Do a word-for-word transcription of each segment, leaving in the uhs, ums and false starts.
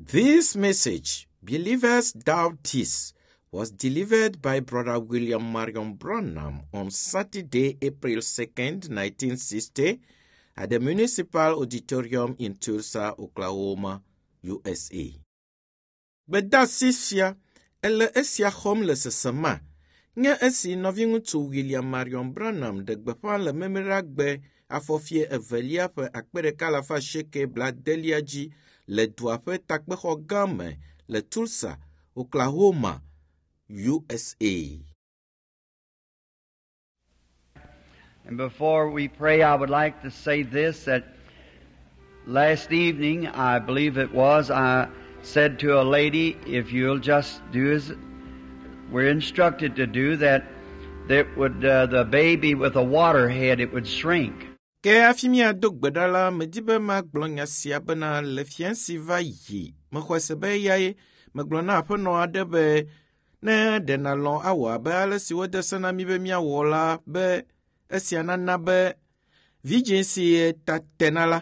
This message, Believers Doubt This, was delivered by Brother William Marion Branham on Saturday, April second, nineteen sixty, at the Municipal Auditorium in Tulsa, Oklahoma, U S A. Gbedasi sia ele esia xɔm le sesema nye esi nɔviŋutsu William Marion Branham ɖe gbeƒã le Memleɖagbe afɔfie evelia ƒe akpe ɖeka alafa asieke bladelia dzi le dua ƒe takpexɔ gã me le Tulsa, Oklahoma, U S A. And before we pray, I would like to say this, that last evening, I believe it was, I said to a lady, if you'll just do as we're instructed to do, that that would uh, the baby with a water head, it would shrink. Ke hafi míado gbe ɖa la, medi be magblɔ nya sia bena le fiẽ si va yi, mexɔe se be eyae megblɔ na aƒenɔ aɖe be ne ɖe nàlɔ̃ awɔ abe ale si wode se na mí be míawɔ la be esia nana be vidzĩ si ta tena la,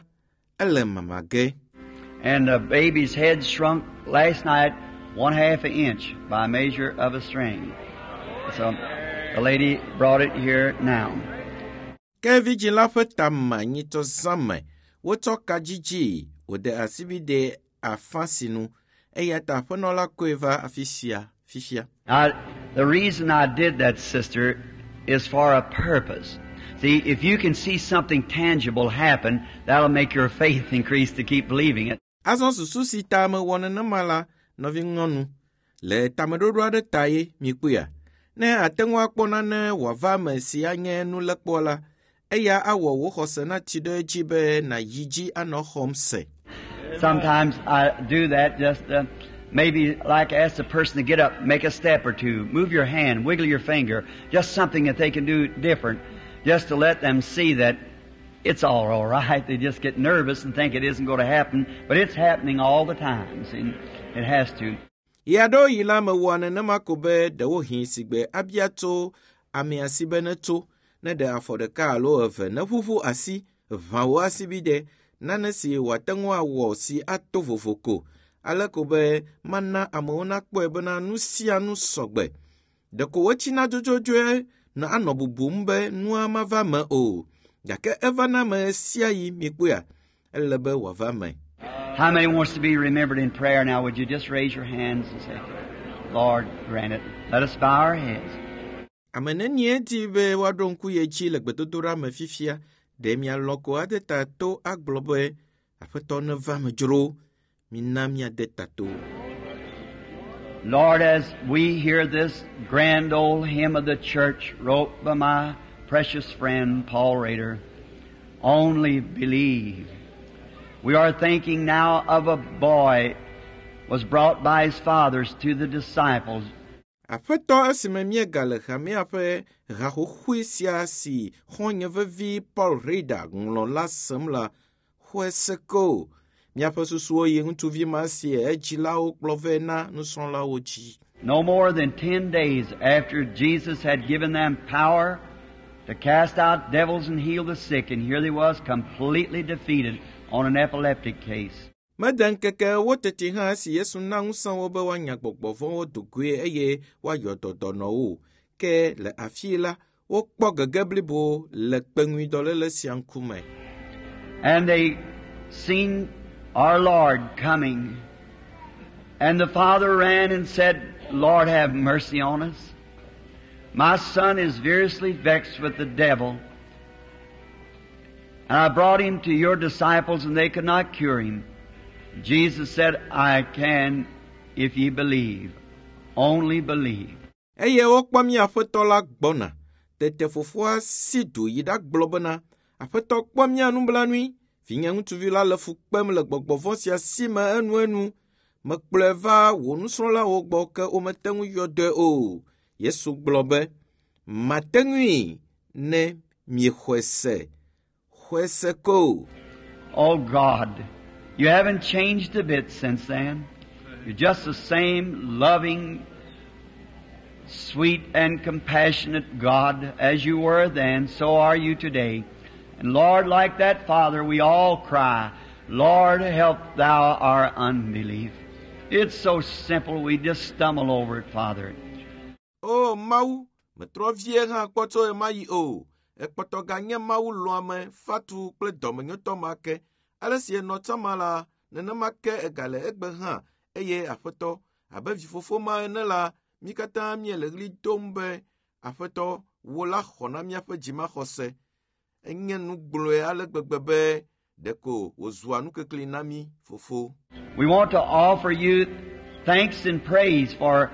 ele mama ge. And the baby's head shrunk last night one half an inch by measure of a string. So the lady brought it here now. Ke vidzĩ la ƒe ta ma nyitsɔ zã me wotsɔ ka dzidzi wòde asibide afã si nu eya ta aƒenɔ la kɔe va afi sia fifia. Now, the reason I did that, sister, is for a purpose. See, if you can see something tangible happen, that'll make your faith increase to keep believing it. Azɔ susu si ta mewɔ nenema la, nɔvinyɔnu, le tameɖoɖo aɖe ta ye mikpɔea. Ne ate ŋu akpɔ nane wòava eme si anye nulekpɔ la, eya awɔ wò xɔse natsi ɖe edzi be nàyi dzi anɔ xɔm se. Sometimes I do that just uh, maybe like ask the person to get up, make a step or two, move your hand, wiggle your finger, just something that they can do different, just to let them see that it's all all right. They just get nervous and think it isn't going to happen, but it's happening all the time. See, it has to. Ɣeaɖewoɣi la mewɔa nenema ko be ɖewohĩ sigbe abia tso amea si be netso ne ɖe afɔ ɖeka alo eve neʋuʋu asi ʋã wò asibide nane si wòate ŋu awɔ si ato vovo ko ale ko be mana amewo nakpɔe bena nu sia nu sɔgbe. Ɖeko wotsina dzodzodzoe na anɔ bubum be nua mava me o gake evana me sia yi mikpɔea ele be wòava me. How many wants to be remembered in prayer now? Would you just raise your hands and say, "Lord, grant it"? Let us bow our heads. Ame nenie di be woaɖo ŋku ye dzi le gbedodoɖa me fifia ɖe mialɔ̃ ko ade ta to agblɔ be aƒetɔ neva me dzro mina míade ta to. Lord, as we hear this grand old hymn of the church wrote by my precious friend Paul Rader, "Only Believe." We are thinking now of a boy was brought by his fathers to the disciples. Aƒetɔ esime míegale hamea ƒe haxoxoe sia si xɔ̃nye vevi Paul Rader ŋlɔ la sem la, xɔe se ko. Míaƒe susuwo yi ŋutsuvi ma si edzilawo kplɔ vɛ na nusrɔ̃lawo dzi. No more than ten days after Jesus had given them power to cast out devils and heal the sick, and here they was completely defeated on an epileptic case. Mede ŋkeke ewo teti hã esi Yesu na ŋusẽ wo be woanya gbɔgbɔ vɔ̃wo do goe eye woayɔ dɔ dɔnɔwo. Ke le afii la, wokpɔ gege blibo le kpeŋuidɔléle sia ŋkume. And they seen our Lord coming. And the father ran and said, "Lord, have mercy on us. My son is variously vexed with the devil. And I brought him to your disciples, and they could not cure him." Jesus said, "I can if ye believe. Only believe." Eye wokpɔ mía aƒetɔ la gbɔna. Tete fofoa si du yi ɖagblɔ bena, Aƒetɔ kpɔ mía nublanui. Vinye ŋutsuvi la le fu kpem le gbɔgbɔ vɔ̃ sia si me enuenu. Mekplɔe va wò nusrɔ̃lawo gbɔ ke womete ŋu yɔ dɔe o. Yesu gblɔ be, mate ŋui ne miexɔe se. Xɔe se ko. Oh God, you haven't changed a bit since then. You're just the same loving, sweet, and compassionate God as you were then, so are you today. And Lord, like that Father, we all cry, "Lord, help thou our unbelief." It's so simple, we just stumble over it, Father. O Mawu, metrɔ vie hã kpɔ tso ɣemaɣi o. Ekpɔtɔ ganye Mawu lɔ̃ame, fatu kple dɔmenyotɔ ma ke. Ale si enɔ tsã ma la, nenema ke egale egbe hã eye Aƒetɔ, abe vifofo ma ene la, mí katã míele ɣli dom be, Aƒetɔ, wò la xɔ na míaƒe dzimaxɔse. Enye nu gblɔe ale gbegbe be ɖeko wòzua nukekli na mí, Fofo. We want to offer you thanks and praise for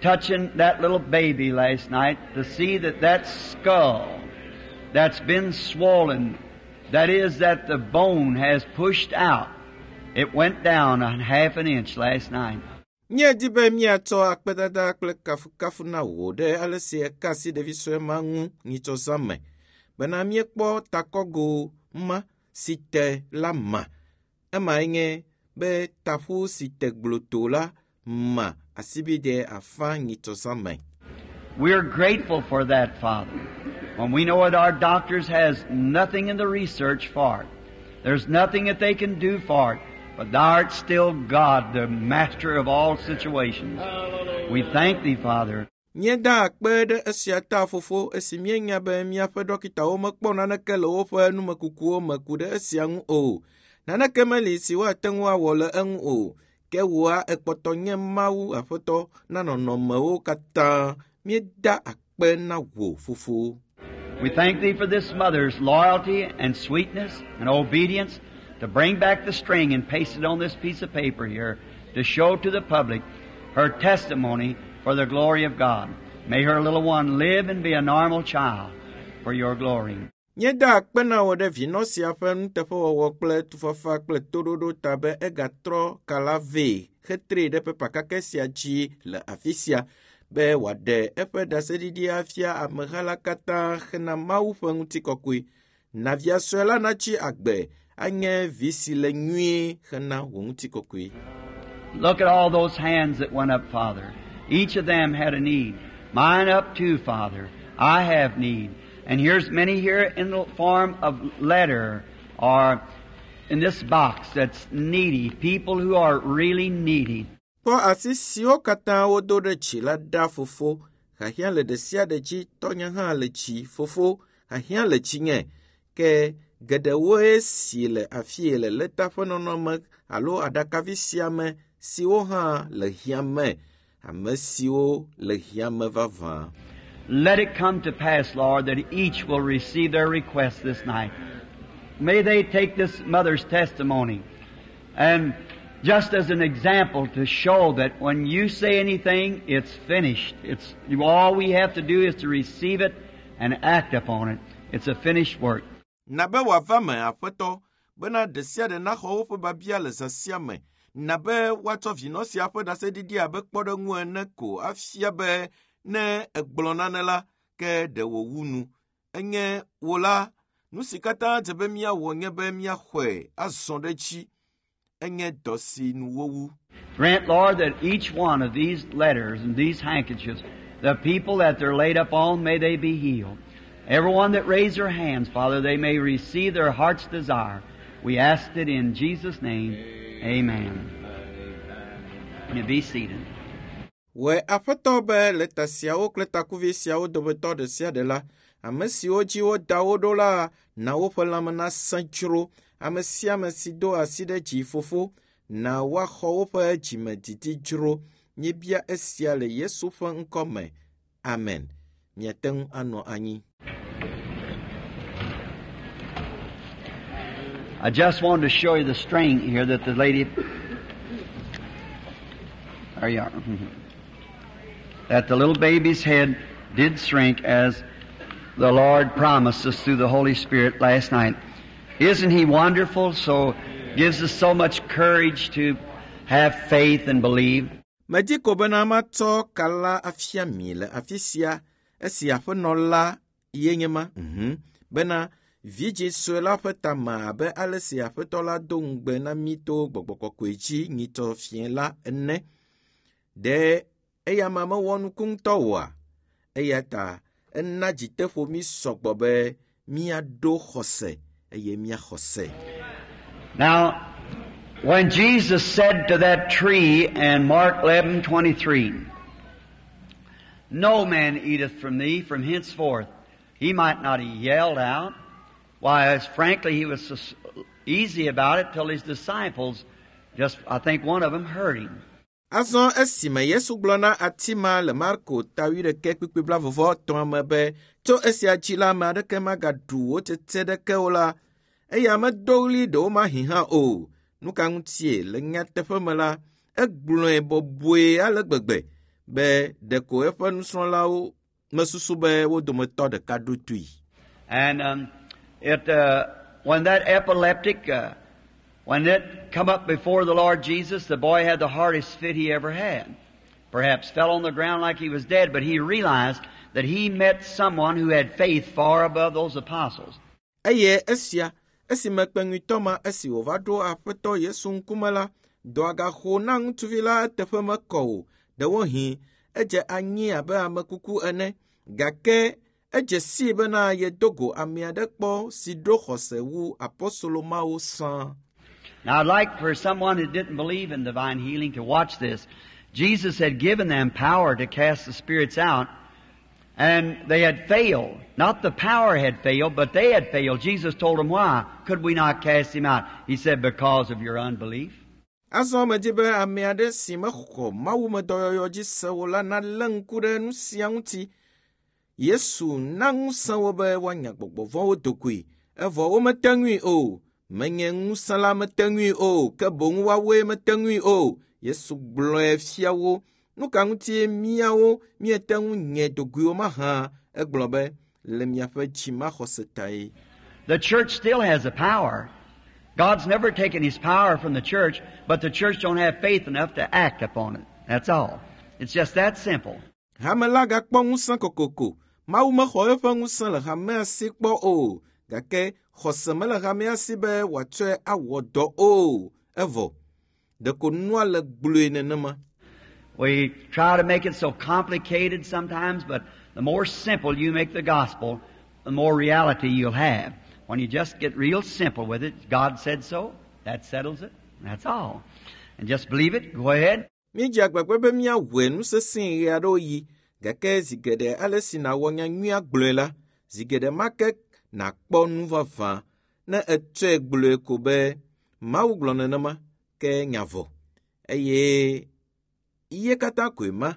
touching that little baby last night to see that that skull that's been swollen, that is, that the bone has pushed out, it went down a half an inch last night. Míedi be míatsɔ akpedada kple kafukafu na wò ɖe ale si eka asi ɖevi sue ma ŋu nyitsɔ zã me bena míekpɔ takɔgo ma si te la ma. Emae nye be taƒu si te gblotoo la ma asibide afã nyitsɔ zã me. We're grateful for that, Father. When we know that our doctors has nothing in the research for it. There's nothing that they can do for it. But Thou art still God, the master of all situations. We thank Thee, Father. Míeda akpe ɖe esia ta, Fofo, esi míenya be míaƒe dɔkitawo mekpɔ naneke le woƒe numekukuwo me ku ɖe esia ŋu o. Naneke meli si woate ŋu awɔ le eŋu o. Ke wòa ekpɔtɔ nye Mawu Aƒetɔ na nɔnɔmewo katã. Míeda akpe na wò, Fofo. We thank Thee for this mother's loyalty and sweetness and obedience to bring back the string and paste it on this piece of paper here to show to the public her testimony for the glory of God. May her little one live and be a normal child for your glory. Míeda akpe na wò ɖe vinɔ sia ƒe nuteƒewɔwɔ kple tufafa kple toɖoɖo ta be egatrɔ ka la vɛ hetree ɖe pepa kakɛ sia dzi le afi sia be wòaɖe eƒe ɖaseɖiɖi afia ameha la katã hena Mawu ƒe ŋutikɔkɔe. Na via sue la natsi agbe anye vi si le nyuie hena wò ŋutikɔkɔe. Look at all those hands that went up, Father. Each of them had a need. Mine up too, Father. I have need. And here's many here in the form of letter or in this box that's needy, people who are really needy. Kpɔ asi siwo katã wodo ɖe dzi la ɖa, Fofo. Hiahiã le ɖe sia ɖe dzi, tɔnye hã le dzi, Fofo. Hiahiã le dzinye. Ke geɖewoe si le afie le lɛta ƒe nɔnɔme alo aɖakavi sia me siwo hã le hiã me. Ame siwo le hiã me vavã. Let it come to pass, Lord, that each will receive their request this night. May they take this mother's testimony and just as an example to show that when you say anything, it's finished. It's all we have to do is to receive it and act upon it. It's a finished work. Na be wòava me, Aƒetɔ, bena ɖe sia ɖe naxɔ woƒe biabia le zã sia me. Na be woatsɔ vinɔ sia ƒe ɖaseɖiɖi abe kpɔɖeŋu ene ko afia be ne egblɔ nane la, ke ɖe wòwu nu. Enye wò la, nu si katã dze be míawɔ nye be míaxɔe azɔ ɖe edzi. Enye dɔ si nu wowu. Grant, Lord, that each one of these letters and these handkerchiefs, the people that they're laid up on, may they be healed. Everyone that raised their hands, Father, they may receive their heart's desire. We ask it in Jesus' name. Amen. You be seated. Wɔ Aƒetɔ be lɛta siawo kple takuvi siawo dometɔ ɖe sia ɖe la, ame siwo dzi woda wo ɖo la, na woƒe lãme nasẽ dzro. Ame sia ame si do asi ɖe dzi, Fofo, na woaxɔ woƒe dzimedidi dzro. Míebia esia le Yesu ƒe ŋkɔ me. Amen. Miate ŋu anɔ anyi. I just wanted to show you the string here that the lady... There you are. That the little baby's head did shrink as the Lord promised us through the Holy Spirit last night. Isn't He wonderful? So gives us so much courage to have faith and believe. Medi ko bena matsɔ ka la afia mi le afi sia esi aƒenɔ la ye nye ma. Mhm. Bena vidzĩ sue la ƒe tame abe ale si aƒetɔ la do ŋugbe na mí to gbɔgbɔ kɔkɔe dzi nyitsɔ fiẽ la ene. Ɖe eya ma mewɔ nuku ŋutɔ oa? Eya ta ena dziteƒo mí sɔgbɔ be míaɖo xɔse eye míaxɔ se. Now, When Jesus said to that tree in Mark eleven twenty-three, No man eateth from thee from henceforth, he might not have yelled out. Why, as frankly, he was so easy about it till his disciples, just, I think one of them heard him. Azɔ esime Yesu gblɔ na ati ma le Marko ta wuiɖekɛ kpukpui blaeve etɔ̃ me be tso esia dzi la ame aɖeke magaɖu wò tsetse ɖeke o la, eya medo ɣli ɖewomahi hã o. Nu ka ŋutie le nyateƒe me la, egblɔe bɔbɔe ale gbegbe be ɖeko eƒe nusrɔ̃lawo mesusu be wo dometɔ ɖeka ɖo toe. And um, it, uh, when that epileptic, uh, when it come up before the Lord Jesus, the boy had the hardest fit he ever had. Perhaps fell on the ground like he was dead, but he realized that he met someone who had faith far above those apostles. Eye esia, esime kpeŋuitɔ ma esi wòva ɖo Aƒetɔ Yesu ŋkume la, dɔa gaxo na ŋutsuvi la eteƒe mekɔ o. Ɖewohĩ edze anyi abe ame kuku ene, gake edze sii bena yedo go ame aɖe kpɔ si ɖo xɔse wu apostolo mawo sã. Now I'd like for someone who didn't believe in divine healing to watch this. Jesus had given them power to cast the spirits out, and they had failed. Not the power had failed, but they had failed. Jesus told them why. Could we not cast him out? He said, because of your unbelief. Azɔ medzi be ame aɖe si mexɔ mawumedɔyɔyɔ dzi se o la nalé ŋku ɖe nu sia ŋuti. Yesu na ŋusẽ wo be woanya gbɔgbɔ vɔ̃wo dogoe, evɔ womete ŋui o. Menye ŋusẽ la mete ŋui o, ke boŋ woawoe mete ŋui o. Yesu gblɔe fia wo. Nu ka ŋutie míawo míete ŋu nye dogoe o mahã? Egblɔ be, le miaƒe dzimaxɔse tae. The church still has the power. God's never taken His power from the church, but the church don't have faith enough to act upon it. That's all. It's just that simple. Hame la gakpɔ ŋusẽ kokoko. Mawu mexɔ eƒe ŋusẽ le hamea si kpɔ o, gake xɔse mele hamea si be wòatsɔe awɔ dɔ o. Evɔ, ɖeko nua le gblɔe nenema. We try to make it so complicated sometimes, but the more simple you make the gospel, the more reality you'll have. When you just get real simple with it, God said so, that settles it, that's all. And just believe it, go ahead. Míedze agbagba be míawɔe nu sesẽ ɣe aɖewo yi, gake zi geɖe ale si nàwɔ nyanyuia gblɔe la, zi geɖe ma ke nàkpɔ nu vavã ne ètsɔe gblɔe ko be Mawu gblɔ nenema, ke nya vɔ. Eye iye katã koe ma,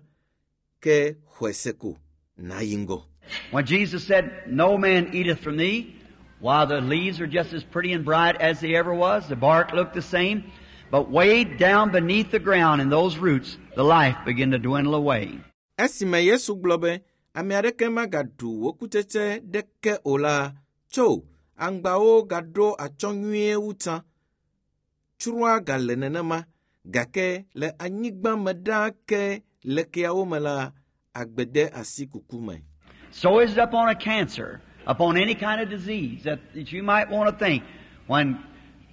ke xɔe se ko nàyi ŋgɔ. When Jesus said, No man eateth from thee, while the leaves are just as pretty and bright as they ever was, the bark looked the same, but way down beneath the ground in those roots, the life began to dwindle away. Esime Yesu gblɔ be, ame aɖeke magaɖu wò kutsetse ɖeke o la, tso aŋgbawo gaɖo atsyɔ̃ nyuie wu tsã. Tsroa gale nenema, gake le anyigba me ɖaa ke le keawo me la, agbe de asi kuku me. So is it upon a cancer, upon any kind of disease that, that you might want to think. When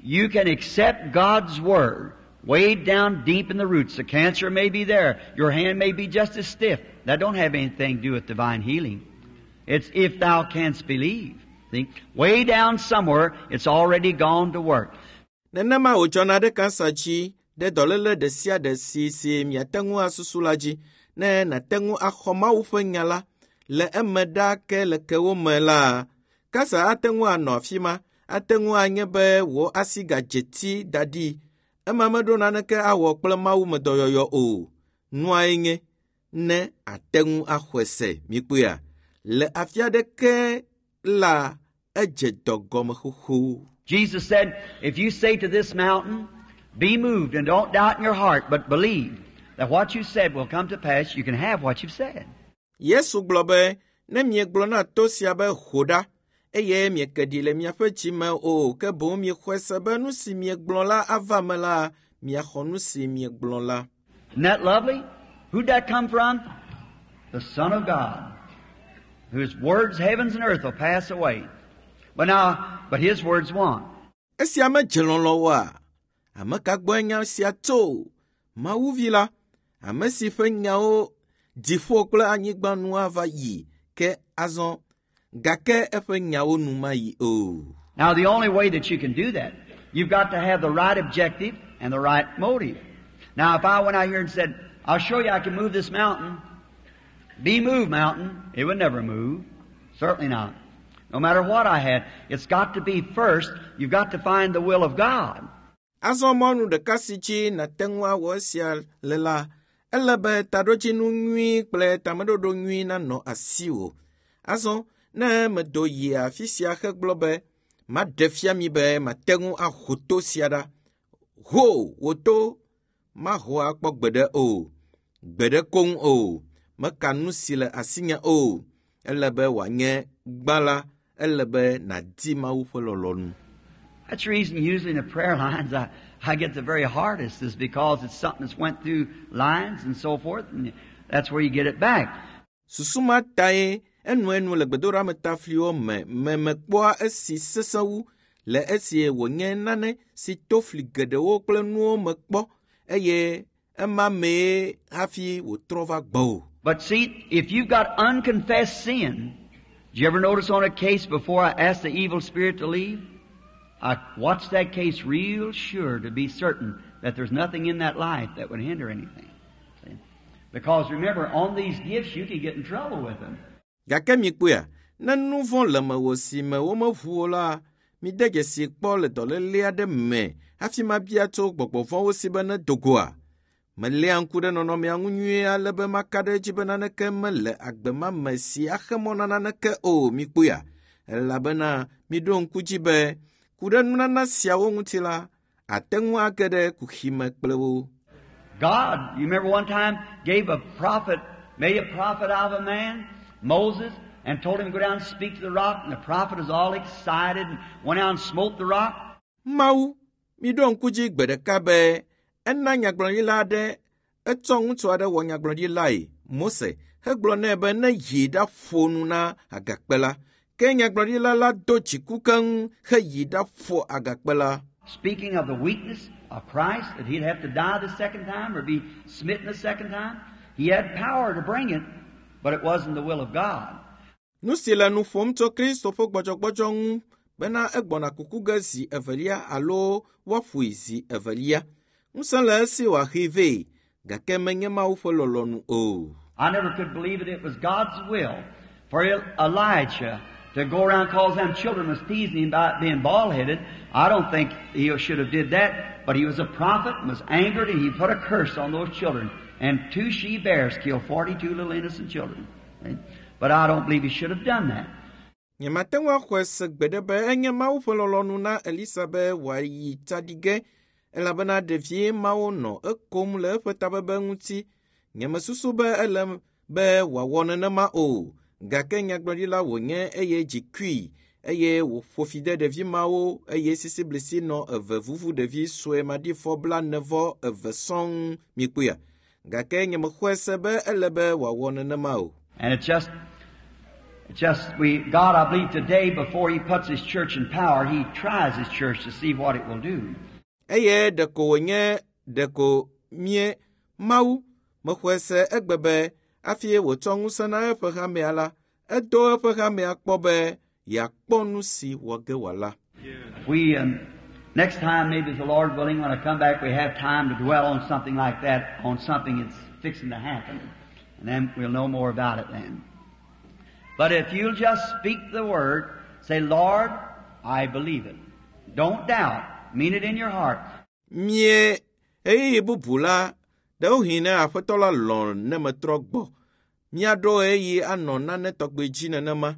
you can accept God's Word, way down deep in the roots, the cancer may be there, your hand may be just as stiff. That don't have anything to do with divine healing. It's if thou canst believe. See? Way down somewhere, it's already gone to work. Nenema wòdzɔna ɖe kansa dzi ɖe dɔléle ɖe sia ɖe si si miate ŋu asusu la dzi ne nàte ŋu axɔ Mawu ƒe nya la le eme ɖaa ke le kewo me la, kansa ate ŋu anɔ afi ma, ate ŋu anye be wò asi gadze ti da ɖi. Ema meɖo naneke awɔ kple mawumedɔyɔyɔ o. Nuae nye ne ate ŋu axɔe se mikpɔea. Le afi aɖeke la, edze dɔ gɔme xoxo. Jesus said, if you say to this mountain, be moved and don't doubt in your heart, but believe that what you said will come to pass, you can have what you've said. Yesu gblɔ be, ne miegblɔ na to sia be ho ɖa, eye mieke ɖi le miaƒe dzi me o, ke boŋ miexɔe se be nu si miegblɔ la ava me la, miaxɔ nu si miegblɔ la. Isn't that lovely? Who'd that come from? The Son of God, whose words heavens and earth will pass away. But now, but His words won't. Esia medze lɔlɔ̃ oa? Ame ka gbɔe nya sia tso? Mawu vi la, ame si ƒe nyawo dziƒo kple anyigba nu ava yi, ke azɔ gake eƒe nyawo nu mayi o. Now, the only way that you can do that, you've got to have the right objective, and the right motive. Now, if I went out here and said, I'll show you I can move this mountain, be moved, mountain, it would never move. Certainly not. No matter what I had, it's got to be first, you've got to find the will of God. Azɔ mɔnu ɖeka si dzi nàte ŋu awɔ esia le la, ele be taɖodzinu nyui kple tameɖoɖo nyui nanɔ asiwò. Azɔ ne medo yi afi sia hegblɔ be maɖe fia mi be mate ŋu aho to sia ɖa. Ho wò to maho akpɔ gbeɖe o, gbeɖe koŋ o, meka nu si le asinye o. Ele be wòanye gbã la, ele be nàdi Mawu ƒe lɔlɔ̃nu. That's the reason usually in the prayer lines I, I get the very hardest is because it's something that's went through lines and so forth, and that's where you get it back. Susu ma tae enuenu le gbedoɖametafliwo me me mekpɔa esi sesẽ wu le esi wònye nane si to fli geɖewo kple nuwo me kpɔ eye ema mee hafi wòtrɔ va gbɔwò. But see, if you've got unconfessed sin, did you ever notice on a case before I asked the evil spirit to leave? I watched that case real sure to be certain that there's nothing in that life that would hinder anything. See? Because remember, on these gifts, you can get in trouble with them. Gake mikpɔea, ne nu vɔ̃ le mewò si me womeʋu o la, mide dzesi kpɔ le dɔléle aɖe me hafi mabia tso gbɔgbɔ vɔ̃wo si be ne do goa. Meléa ŋku ɖe nɔnɔmea ŋu nyuie ale be maka ɖe edzi be naneke mele agbe ma me si axe mɔ na naneke o mikpɔea. Elabena miɖo ŋku dzi be ku ɖe nunana siawo ŋuti la, ate ŋu age ɖe kuxi me kple wo. God, you remember one time, gave a prophet, made a prophet out of a man, Moses, and told him to go down and speak to the rock, and the prophet was all excited and went out and smote the rock. Mawu, miɖo ŋku dzi gbe ɖeka be ena nyagblɔɖila aɖe etsɔ ŋutsu aɖe wɔ nyagblɔɖilae, Mose, hegblɔ nɛ be ne yi ɖaƒo nu na agakpe la. Ke nyagblɔɖila la do dziku keŋ heyi ɖaƒo agakpe la. Speaking of the weakness of Christ, that he'd have to die the second time or be smitten the second time, he had power to bring it, but it wasn't the will of God. Nu si le nu ƒom tso Kristo ƒe gbɔdzɔgbɔdzɔ ŋu bena egbɔna kuku ge zi evelia alo woaƒoe zi evelia. Ŋusẽ le esi wòaxee vɛ, gake menye Mawu ƒe lɔlɔ̃nu o. I never could believe that it was God's will for Elijah to go around cause them children was teasing him about being bald-headed. I don't think he should have did that, but he was a prophet and was angered, and he put a curse on those children. And two she-bears killed forty-two little innocent children. But I don't believe he should have done that. Nyemate ŋu axɔe se gbeɖe be enye Mawu ƒe lɔlɔ̃nu na Elisa be wòayi tsaɖi elabena ɖevi mawo nɔ ekom le eƒe tabebe ŋuti. Nyemesusu be ele be wòawɔ nenema o. Gake nyagblɔɖila wònye eye dzi kui eye wòƒo fi de ɖevi mawo eye sisiblisi nɔ eve vuvu ɖevi sue maɖifɔ blaene-vɔ eve sɔŋ mikpɔea. Gake nyemexɔe se be ele be wòawɔ nenema o. And it's just, it's just we, God, I believe today, before He puts His church in power, He tries His church to see what it will do. Eye ɖeko wònye ɖeko mie Mawu mexɔe se egbe be hafi wòtsɔ ŋusẽ na eƒe hamea la, edo eƒe hamea kpɔ be yeakpɔ nu si wɔ ge wòala. We, um, next time, maybe the Lord willing, when I come back, we have time to dwell on something like that, on something that's fixing to happen. And then we'll know more about it then. But if you'll just speak the word, say, Lord, I believe it. Don't doubt. Mean it in your heart. Mie ɣeyiɣi bubu la, ɖewohĩ ne Aƒetɔ la lɔ̃ ne metrɔ gbɔ, míaɖo ɣeyiɣi anɔ nane tɔgbi dzi nenema,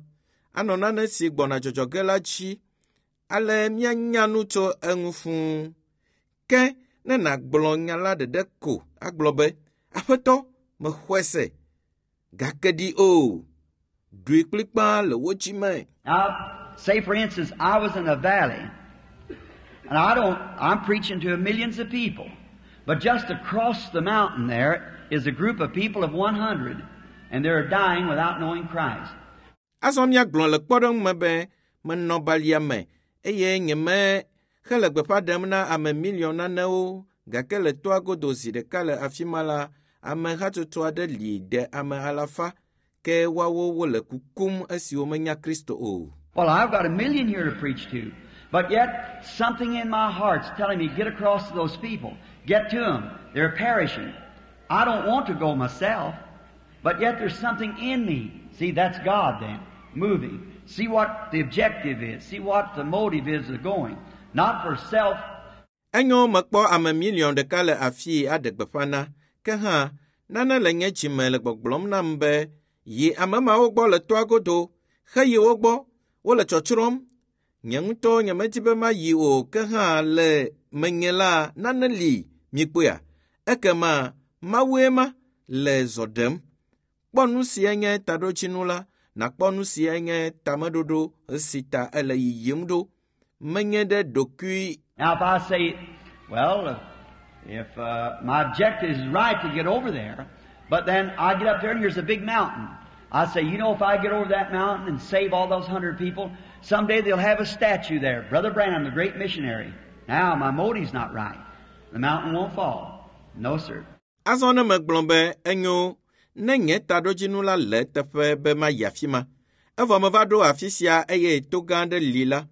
anɔ nane si gbɔna dzɔdzɔ ge la dzi, ale míanya nu tso eŋu fũu. Ke ne nàgblɔ nya la ɖeɖe ko agblɔ be, Aƒetɔ, mexɔe se, gake ɖi o, ɖoe kplikpaa le wò dzi me. Now, say for instance, I was in a valley, and I don't, I'm preaching to millions of people, but just across the mountain there is a group of people of one hundred, and they're dying without knowing Christ. Azɔ míagblɔ le kpɔɖeŋu me be menɔ balia me eye nyeme hele gbeƒã ɖem na ame miliɔn nanewo gake le toa godo zi ɖeka le afi ma la, ame hatsotso aɖe li de ame alafa ke woawo wole kukum esi womenya Kristo o. Well, I've got a million here to preach to, But yet, something in my heart's telling me, get across to those people. Get to them. They're perishing. I don't want to go myself, but yet there's something in me. See, that's God then, moving. See what the objective is. See what the motive is of going. Not for self. Enyo mekpɔ ame miliɔn ɖeka le afii aɖe gbeƒã na, ke hã, nane le nye dzime le gbɔgblɔm nam be, yi ame mawo gbɔ le toa godo, heyi wo gbɔ, wole tsɔtsrɔ̃m. Nye ŋutɔ nyemedi be mayi o, ke hã le menye la, nane li, mikpɔea? Ekema Mawue ma le zɔ ɖem. Kpɔ nu sie nye taɖodzinu la, nakpɔ nu sie nye tameɖoɖo si ta ele yiyim ɖo. Menye ɖe ɖokui Now, if I say, well, if uh, my objective is right to get over there, but then I get up there and here's a big mountain. I say, you know, if I get over that mountain and save all those hundred people, someday they'll have a statue there. Brother Branham, the great missionary. Now, my motive's not right. The mountain won't fall. No, sir. Azɔ ne megblɔ be enyo ne nye taɖodzinu la le eteƒe be mayi afi ma, evɔ meva ɖo afi sia eye to gã aɖe li la,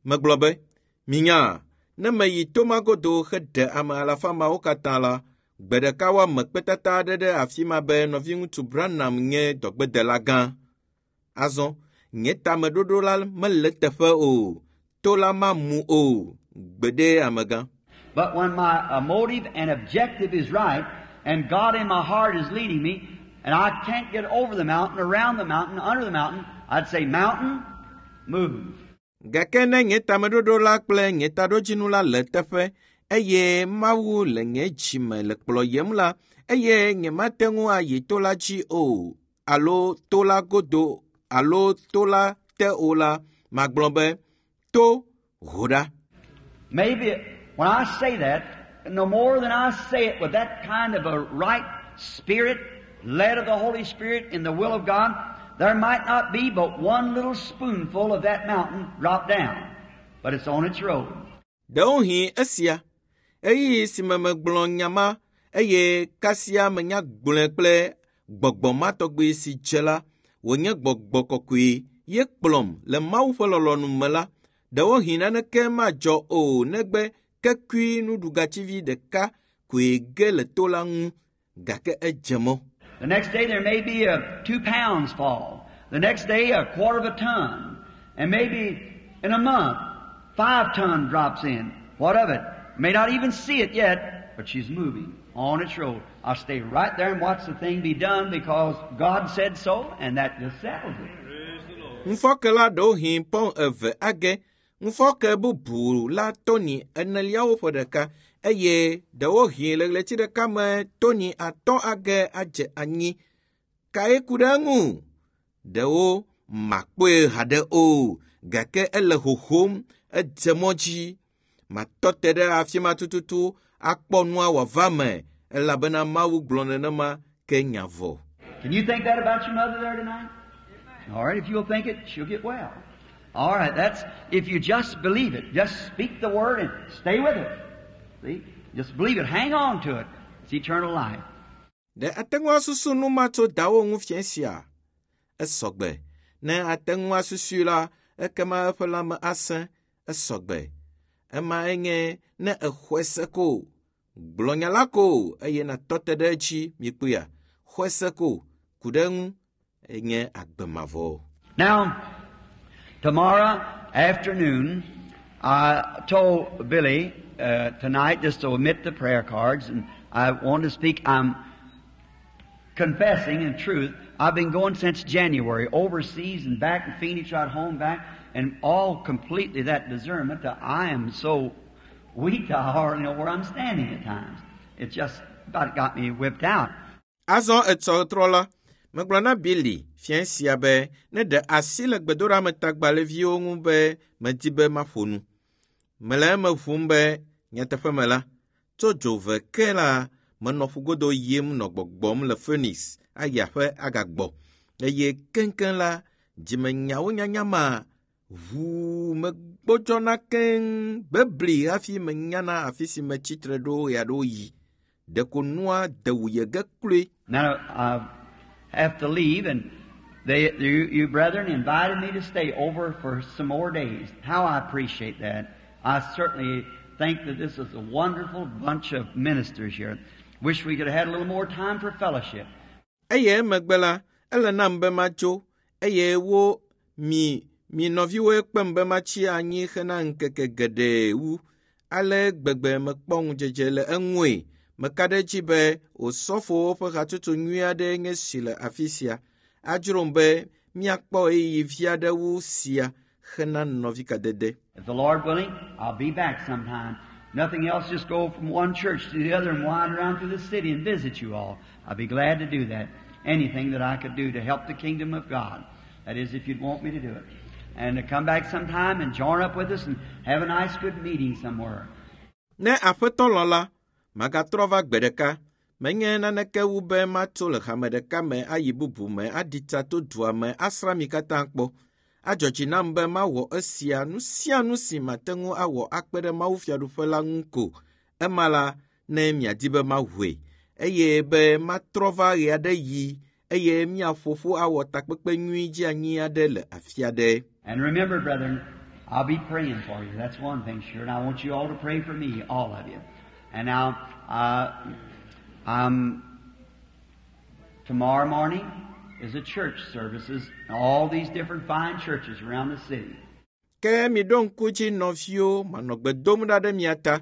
megblɔ be, minya, ne meyi to ma godo heɖe ame alafa mawo katã la, gbe ɖeka woame kpetata aɖe ɖe afi ma be nɔviŋutsu Branham nye dɔgbedela gã. Azɔ, nye tameɖoɖo la mele eteƒe o, to la mamu o, gbeɖe amegã. But when my uh, motive and objective is right, and God in my heart is leading me, and I can't get over the mountain, around the mountain, under the mountain, I'd say, mountain, move. Gake ne nye tameɖoɖo la kple nye taɖodzinu la le teƒe eye Mawu le nye dzime le kplɔyem la, eye nyemate ŋu ayi to la dzi o, alo to la godo alo to la te o la, magblɔ be, to ho ɖa. Maybe when I say that, no more than I say it with that kind of a right spirit, led of the Holy Spirit in the will of God, there might not be but one little spoonful of that mountain drop down. But it's on its road. Ɖewohĩ esia, ɣeyiɣi si me megblɔ nya ma eye kasia menya gblɔe kple gbɔgbɔ ma tɔgbi si dze la, wònye gbɔgbɔ kɔkɔe ye kplɔm le Mawu ƒe lɔlɔ̃nu me la, ɖewohĩ naneke madzɔ o negbe kekui nuɖugatsivi ɖeka koe ge le to la ŋu gake edze mɔ. The next day there may be a two pounds fall. The next day a quarter of a ton. And maybe in a month, five ton drops in. What of it? May not even see it yet, but she's moving on its road. I'll stay right there and watch the thing be done because God said so, and that just settles it. Ŋufɔke la ɖewohĩ pɔn eve age, ŋufɔke bubu la tɔni eneliawo ƒe ɖeka eye ɖewohĩ le ɣleti ɖeka me tɔni atɔ̃ age adze anyi. Kae ku ɖe eŋu? Ɖewo makpɔe haɖe o, gake ele hohom, edze mɔ dzi. Matɔ te ɖe afi ma tututu akpɔ nua wòava me elabena Mawu gblɔ nenema ke nya vɔ. Can you think that about your mother there tonight? All right, if you'll think it, she'll get well. All right, that's if you just believe it. Just speak the word and stay with it. See? Just believe it. Hang on to it. It's eternal life. Ɖe ate ŋu asusu nu ma tso dawo ŋu fiẽ sia? Esɔgbe. Ne ate ŋu asusui la, ekema eƒe lãme asẽ. Esɔgbe. Ema enye ne exɔe se ko. Gblɔ nya la ko eye nàtɔ te ɖe edzi mikpɔea. Xɔe se ko ku ɖe eŋu enye agbe mavɔ. Now, tomorrow afternoon, I told Billy uh, tonight just to omit the prayer cards, and I want to speak. I'm confessing in truth. I've been going since January, overseas and back in Phoenix, right home, back, and all completely that discernment that I am so weak I hardly know where I'm standing at times. It just about got me whipped out. Azɔ etsɔ trɔ la, megblɔ na Billy fiẽ sia be ne ɖe asi le gbedoɖametagbalẽviwo ŋu be medi be maƒo nu. Mele eme ʋum be nyateƒe me la, tso dzove ke la, menɔ ƒugodo yim nɔ gbɔgbɔm le Phoenix ayi aƒe agagbɔ eye keŋkeŋ la, dzimenyawo nyanya ma ʋuu megbɔdzɔna keŋ bebli hafi menyana afi si metsitre ɖo ɣeaɖewoɣi. Ɖeko nua de wuye ge kloe. Now I have to leave, and They, you, you brethren invited me to stay over for some more days. How I appreciate that. I certainly think that this is a wonderful bunch of ministers here. Wish we could have had a little more time for fellowship. Eye emegbe la, ele nam be matso eye wo mi mi nɔviwoe kpem be matsi anyi hena ŋkeke geɖe wu. Ale gbegbe mekpɔ ŋudzedze le eŋue. Meka ɖe edzi be osɔfowo ƒe hatsotso nyui aɖee nye si le afi sia. Adzrom be míakpɔ ɣeyiɣi vi aɖe wu sia hena nɔvikadede. If the Lord willing, I'll be back sometime. Nothing else, just go from one church to the other and wind around through the city and visit you all. I'd be glad to do that. Anything that I could do to help the kingdom of God. That is, if you'd want me to do it. And to come back sometime and join up with us and have a nice good meeting somewhere. Ne aƒetɔ lɔ̃ la, magatrɔ va gbe ɖeka. Menye naneke wu be matso le hame ɖeka me ayi bubu me aɖi tsa to dua me asrã mi katã kpɔ. Adzɔ dzi nam be mawɔ esia nu sia nu si mate ŋu awɔ akpe ɖe Mawu fiaɖuƒe la ŋu ko. Ema la, ne miadi be mawɔe eye be matrɔ va ɣe aɖe yi eye míaƒo ƒu awɔ takpekpe nyui dzeanyi aɖe le afi aɖe. And remember, brethren, I'll be praying for you. That's one thing sure. And I want you all to pray for me, all of you. And now, uh, um, tomorrow morning is a church services, all these different fine churches around the city. Ke miɖo ŋku dzi nɔviwo manɔ gbe dom ɖa ɖe mia ta.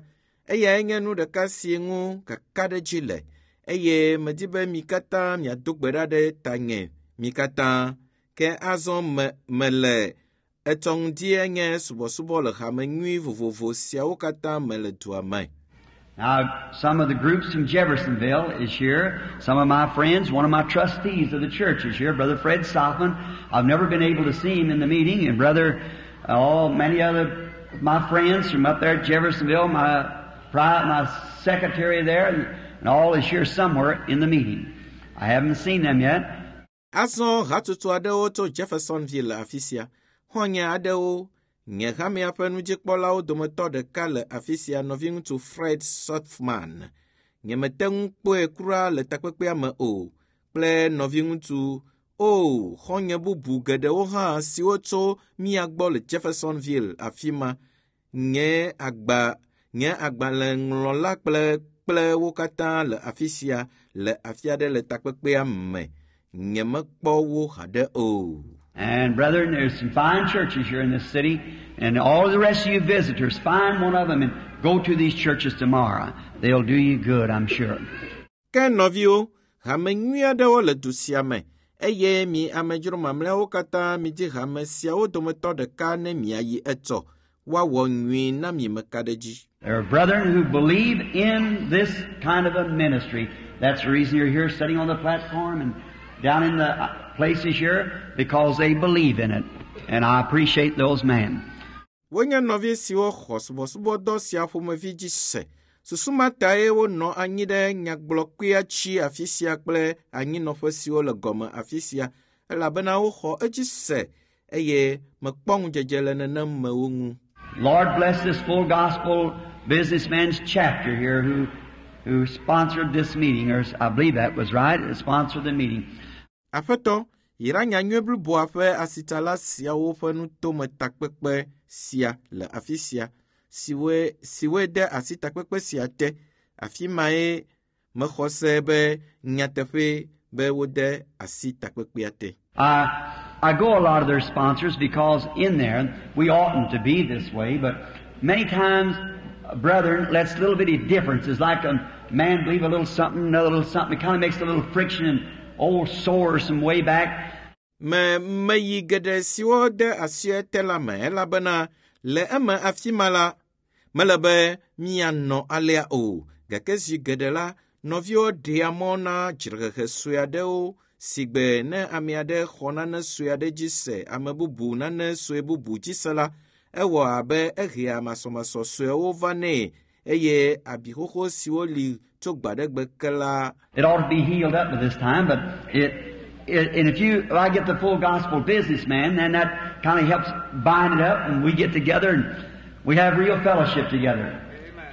Eyae nye nu ɖeka si ŋu kakaɖedzi le eye medi be mi katã miado gbe ɖa ɖe tanye mi katã. Ke azɔ me mele etsɔ ŋdi nye subɔsubɔ le hame nyui vovovo siawo katã me le dua me. Now, some of the groups from Jeffersonville is here. Some of my friends, one of my trustees of the church is here, Brother Fred Sothmann. I've never been able to see him in the meeting, and Brother, oh, many other my friends from up there at Jeffersonville, my pri- my secretary there, and, and all is here somewhere in the meeting. I haven't seen them yet. Azɔ hatsotso aɖewo tso Jeffersonville le afi sia. Xɔ̃nye aɖewo, nye hamea ƒe nudzikpɔlawo dometɔ ɖeka le afi sia, nɔviŋutsu Fred Sothmann. Nyemete ŋu kpɔe kura le takpekpea me o kple nɔviŋutsu o xɔ̃nye bubu geɖewo hã siwo tso mía gbɔ le Jeffersonville afi ma. Nye agba nye agbalẽŋlɔla kple kple wo katã le afi sia le afi aɖe le takpekpea me. Nyemekpɔ wo haɖe o. And brethren, there's some fine churches here in this city, and all the rest of you visitors, find one of them and go to these churches tomorrow. They'll do you good, I'm sure. Ke nɔviwo, hame nyui aɖewo le du sia me eye mi amedzro mamlɛawo katã midi hame siawo dometɔ ɖeka ne miayi etsɔ. Woawɔ nyui na mi meka ɖe dzi. There are brethren who believe in this kind of a ministry. That's the reason you're here sitting on the platform and down in the uh, places here, because they believe in it. And I appreciate those men. Wonye nɔvi siwo xɔ subɔsubɔdɔ sia ƒomevi dzi se. Susu ma tae wonɔ anyi ɖe nyagblɔkpea tsi afi sia kple anyinɔƒe siwo le gɔme afi sia elabena woxɔ edzi se eye mekpɔ ŋudzedze le nenem mewo ŋu. Lord bless this full gospel businessman's chapter here who, who sponsored this meeting, or I believe that was right, sponsored the meeting. Aƒetɔ, yra nyanyui bliboa ƒe asitsala siawo ƒe nutome takpekpe sia le afi sia, siwoe siwoe de asi takpekpe sia te. Afi mae mexɔ se be nyateƒe be wode asi takpekpea te. I, I go a lot of their sponsors because in there, we oughtn't to be this way, but many times, brethren, lets little bitty differences, like a man believe a little something, another little something, it kind of makes a little friction and old sores from way back. Me meyi geɖe siwo de asi ete la me elabena le eme afi ma la, mele be míanɔ alea o. Gake zi geɖe la, nɔviwo ɖea mɔ na dzrehehe sue aɖewo si gbe ne ame aɖe xɔ nane sue aɖe dzi se, ame bubu nane sue bubu dzi se la, ewɔ abe ehea masɔmasɔ suewo va nɛ eye abi xoxo siwo li tso gbaɖegbe ke la It ought to be healed up by this time, but it, it and if you, if I get the full gospel businessman, then that kind of helps bind it up, and we get together and we have real fellowship together.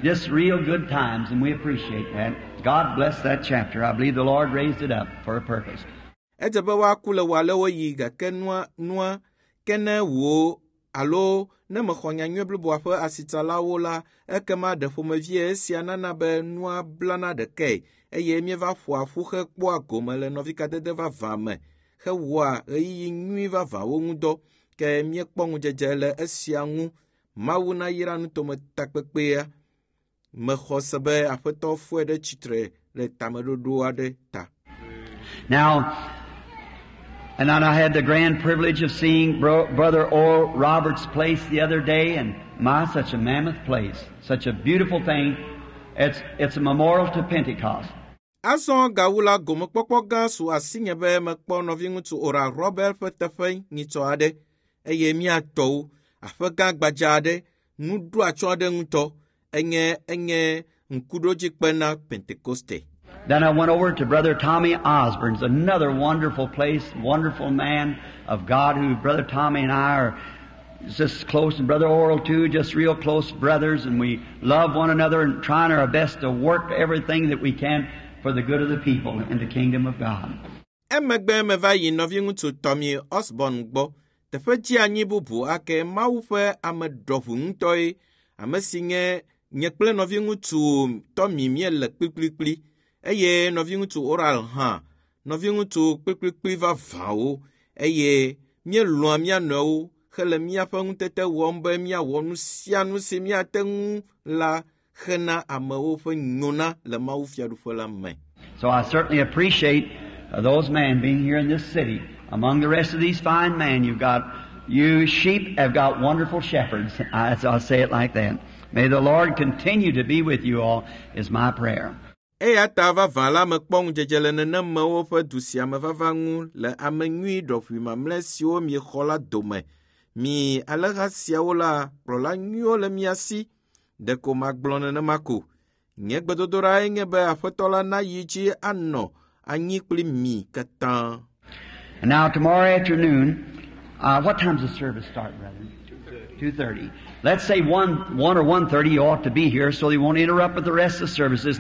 Just real good times, and we appreciate that. God bless that chapter. I believe the Lord raised it up for a purpose. Edze be woaku le ɣealewoɣi gake nua nua ke ne wò alo ne mexɔ nyanyui bliboa ƒe asitsalawo la, ekema ɖe ƒomevie esia nana be nua blana ɖekae eye míeva ƒoa ƒu hekpɔa gome le nɔvikadede vavã me hewɔa ɣeyiɣi nyui vavãwo ŋu dɔ. Ke míekpɔ ŋudzedze le esia ŋu. Mawu nayra nutometakpekpea. Mexɔ se be Aƒetɔ fɔe ɖe tsitre le tameɖoɖo aɖe ta. Now, and then I had the grand privilege of seeing Bro- Brother Oral Roberts' place the other day, and my, such a mammoth place, such a beautiful thing. It's, it's a memorial to Pentecost. Azɔ gawu la gomekpɔkpɔ gã su asinye be mekpɔ nɔviŋutsu Oral Robert ƒe teƒe nyitsɔ aɖe eye míatɔwo aƒe gã gbadza aɖe nuɖo atsyɔ̃ aɖe ŋutɔ enye enye ŋkuɖodzikpe na Pentekoste. Then I went over to Brother Tommy Osborne's, another wonderful place, wonderful man of God who Brother Tommy and I are just close, and Brother Oral too, just real close brothers, and we love one another and trying our best to work everything that we can for the good of the people in the kingdom of God. Emegbe meva yi nɔviŋutsu Tommy Osborne gbɔ. Teƒe dzeanyi bubu ake Mawu ƒe ame ɖɔʋu ŋutɔe, ame si nye nye kple nɔviŋutsu Tommy míele kplikplikpli eye nɔviŋutsu Oral hã, nɔviŋutsu kplikplikpli vavãwo eye míelɔ̃a mía nɔewo hele míaƒe ŋutete wɔm be míawɔ nu sia nu si míate ŋu la hena amewo ƒe nyona le Mawu fiaɖuƒe la me. So I certainly appreciate uh, those men being here in this city. Among the rest of these fine men, you've got, you sheep have got wonderful shepherds. I, I'll say it like that. May the Lord continue to be with you all is my prayer. Eya ta vavã la mekpɔ ŋudzedze le nenemewo ƒe du sia me vava ŋu le ame nyui ɖɔʋui mamlɛ siwo miexɔ la dome. Mi alẽha siawo la, kplɔla nyuiwo le mia si. Ɖeko magblɔ nenema ko. Nye gbedodoɖae nye be Aƒetɔ la nayi dzi anɔ anyi kpli mi katã. And now tomorrow afternoon, uh, what time's the service start, brethren? Two thirty. Let's say one, one or one thirty. You ought to be here so they won't interrupt with the rest of the services.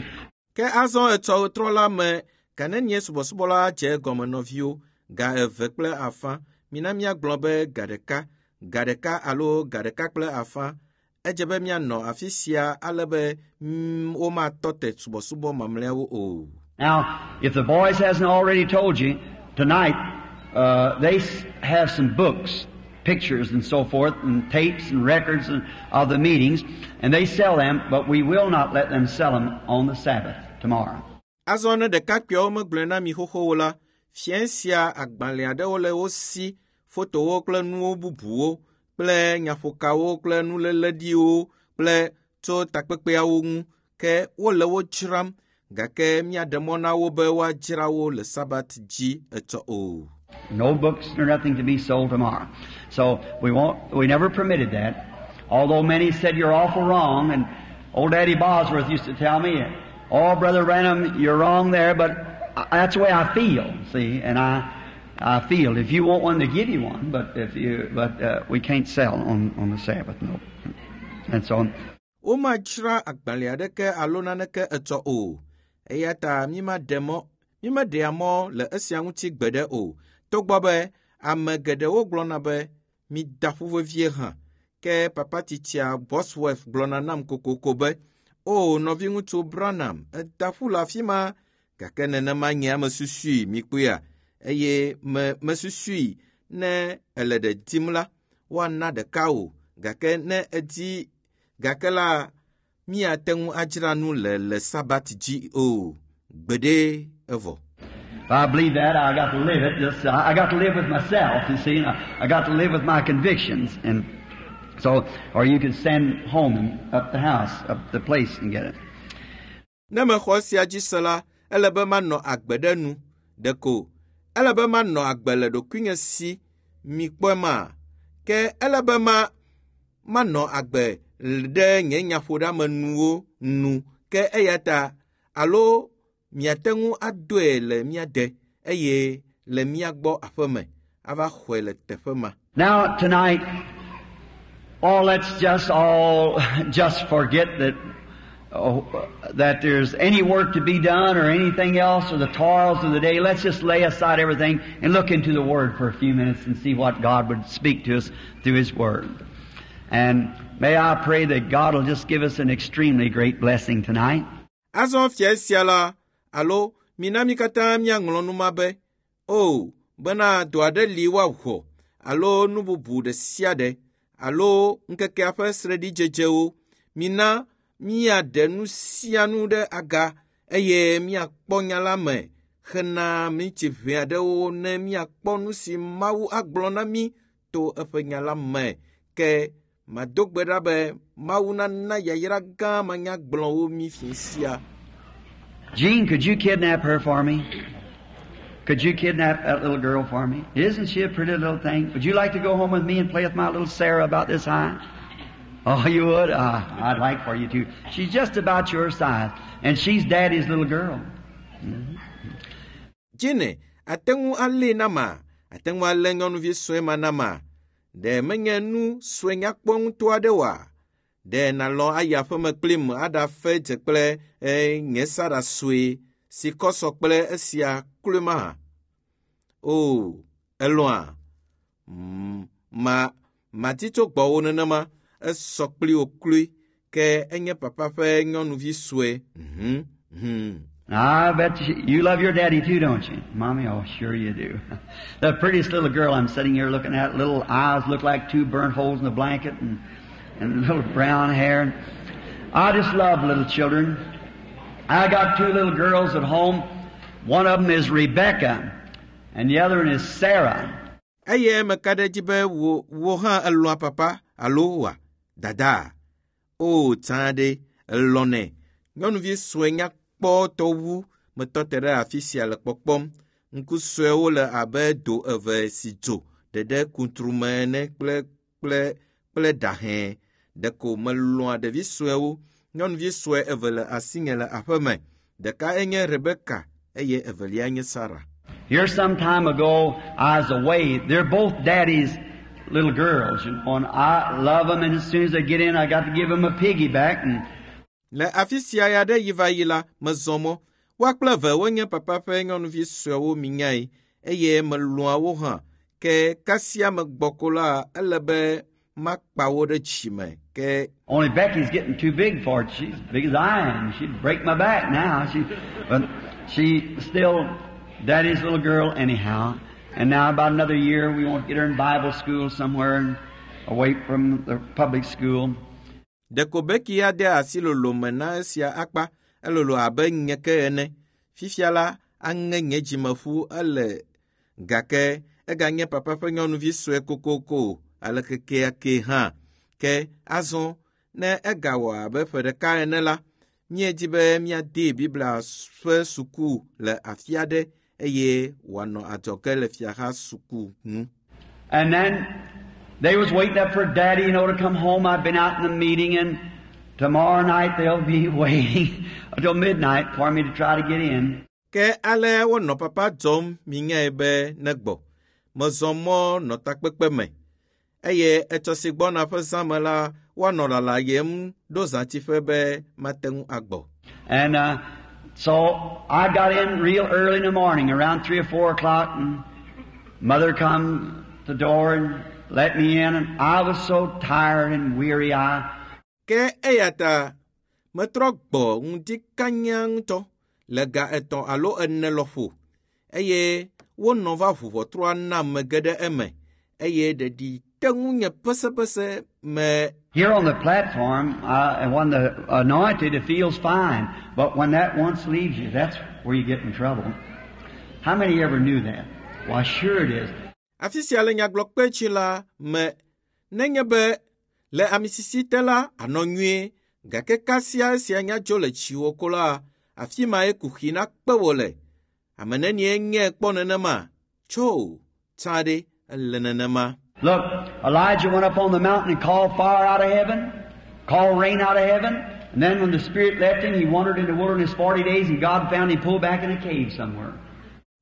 Ke azɔ etsɔ ɣetrɔ la me, ga nenie subɔsubɔ la dze egɔme nɔviwo, ga eve kple afã. Mina míagblɔ be ga ɖeka, ga ɖeka alo ga ɖeka kple afã. Edze be míanɔ afi sia ale be mm, womatɔ te subɔsubɔ mamlɛawo o. Now, if the boys hasn't already told you, tonight, uh, they s- have some books, pictures and so forth, and tapes and records and, of the meetings, and they sell them, but we will not let them sell them on the Sabbath tomorrow. Azɔ ne ɖekakpuiawo megblɔe na mi xoxowo la, fiẽ sia agbalẽ aɖewo le wo si, fotowo kple nuwo bubuwo kple nyaƒokawo kple nuléleɖiwo kple tso takpekpeawo ŋu ke wole wo dzram gake míaɖe mɔ na wo be woadzra wo le sabat dzi etsɔ o. No books or nothing to be sold tomorrow. So we won't, we never permitted that. Although many said you're awful wrong, and old Daddy Bosworth used to tell me, oh, Brother Branham, you're wrong there, but I- that's the way I feel, see, and I, I feel. If you want one, they give you one, but if you, but, uh, we can't sell on, on the Sabbath, no. And so, Womadzra agbalẽ aɖeke alo naneke etsɔ o. Eya ta mímaɖe mɔ mímeɖea mɔ le esia ŋuti gbeɖe o. Togbɔ be ame geɖewo gblɔna be mida ƒu vevie hã. Ke papa tsitsia Bosworth gblɔna nam kokoko be, o nɔviŋutsu Branham, eda ƒu le afi ma. Gake nenema nye ame susui mikpɔea eye me mesusui ne ele ɖe dim la, woana ɖeka o. Gake ne edi gake la míate ŋu adzra nu le le sabat dzi o. Gbeɖe evɔ. If I believe that, I got to live it. Just I I got to live with myself, you see, and I, I got to live with my convictions. And so, or you can send home and up the house, up the place and get it. Ne mexɔ esia dzi se la, ele be manɔ agbe ɖe nu. Ɖeko ele be manɔ agbe le ɖokuinye si mikpɔe ma. Ke ele be ma manɔ agbe ɖe nye nyaƒoɖeamenuwo nu. Ke eya ta alo miate ŋu adoe le mía de eye le mía gbɔ aƒeme ava xɔe le teƒe ma. Now, tonight, oh, let's just all just forget that oh, that there's any work to be done or anything else or the toils of the day. Let's just lay aside everything and look into the Word for a few minutes and see what God would speak to us through His Word. And may I pray that God will just give us an extremely great blessing tonight. Azɔ fia sia la, alo mina mí katã míaŋlɔ nu ma be, o, bena dɔ aɖe li woawɔ, alo nu bubu ɖe sia ɖe, alo ŋkekea ƒe sreɖidzedzewo. Mina míaɖe nu sia nu ɖe aga eye míakpɔ nya la me hena minti ʋɛ aɖewo ne míakpɔ nu si Mawu agblɔ na mí to eƒe nya la me. Ke mado gbe ɖa be Mawu nana yayra gã manyagblɔwo mí fi sia. Jean, could you kidnap her for me? Could you kidnap that little girl for me? Isn't she a pretty little thing? Would you like to go home with me and play with my little Sarah about this high? Oh, you would? Uh, I'd like for you to. She's just about your size, and she's Daddy's little girl. Jine, ate ŋu alée na ma? Ate ŋu alé nyɔnuvi sue ma na ma? Ɖe menye nu sue nyakpɔ ŋutɔ aɖe oa? Ɖe nàlɔ̃ ayi aƒeme kplim aɖafe dze kple eh, nye Sara sue si kɔ sɔ kple esia kloe mahã? O, elɔ̃a? Mm, ma madi tso gbɔwò nenema, esɔ kpli wò kloe, ke enye papa ƒe nyɔnuvi sue. Mhm, mhm. I bet you, you love your daddy too, don't you? Mommy, oh, sure you do. The prettiest little girl I'm sitting here looking at, little eyes look like two burnt holes in a blanket and, and little brown hair. I just love little children. I got two little girls at home. One of them is Rebecca, and the other one is Sarah. Eye meka ɖe edzi be wò wò hã elɔ̃a papa alo wa dada. O tsã ɖe elɔ̃nɛ. Nyɔnuvi sue nyakpɔtɔ wu metɔ te ɖe afi sia le kpɔkpɔm. Ŋku suewo le abe do eve si dzo ɖeɖe kuntrume ene kple kple kple ɖa hẽ. Ɖeko melɔ̃a ɖevi suewo. Nyɔnuvi sue eve le asinye le aƒeme. Ɖeka enye Rebeka eye evelia nye Sara. Here some time ago, I was away. They're both daddy's little girls, you know, and I love them, and as soon as they get in, I got to give them a piggyback, and Le afi sia ya ɖe yi va yi la, mezɔ mɔ. Woa kple eve wonye papa ƒe nyɔnuvi suewo minyae eye melɔ̃a wo hã. Ke kasia megbɔ ko la, ele be makpa wo ɖe dzime. Ke only Becky's getting too big for it. She's as big as I am. She'd break my back now. She, but she's still daddy's little girl anyhow. And now about another year, we want to get her in Bible school somewhere and away from the public school. ɖeko Becky ya de asi lolome na esia akpa. Elolo abe nye ke ene. Fifia la, aŋe nye dzimeƒu ele gake eganye papa ƒe nyɔnuvi sue kokoko ale kekeake hã. Ke azɔ ne egawɔ abe ƒe ɖeka ene la, míedi be míadee Biblia ƒe suku le afi aɖe eye wòanɔ adzɔge le fiaha suku ŋu. And then they was waiting up for Daddy, you know, to come home. I've been out in the meeting, and tomorrow night they'll be waiting until midnight for me to try to get in. Ke ale wonɔ papa dzɔm minyae be negbɔ. Mezɔ mɔ nɔ takpekpe me eye etsɔ si gbɔna ƒe zã me la, woanɔ lalayem ɖo zãtiƒe be mate ŋu agbɔ. And uh, so I got in real early in the morning, around three or four o'clock, and Mother come to the door and let me in, and I was so tired and weary. I Ke eya ta metrɔ gbɔ ŋdi kanya ŋutɔ le ga etɔ̃ alo ene lɔƒo eye wonɔ va ʋu ʋɔtrua nam mege ɖe eme eye ɖeɖi te ŋunye pesepese me Here on the platform, uh, and when the anointed, it feels fine. But when that once leaves you, that's where you get in trouble. How many ever knew that? Why, sure it is. Afi sia le nyagblɔkpe dzi la me nenye be le amisisi te la anɔ nyuie gake kasia esia nya dzo le dziwò ko la afi mae kuxi nakpe wò le. Ame nenie nye kpɔ nenema? Tso, tsã ɖe ele nenema. Look, Elijah went up on the mountain and called fire out of heaven, called rain out of heaven, and then when the Spirit left him, he wandered in the wilderness forty days, and God found him pulled back in a cave somewhere.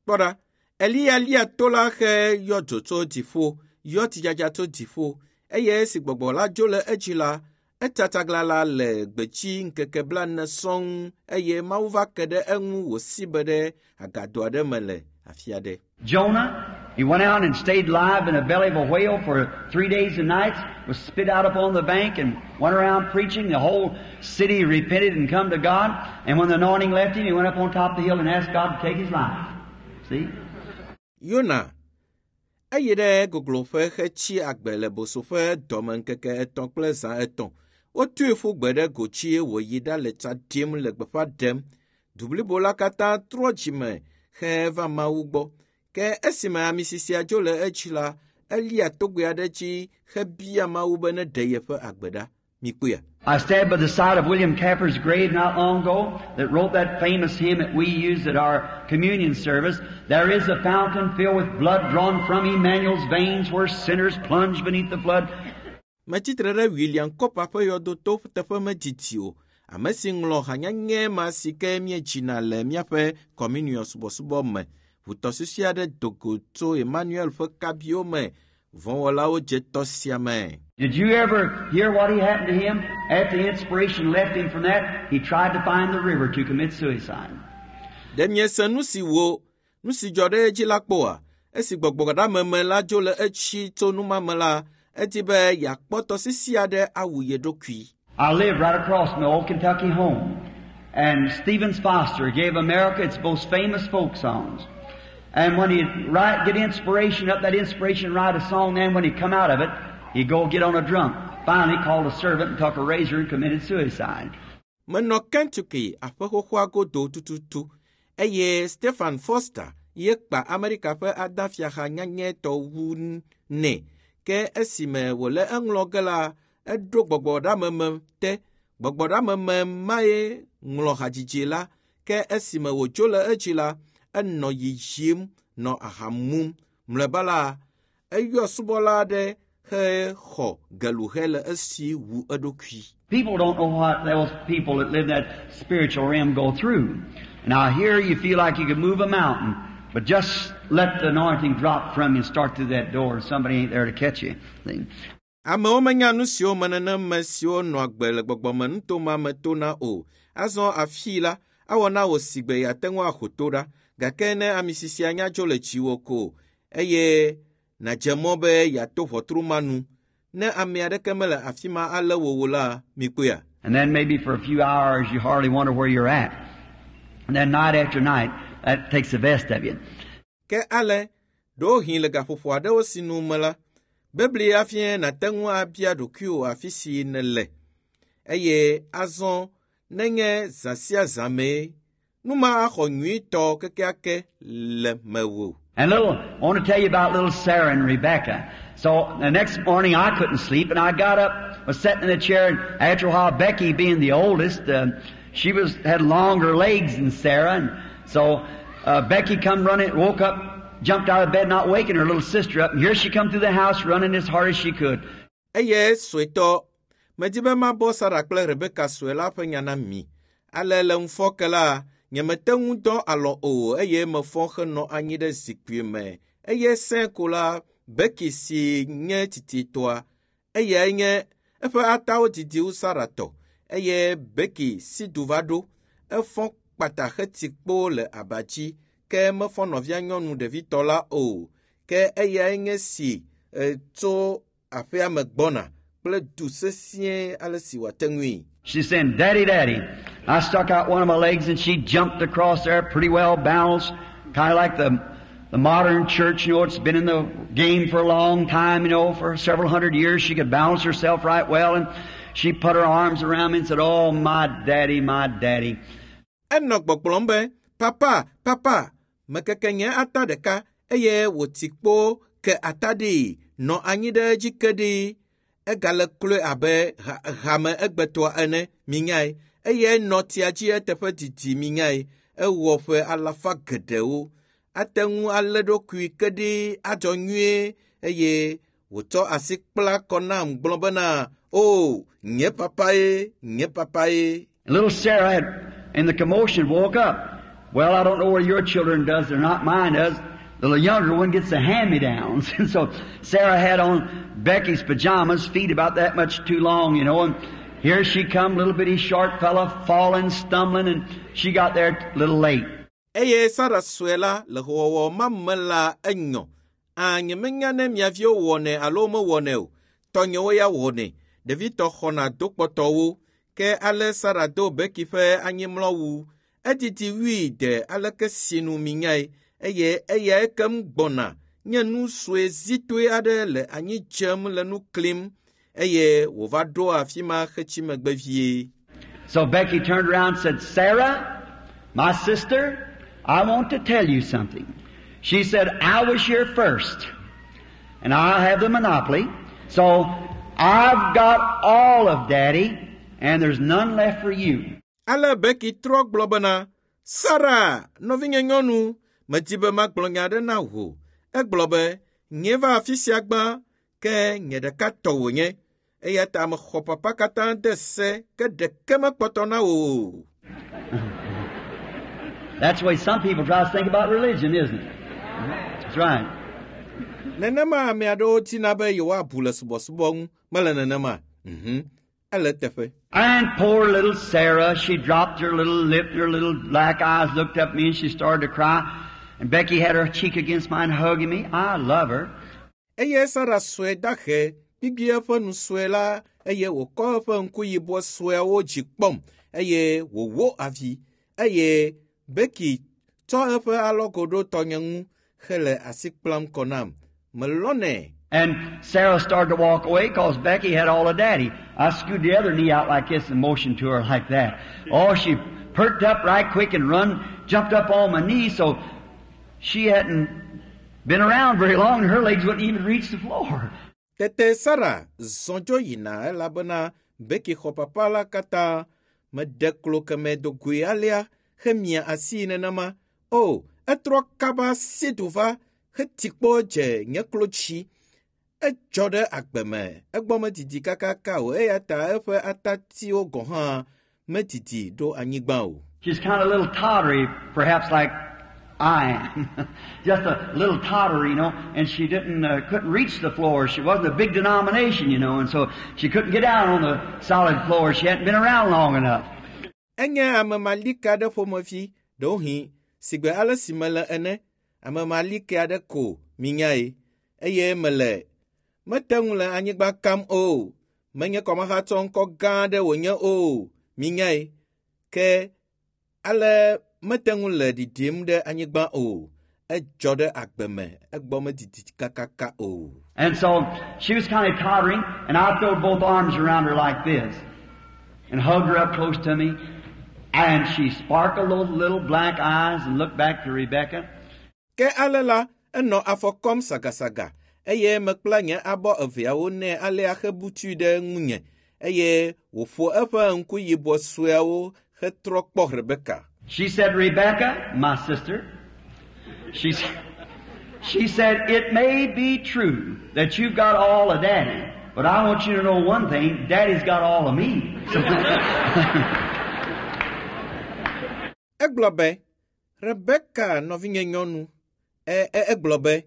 Kpɔ ɖa, Eliya lia to la he yɔ dzo tso dziƒo, yɔ tsidzadza tso dziƒo eye esi gbɔgbɔ la dzo le edzi la, Etsa tsaglãla le gbedzi ŋkeke blaene sɔŋ eye Mawu va ke ɖe eŋu wòsi be ɖe agado aɖe me le afi aɖe. Jonah, he went out and stayed live in the belly of a whale for three days and nights, was spit out upon the bank and went around preaching. The whole city repented and come to God. And when the anointing left him, he went up on top of the hill and asked God to take his life. See? Yona eyi ɖe gogloƒe hetsi agbe le boso ƒe dɔme ŋkeke etɔ̃ kple zã etɔ̃. Wotui ƒu gbe ɖe gotsi wòyi ɖale tsa ɖim le gbeƒã ɖem. Du blibo la katã trɔ dzime heva Mawu gbɔ. Ke esime ami sisia dzo le edzi la, elia togbɛ aɖe dzi hebia Mawu be neɖe yeƒe agbe ɖa. Mikpɔea? I stand by the side of William Cowper's grave not long ago that wrote that famous hymn that we use at our communion service. There is a fountain filled with blood drawn from Emmanuel's veins where sinners plunge beneath the flood. Metsitre ɖe William Cowper ƒe yɔdoto teƒe medidi o. Ame si ŋlɔ hanyanye ma si ke míedzina le míaƒe communion subɔsubɔ me. Ʋutɔsisi aɖe do go tso Emmanuel ƒe kabiwo me. Vɔ̃wɔlawo dze tɔ sia me. Did you ever hear what he happened to him? After the inspiration left him from that, he tried to find the river to commit suicide. Ɖe miese nu si wo nu si dzɔ ɖe edzi la kpɔa? Esi gbɔgbɔɖameme la dzo le etsi tso numame la, edi be yeakpɔ tɔsisi aɖe awu ye ɖokui. I live right across from the old Kentucky home, and Stevens Foster gave America its most famous folk songs. And when he'd write, get inspiration up that inspiration, write a song, then when he'd come out of it, he'd go get on a drunk. Finally called a servant and took a razor and committed suicide. Menɔ Kentucky aƒe xoxoa godo tututu eye Stephen Foster ye kpa Amerika ƒe adafiaha nyanyɛtɔ wu nɛ. Ke esime wòle eŋlɔ ge la, eɖo gbɔgbɔɖameme te. Gbɔgbɔɖameme mae ŋlɔ hadzidzi la. Ke esime wòdzo le edzi la, enɔ yiyim nɔ aha mum. Mlɔeba la, eyɔ subɔla aɖe hexɔ geluhe le esi wu eɖokui. People don't know what those people that live in that spiritual realm go through. Now here you feel like you could move a mountain, but just let the anointing drop from you and start through that door and somebody ain't there to catch you. See? Amewo menya nu siwo me neneme siwo nɔ agbe le gbɔgbɔme nutome me tona o. Azɔ afii la, awɔ na wò si gbe yeate ŋu aho to ɖa. Gake ne ami sisia nya dzo le dziwò ko eye nàdze mɔ be yeato ʋɔtru ma nu. Ne ame aɖeke mele afi ma alé wò o la, mikpɔea? And then maybe for a few hours you hardly wonder where you're at. And then night after night, that takes the best of you. Ke ale, ɖewohĩ le gaƒoƒo aɖewo si nu me la, bebli hafi nàte ŋu abia ɖokuiwò afi si nèle. Eye azɔ nenye zã sia zã mee, nu ma axɔ nyuitɔ kekeake le mewò. And little, I want to tell you about little Sarah and Rebecca. So the next morning I couldn't sleep, and I got up, was sitting in the chair, and after a while, Becky, being the oldest, uh, she was had longer legs than Sarah, and so uh, Becky come running, woke up, jumped out of bed, not waking her little sister up, and here she come through the house running as hard as she could. Eye suetɔ, medi be mabɔ Sara kple Rebeka sue la ƒe nya na mi. Ale le ŋufɔke la, nyemete ŋu dɔ alɔ o eye mefɔ henɔ anyi ɖe zikpui me. Eye sẽ ko la, Becky si nye tititɔa, eyae nye eƒe atawo didi wu Sara tɔ eye Becky si du va ɖo. Efɔ kpata heti kpo le aba dzi ke mefɔ nɔvia nyɔnu ɖevitɔ la o. Ke eyae nye si e, tso aƒea me gbɔna kple du sesĩe ale si wòate ŋui. She's saying, Daddy, Daddy. I stuck out one of my legs and she jumped across there pretty well balanced, kind of like the, the modern church, you know, it's been in the game for a long time, you know, for several hundred years. She could balance herself right well and she put her arms around me and said, Oh, my daddy, my daddy. Enɔ gbɔgblɔm be, papa, papa, mekeke nye ata ɖeka eye wòti kpo ke ata ɖi nɔ anyi ɖe edzi ke ɖi. Egale kloe abe ha hame egbetɔa ene, minyae. Eye nɔ tsia dzi eteƒe didi minyae. Ewɔ ƒe alafa geɖewo. Ate ŋu alé ɖokui ke ɖi adzɔ nyuie eye wòtsɔ asi kpla kɔ nam gblɔ bena, o, nye papa ye, nye papa ye. And little Sarah had, in the commotion, woke up. Well, I don't know where your children does or not. Mine does. The younger one gets the hand-me-downs. And so Sarah had on Becky's pajamas, feet about that much too long, you know, and Here she come, little bitty short fella, falling, stumbling, and she got there a little late. Eye Sara sue la le xɔwɔwɔ ma me la enyɔ. A nyemenya ne mia viwo wɔnɛ alo mewɔnɛ o. Tɔnyewo ya wɔnɛ. Ɖevitɔ xɔna dokpɔtɔwo. Ke ale Sara do Becky ƒe anyimlɔwu. Edidi wui de aleke sinu minyae eye eya ekem gbɔna nye nu sue zitoe aɖe le anyi dzem le nu klim eye wòva ɖo afi ma hetsi megbe vie. So Becky turned around and said, Sarah, my sister, I want to tell you something. She said, I was here first, and I have the monopoly, so I've got all of Daddy, and there's none left for you. Ale Becky trɔ gblɔ bena, Sara, nɔvinye nyɔnu, medi be magblɔ nya aɖe na wò. Egblɔ be, nye va afi sia gbã, ke nye ɖeka tɔ wònye. Eya ta mexɔ papa katã de se, ke ɖeke mekpɔtɔ na wò o. That's the way some people try to think about religion, isn't it? That's right. Nenema ame aɖewo tina be yewoabu le subɔsubɔ ŋu, mele nenema. Mhm. Ele teƒe. And poor little Sarah, she dropped her little lip and her little black eyes looked up at me and she started to cry. And Becky had her cheek against mine hugging me. I love her. Eye Sara sue dahe, gbigbi eƒe nu sue la eye wòkɔ eƒe ŋku yibɔ sueawo dzi kpɔm eye wòwó avi eye Becky tsɔ eƒe alɔgo ɖo tɔnye ŋu hele asi kplam kɔ nam. Melɔnɛ. And Sarah started to walk away because Becky had all of Daddy. I scooted the other knee out like this and motioned to her like that. Oh, she perked up right quick and run, jumped up on my knee, so she hadn't been around very long and her legs wouldn't even reach the floor. Tete Sara zɔ dzo yina elabena Becky xɔ papa la katã meɖe klo keme do goe alea hemia asi nenema. O, etrɔ kaba si du va heti kpɔ dze nye klo dzi. Edzɔ ɖe agbe me, egbɔ medidi kakaka o eya ta eƒe atatiwo gɔ̃ hã medidi ɖo anyigba o. She's kind of a little tottery, perhaps like I am. Just a little tottery, you know, and she didn't, uh, couldn't reach the floor. She wasn't a big denomination, you know, and so she couldn't get down on the solid floor. She hadn't been around long enough. Enye ame malike aɖe ƒomevi, ɖewohĩ sigbe ale si mele ene, ame malike aɖe ko minyae, eye mele mete ŋu le anyigba kam o, menye kɔmahatsɔ ŋkɔ gã aɖe wònye o, minyae, ke ale mete ŋu le ɖiɖim ɖe anyigba o, edzɔ ɖe agbe me, egbɔ medidi kakaka o. And so she was kind of tottering, and I threw both arms around her like this and hugged her up close to me. And she sparkled those little black eyes and looked back to Rebecca. Ke ale la, enɔ afɔ kɔm sagasaga eye mekpla nye abɔ eveawo nɛ alea hebutui ɖe ŋunye eye wòƒo eƒe ŋku yibɔ sueawo hetrɔ kpɔ Rebeka. She said, Rebecca, my sister, she, s- she said, it may be true that you've got all of Daddy, but I want you to know one thing, Daddy's got all of me. So, Egblɔ be, Rebeka nɔvinye nyɔnu, e, e, egblɔ be,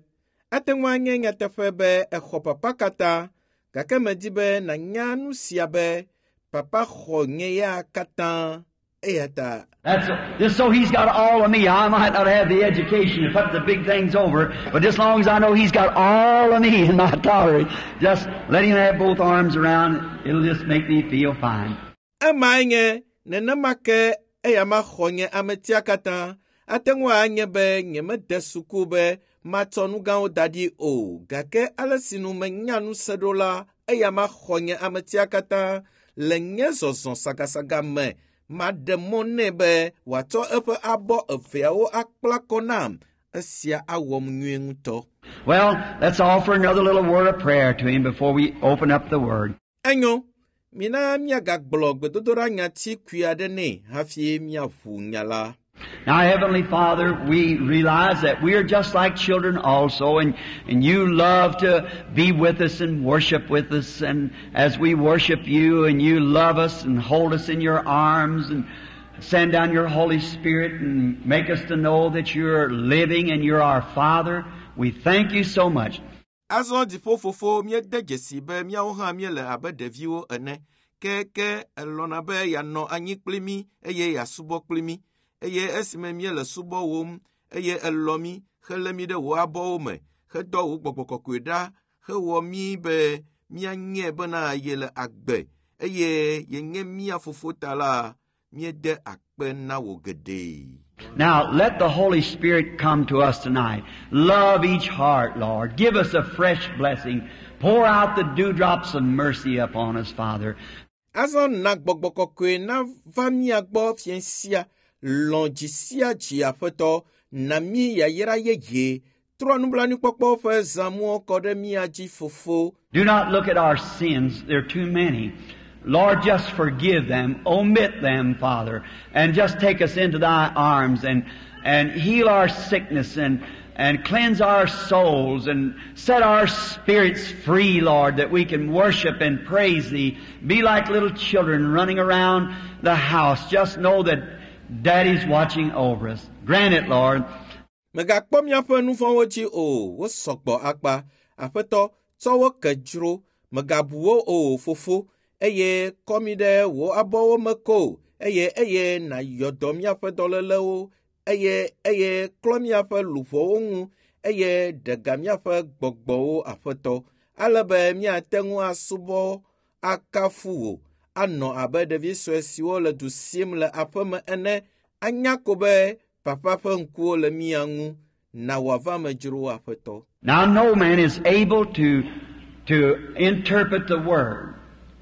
ate ŋu anye nyateƒe be exɔ papa katã, gake medi be nànya nu sia be papa xɔ nye ya katã eya ta That's just so he's got all of me. I might not have the education to put the big things over, but just long as I know he's got all of me in my tolerance, just let him have both arms around. It'll just make me feel fine. Emae nye nenema ke eya ma xɔ nye ametia katã ate ŋu anye be nyemede suku be matsɔ nu gãwo da ɖi o gake ale si nu menya nu se ɖo la eya ma xɔ nye ametia katã le nye zɔzɔ sagasaga me maɖe mɔ nɛ be wòatsɔ eƒe abɔ eveawo akpla kɔ nam esia awɔm nyuie ŋutɔ. Well, let's offer another little word of prayer to him before we open up the Word. Enyo, mina míagagblɔ gbedodoɖa nyati kui aɖe nɛ hafi míaʋu nya la. Now, Heavenly Father, we realize that we are just like children also, and, and you love to be with us and worship with us, and as we worship you, and you love us and hold us in your arms and send down your Holy Spirit and make us to know that you're living and you're our Father. We thank you so much. Azɔ dziƒofofo míede dzesi be míawo hã míele abe ɖeviwo ene. Ke ke elɔ̃na be yeanɔ anyi kpli mí eye yeasubɔ kpli mí. Eye esime míele subɔwòm eye elɔ̃ mí helé mí ɖe wò abɔwo me hedɔ wò gbɔgbɔ kɔkɔe ɖa hewɔ mí be míanye bena yele agbe eye yenye mía fofo ta la míede akpe na wò geɖe. Now, let the Holy Spirit come to us tonight. Love each heart, Lord. Give us a fresh blessing. Pour out the dewdrops of mercy upon us, Father. Azɔ na gbɔgbɔ kɔkɔe nava mía gbɔ fiẽ sia lɔ̃ dzi sia dzi aƒetɔ na mí yayra yeye trɔ nublanuikpɔkpɔ ƒe zãmuwo kɔ ɖe mía dzi fofo. Do not look at our sins, they're too many. Lord, just forgive them, omit them, Father, and just take us into Thy arms and, and heal our sickness and, and cleanse our souls and set our spirits free, Lord, that we can worship and praise Thee. Be like little children running around the house. Just know that Daddy's watching over us. Grant it, Lord. Megakpɔ míaƒe nu vɔ̃wo dzi o, wo sɔgbɔ akpa. Aƒetɔ, tsɔ wo ke dzro. Megabu wo o, fofo, eye kɔ mí ɖe wò abɔwo me ko eye eye nàyɔ dɔ míaƒe dɔlélewo eye eye klɔ míaƒe luʋɔwo ŋu eye ɖe ga míaƒe gbɔgbɔwo aƒetɔ ale be míate ŋu asubɔ akafu wò anɔ abe ɖevi sue siwo le du sim le aƒeme ene anya ko be papa ƒe ŋkuwo le mía ŋu na wòava me dzro aƒetɔ. Now, no man is able to, to interpret the Word.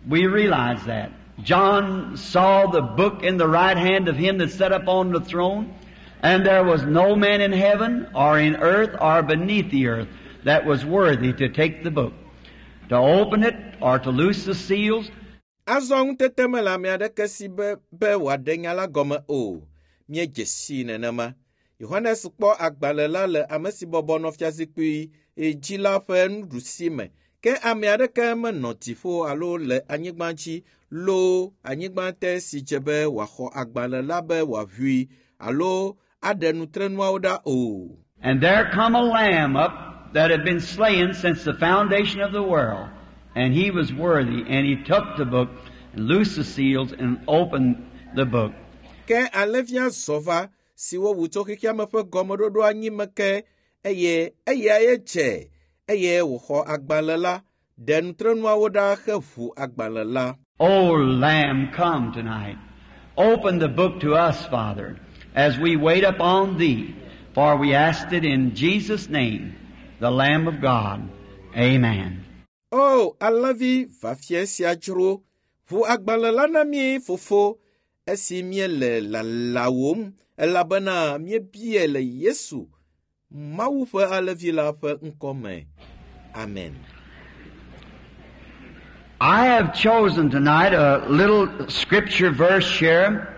We realize that. John saw the book in the right hand of him that sat upon the throne, and there was no man in heaven or in earth or beneath the earth that was worthy to take the book, to open it or to loose the seals. Azɔ ŋutete mele ame aɖeke si be be wòaɖe nya la gɔme o. Míedze sii nenema. Yohanes kpɔ agbalẽ la le ame si bɔbɔ nɔ fiazikpui dzi la ƒe nuɖusi me. Ke ame aɖeke menɔ dziƒo alo le anyigba dzi loo anyigba te si dze be wòaxɔ agbalẽ la be wòaʋui alo aɖe nutrenuawo ɖa o. And there come a lamb up that had been slain since the foundation of the world. And he was worthy, and he took the book, and loosed the seals, and opened the book. Ke alẽvia zɔ va si wowu tso xexeame ƒe gɔmeɖoɖo anyi me ke eye eyae dze eye wòxɔ agbalẽ la, ɖe nutrenuawo ɖa heʋu agbalẽ la. O Lamb, come tonight. Open the book to us, Father, as we wait upon Thee. For we asked it in Jesus' name, the Lamb of God. Amen. O alẽvi va fiẽ sia dzro, ʋu agbalẽ la na mí fofo esi míele lalawòm elabena míebie le Yesu, Mawu ƒe alẽvi la ƒe ŋkɔ me. Amen. I have chosen tonight a little scripture verse here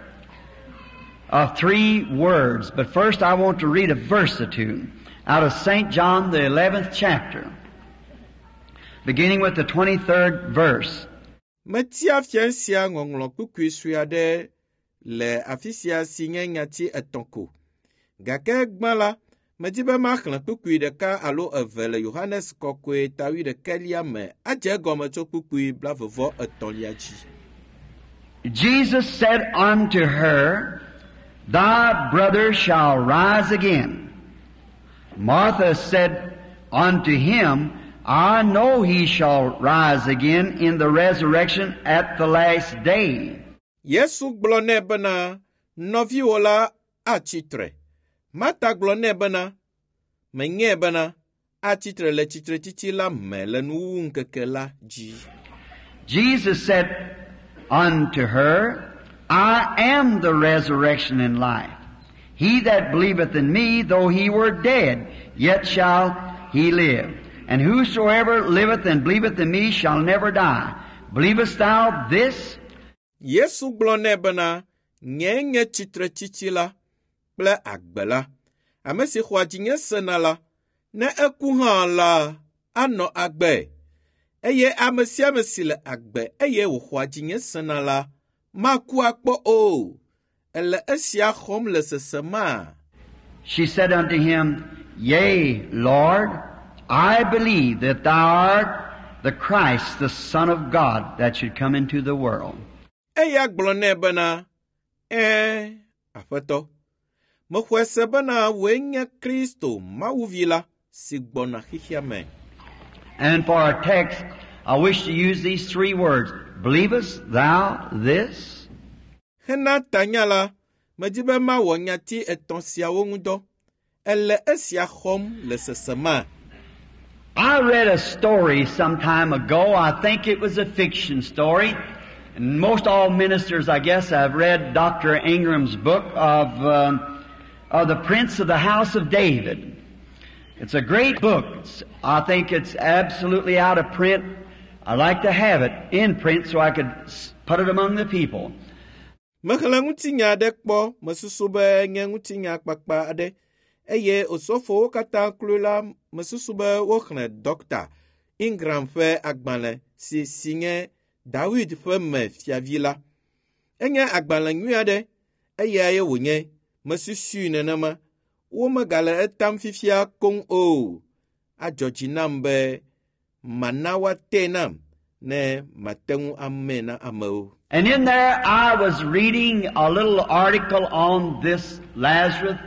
of three words. But first I want to read a verse or two out of St. John, the eleventh chapter, beginning with the twenty-third verse. Metia fiẽ sia ŋɔŋlɔ kpukpui sue aɖe le afi sia si nye nyati etɔ̃ ko. Gake gbã la, medi be maxlẽ kpukpui ɖeka alo eve le Yohanes kɔkɔe ta wuiɖekɛlia me adze egɔme tso kpukpui blaeve etɔ̃lia dzi. Jesus said unto her, Thy brother shall rise again. Martha said unto him, I know he shall rise again in the resurrection at the last day. Yesu gblɔ nɛ bena, nɔviwò la atsi tre. Marta gblɔ nɛ bena, menyae bena atsi tre le tsitretsitsi la me le nuwuwu ŋkeke la dzi. Jesus said unto her, I am the resurrection and life. He that believeth in me, though he were dead, yet shall he live. And whosoever liveth and believeth in me shall never die. Believest thou this? Yesu gblɔ nɛ bena, nyee nye tsitretsitsi la kple agbe la. Ame si xɔa dzinye sena la, ne eku hã la, anɔ agbe. Eye ame sia ame si le agbe eye wòxɔa dzinye sena la, maku akpɔ o. Ele esia xɔm le sesema. She said unto him, Yea, Lord, I believe that thou art the Christ, the Son of God, that should come into the world. Eya gblɔ nɛ bena, “Ɛ̃, Aƒetɔ, mexɔe se bena wòe nye Kristo, Mawu Vi la, si gbɔna xexea me.” And for our text, I wish to use these three words. Believest thou this? Hena tanya la, medi be mawɔ nyati etɔ̃ siawo ŋu dɔ. Ele esia xɔm le sesema? I read a story some time ago. I think it was a fiction story. And most all ministers, I guess, have read Doctor Ingram's book of, um, of the Prince of the House of David. It's a great book. It's, I think it's absolutely out of print. I'd like to have it in print so I could s- put it among the people. Mexlẽ ŋutinya aɖe kpɔ mesusu be nye ŋutinya kpakpa aɖe eye osɔfowo katã kloe la mesusu be woxlẽ Dɔkta Ingram ƒe agbalẽ si si nye Dawid ƒe me fiavi la. Enye agbalẽ nyui aɖe eyae wònye mesusui nenema. Womegale etam fifia koŋ o. Adzɔ dzi nam be mana woatee nam ne mate ŋu amee na amewo. And in there I was reading a little article on this Lazarus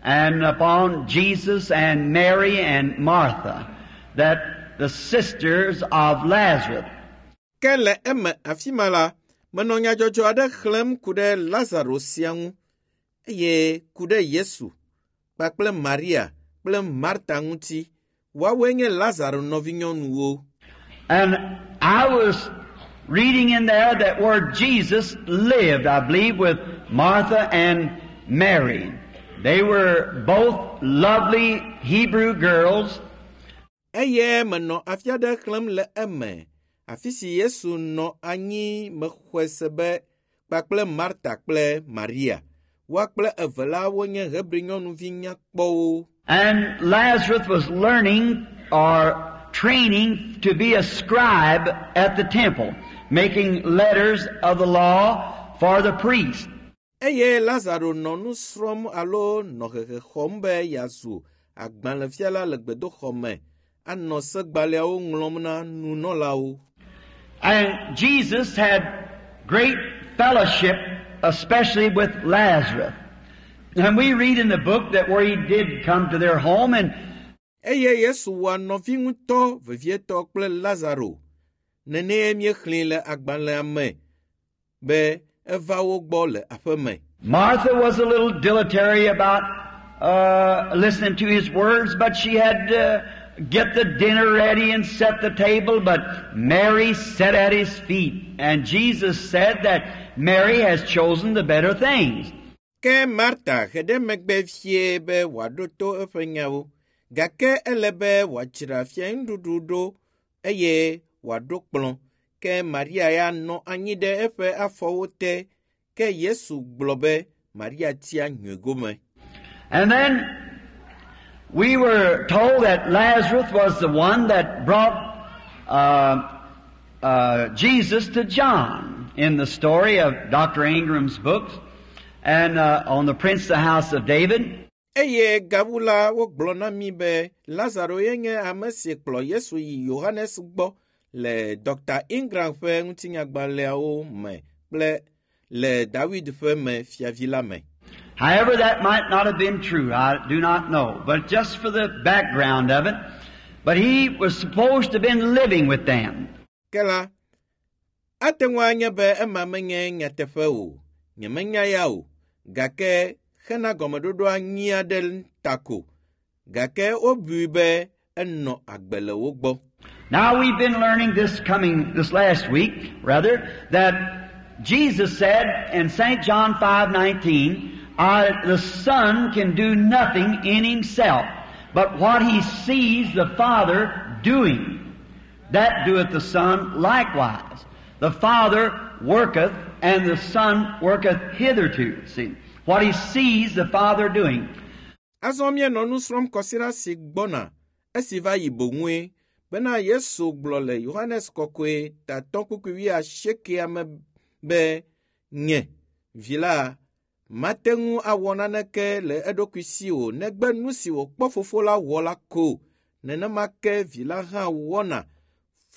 and upon Jesus and Mary and Martha, that the sisters of Lazarus. Ke le eme afi ma la, menɔ nyadzɔdzɔ aɖe xlẽm ku ɖe Lazaro sia ŋu eye ku ɖe Yesu kpakple Maria kple Marta ŋuti. Woawoe nye Lazaro nɔvinyɔnuwo. And I was reading in there that where Jesus lived, I believe, with Martha and Mary. They were both lovely Hebrew girls. Eye menɔ afi aɖe xlẽm le eme, afi si Yesu nɔ anyi mexɔe se be kpakple Marta kple Maria. Woa kple eve la wonye Hebri nyɔnuvi nyakpɔwo. And Lazarus was learning or training to be a scribe at the temple, making letters of the law for the priest. Eye Lazaro nɔ nu srɔ̃m alo nɔ hehe xɔm be yeazu agbalẽfiala le gbedoxɔ me, anɔ segbalẽawo ŋlɔm na nunɔlawo. And Jesus had great fellowship, especially with Lazarus. And we read in the book that where he did come to their home and Eye Yesu wɔ nɔvi ŋutɔ vevietɔ kple Lazaro. Nenee míexlẽe le agbalẽa me be eva wo gbɔ le aƒe me. Martha was a little dilatory about uh, listening to his words, but she had to get the dinner ready and set the table. But Mary sat at his feet, and Jesus said that Mary has chosen the better things. Ke Marta he ɖe megbe vie be wòaɖo to eƒe nyawo, gake ele be wòadzra fianuɖuɖu ɖo eye wòaɖo kplɔ̃. Ke Maria ya nɔ anyi ɖe eƒe afɔwo te. Ke Yesu gblɔ be Maria tia nyui gome. And then we were told that Lazarus was the one that brought uh, uh, Jesus to John in the story of Doctor Ingram's books and uh, on the Prince of the House of David. Eye gawu la wogblɔ na mí be Lazaro ye nye ame si kplɔ Yesu yi Yohanes gbɔ le Dr. Ingram ƒe ŋutinyagbalẽawo me kple le Dawid ƒe me fiavi la me. However, that might not have been true. I do not know. But just for the background of it, but he was supposed to have been living with them. Ke la, ate ŋu anye be ema menye nyateƒe o. Nyemenya ya o. Gake hena gɔmeɖoɖo anyi aɖe ta ko. Gake wobui be enɔ agbe le wo gbɔ. Now we've been learning this coming, this last week, rather, that Jesus said in Saint John five nineteen, I, the Son can do nothing in himself, but what he sees the Father doing, that doeth the Son likewise. The Father worketh, and the Son worketh hitherto. See, what he sees the Father doing. Azɔ míenɔ nu srɔ̃m kɔsiɖa si gbɔna esi va yi boŋue bena Yesu gblɔ le Yohanes kɔkɔe tatɔ kpukpui wuiasiekɛa me be nye vi la mate ŋu awɔ naneke le eɖokui si o negbe nu si wòkpɔ fofo la wɔ la ko. Nenema ke vi la hã wɔna.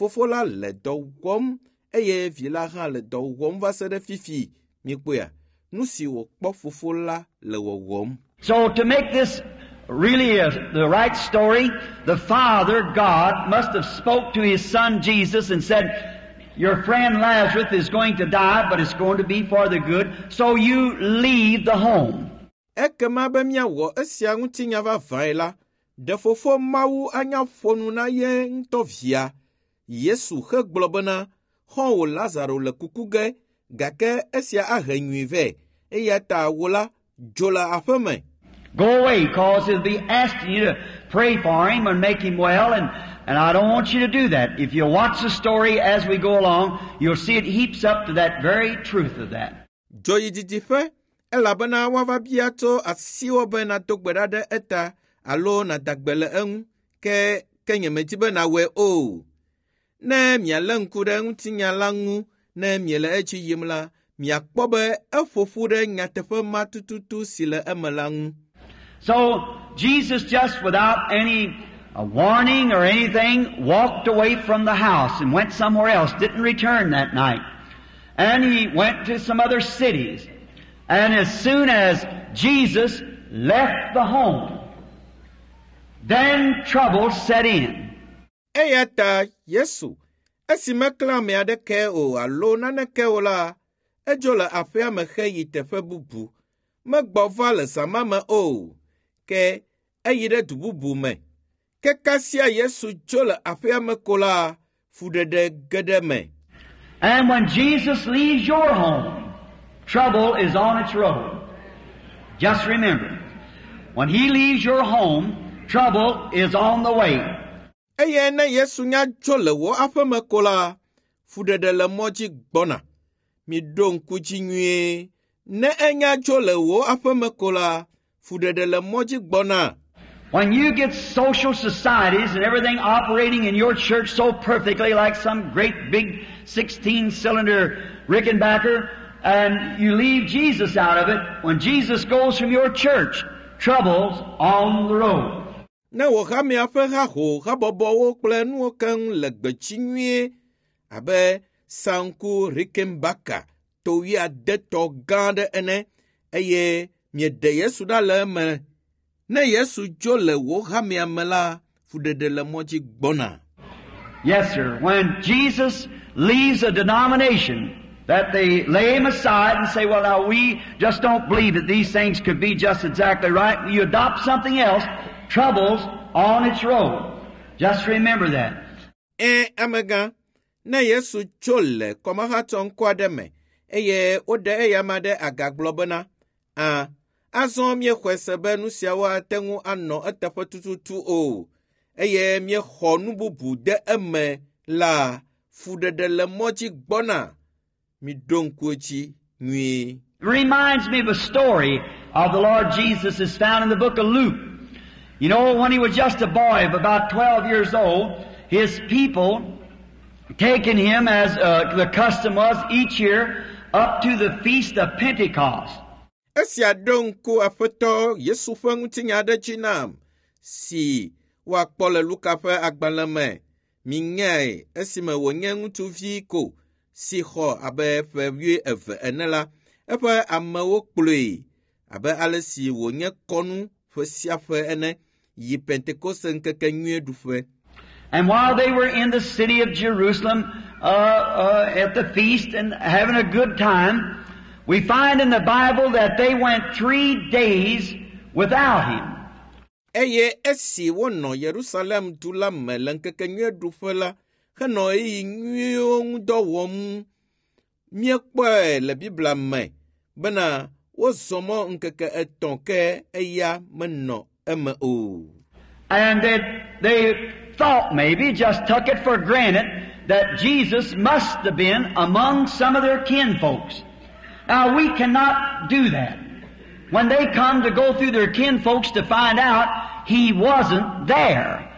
Fofo la le dɔ wɔm eye vi la hã le dɔ wɔm va se ɖe fifi. Mikpɔea, nu si wòkpɔ fofo la le wɔwɔm. So to make this really a, the right story, the Father, God, must have spoke to His Son Jesus and said, your friend Lazarus is going to die, but it's going to be for the good, so you leave the home. Ekema be míawɔ esia ŋutinya vavãe la, ɖe fofo Mawu anya ƒo nu na ye ŋutɔ via. Yesu hegblɔ bena, xɔ̃wò Lazaro le kuku ge, gake esia ahe nyui vɛ, eya ta wò la, dzo le aƒeme. Go away, cause he'll be asking you to pray for him and make him well, and, and I don't want you to do that. If you'll watch the story as we go along, you'll see it heaps up to that very truth of that. Dzo yi didiƒe, elabena woava bia tso asiwò be nàdo gbe ɖa ɖe eta alo nàda gbe le eŋu, ke ke nyemedi be nàwɔe o. Ne mialé ŋku ɖe ŋutinya la ŋu ne miele edzi yim la, miakpɔ be eƒo ƒu ɖe nyateƒe ma tututu si le eme la ŋu. So Jesus, just without any uh, warning or anything, walked away from the house and went somewhere else, didn't return that night. And he went to some other cities. And as soon as Jesus left the home, then trouble set in. Eya ta Yesu, esi meklã ame aɖeke o alo naneke o la, edzo le aƒea me heyi teƒe bubu. Megbɔ va le zã ma me o, ke eyi ɖe du bubu me. Ke kasia Yesu dzo le aƒea me ko la, fuɖeɖe ge ɖe eme. And when Jesus leaves your home, trouble is on its road. Just remember, when He leaves your home, trouble is on the way. Eye ne Yesu nya dzo le wò aƒeme ko la, fuɖeɖe le mɔ dzi gbɔna. Miɖo ŋku dzi nyuie. Ne enya dzo le wò aƒeme ko la, fuɖeɖe le mɔ dzi gbɔna. When you get social societies and everything operating in your church so perfectly like some great big sixteen-cylinder Rickenbacker, and you leave Jesus out of it, when Jesus goes from your church, trouble's on the road. Ne wò hamea ƒe haho habɔbɔwo kple nuwo keŋ le gbedzi nyuie abe sanku Rickenbacker to wuiadetɔ gã aɖe ene eye mieɖe Yesu ɖa le eme. Ne Yesu dzo le wò hamea me la, fuɖeɖe le mɔ dzi gbɔna. Yes, sir. When Jesus leaves a denomination, that they lay him aside and say, well, now we just don't believe that these things could be just exactly right. You adopt something else, trouble's on its road. Just remember that. Ẽ, amegã, ne Yesu tso le kɔmahatsɔ ŋkɔ aɖe me eye woɖe eyama ɖe aga gblɔ bena, ã, azɔ míexɔe se be nu siawo ate ŋu anɔ eteƒe tututu o eye míexɔ nu bubu de eme la, fuɖeɖe le mɔ dzi gbɔna. Miɖo ŋku edzi nyuie. It reminds me of a story of the Lord Jesus is found in the book of Luke. You know, when he was just a boy of about twelve years old, his people taking him, as, uh, the custom was each year, up to the Feast of Pentecost. Esia ɖo ŋku Aƒetɔ Yesu ƒe ŋutinya aɖe dzi nam, si woakpɔ le Luka ƒe agbalẽ me. Minyae esime wònye ŋutsuvi ko si xɔ abe ƒe wuieve ene la, eƒe amewo kplɔe abe ale si wònye kɔnu ƒe sia ƒe ene yi Pentekoste ŋkeke nyuie ɖuƒe. And while they were in the city of Jerusalem, uh, uh, at the feast and having a good time, we find in the Bible that they went three days without him. Eye esi wonɔ Yerusalem du la me le ŋkeke nyuie ɖuƒe la, henɔ ɣeyiɣi nyuiwo ŋu dɔ wɔm, míekpɔe le Biblia me bena wozɔ mɔ ŋkeke etɔ̃ ke eya menɔ eme o. And they, they thought maybe, just took it for granted, that Jesus must have been among some of their kinfolks. Now, we cannot do that. When they come to go through their kinfolks to find out, he wasn't there.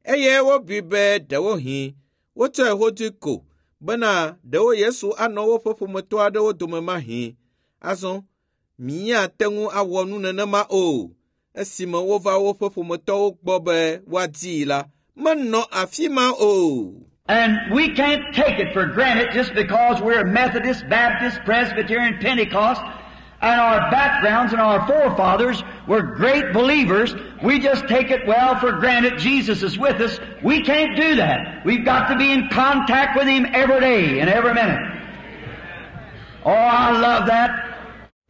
Eye wobui be ɖewohĩ wotsɔe hodui ko bena ɖewo Yesu anɔ woƒe ƒometɔ aɖewo dome mahĩ. Azɔ, míate ŋu awɔ nu nenema o. Esime wova woƒe ƒometɔwo gbɔ be woadii la, menɔ afi ma o. And we can't take it for granted just because we're Methodist, Baptist, Presbyterian, Pentecost, and our backgrounds and our forefathers were great believers. We just take it well for granted Jesus is with us. We can't do that. We've got to be in contact with Him every day and every minute. Oh, I love that.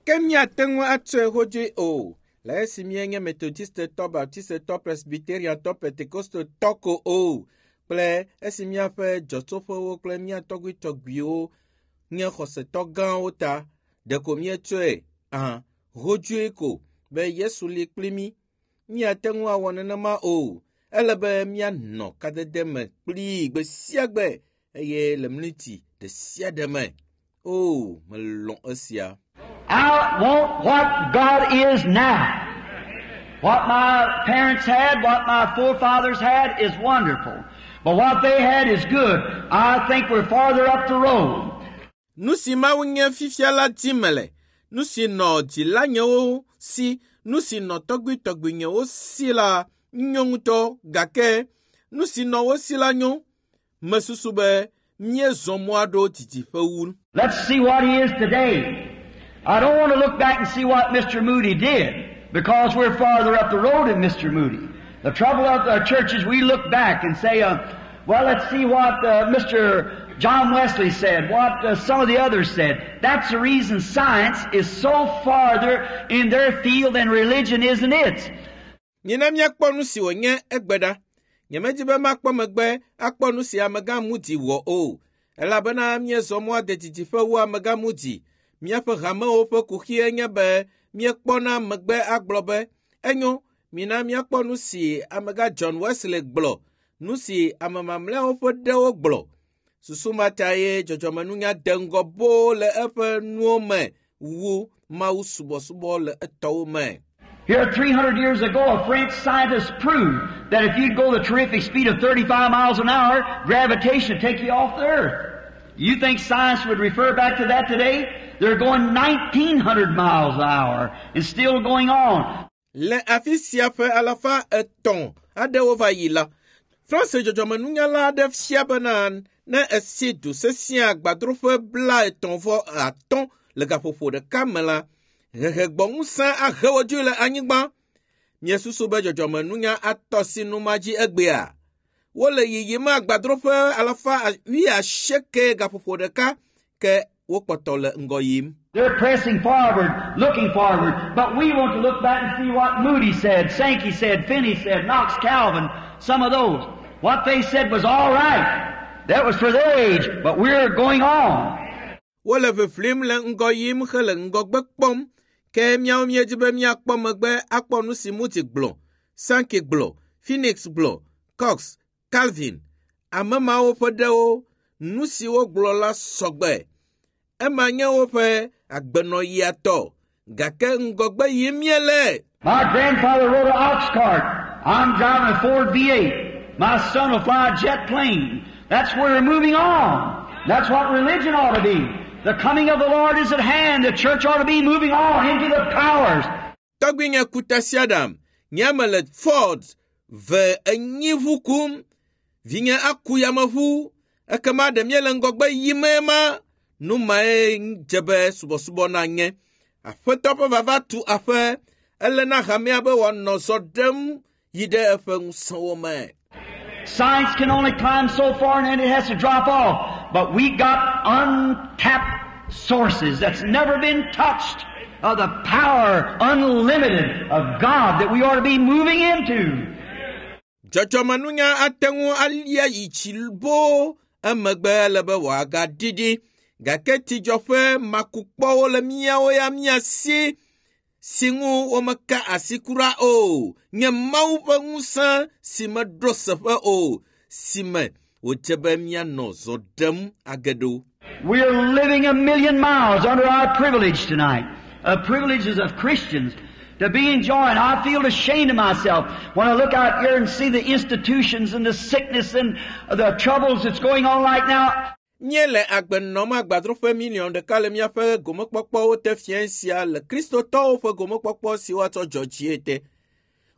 Ke míate ŋu atsɔe hodzoe o le esi míenye Metodistetɔ, Baptistetɔ, Presbyteriantɔ, Pentekostetɔ ko o kple esi míaƒe dzɔtsoƒewo kple mía tɔgbuitɔgbuiwo nye xɔsetɔ gãwo ta ɖeko míetsɔe ahã hodzoe ko be Yesu li kpli mí. Míate ŋu awɔ nenema o. Ele be míanɔ kadede me kplii gbe sia gbe eye le mliti ɖe sia ɖe me. O, melɔ̃ esia. I want what God is now. What my parents had, what my forefathers had is wonderful. But what they had is good. I think we're farther up the road. Nu si Mawu nye fifia la dim mele. Nu si nɔ dzilanyewo si, nu si nɔ tɔgbuitɔgbuinyewo si la nyo ŋutɔ gake nu si nɔ wo si la nyo. Mesusu be míezɔ mɔ aɖo didiƒe wu. Let's see what He is today. I don't want to look back and see what Mr. Moody did because we're farther up the road than Mr. Moody. The trouble of the churches, we look back and say, uh, well, let's see what uh, Mr. John Wesley said, what uh, some of the others said. That's the reason science is so farther in their field than religion is in its. Mina míakpɔ nu si wònye egbe ɖa. Nyemedi be makpɔ megbe akpɔ nu si amegã Moody wɔ o, elabena míezɔ mɔa de didiƒe wu amegã Moody. Míaƒe hamewo ƒe kuxie nye be míekpɔna megbe agblɔ be enyo mina míakpɔ nu si amegã John Wesley gblɔ, nu si ame mamlɛawo ƒe ɖewo gblɔ. Susu ma ta ye dzɔdzɔmenunya de ŋgɔ boo le eƒe nuwo me wu Mawu subɔsubɔ le etɔwo me. Here, three hundred years ago, a French scientist proved that if you'd go the terrific speed of thirty-five miles an hour, gravitation would take you off the earth. You think science would refer back to that today? They're going nineteen hundred miles an hour and still going on. Le afi sia ƒe alafa etɔ̃ aɖewo va yi la, France dzɔdzɔmenunyala aɖe fia bena ne esi du sesẽ agbadroƒe bla etɔ̃ vɔ atɔ̃ le gaƒoƒo ɖeka me la, hehegbɔŋusẽ ahe wo dzoe le anyigba. Miesusu be dzɔdzɔmenunya atɔ si nu ma dzi egbea. Wole yiyim agbadroƒe alafa wuiasieke gaƒoƒo ɖeka ke wokpɔtɔ le ŋgɔ yim. They're pressing forward, looking forward, but we want to look back and see what Moody said, Sankey said, Finney said, Knox, Calvin, some of those. What they said was all right. That was for their age, but we're going on. Wole ʋiʋlim le ŋgɔ yim hele ŋgɔgbe kpɔm ke míawo míedi be míakpɔ megbe akpɔ nu si Moody gblɔ, Sankey gblɔ, Phoenix gblɔ, Cox, Calvin, ame mawo ƒe ɖewo, nu si wogblɔ la sɔgbe. Ema nye woƒe agbenɔɣia tɔ, gake ŋgɔgbe yim míele. My grandfather rode an ox cart. I'm driving a Ford V eight. My son will fly a jet plane. That's where we're moving on. That's what religion ought to be. The coming of the Lord is at hand. The church ought to be moving on into the powers. Tɔgbuinye ku tasiaɖam. Nye me le Ford ve enyi ʋu kum. Vinye aku yameʋu. Ekema ɖe míele ŋgɔgbe yim ma. Nu mae dze be subɔsubɔ nanye. Aƒetɔ ƒe vava tu aƒe. Ele na hamea be wòanɔ zɔ ɖem yi ɖe eƒe ŋusẽwo me. Science can only climb so far and then it has to drop off. But we got untapped sources that's never been touched of the power unlimited of God that we ought to be moving into. Dzɔdzɔmenunya ate ŋu alia yi tsi boo emegbe ele be wòagaɖiɖi gake tsidzɔƒe makukpɔwo le míawo ya mía si si ŋu womeka asi kura o nye Mawu ƒe ŋusẽ si meɖo seƒe o si me wòdze be míanɔ zɔ ɖem age ɖo. We're living a million miles under our privilege tonight. The privileges of Christians to be enjoying. I feel ashamed of myself when I look out here and see the institutions and the sickness and the troubles that's going on right now. Míele agbe nɔm agbadroƒe miliɔn ɖeka le míaƒe gomekpɔkpɔwo te fiẽ sia le kristotɔwo ƒe gomekpɔkpɔ si woatsɔ dzɔ dzie te.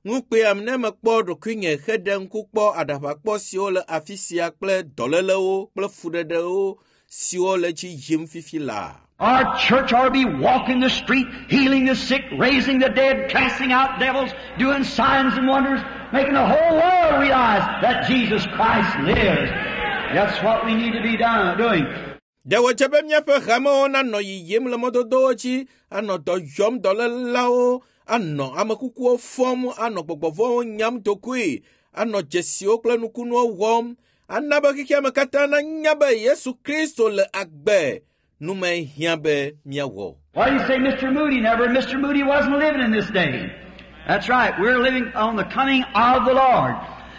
Ŋukpeam ne mekpɔ ɖokuinye heɖe ŋku kpɔ aɖaʋakpɔ siwo le afi sia kple dɔlélewo kple fuɖeɖewo siwo le dzi yim fifi laa. Our church ought to be walking the street, healing the sick, raising the dead, casting out devils, doing signs and wonders, making the whole world realize that Jesus Christ lives. That's what we need to be done, doing. Ɖe wòdze be míaƒe hamewo nanɔ yiyim le mɔdodowo dzi, anɔ dɔ yɔm dɔlélawo, anɔ amekukuwo fɔm, anɔ gbɔgbɔvɔwo nyam dokoe, anɔ dzesiwo kple nukunuwo wɔm, ana be xexea me katã nanya be Yesu Kristo le agbe. Nu mae hiã be míawɔ. Why do you say Mister Moody never? Mister Moody wasn't living in this day. That's right. We're living on the coming of the Lord.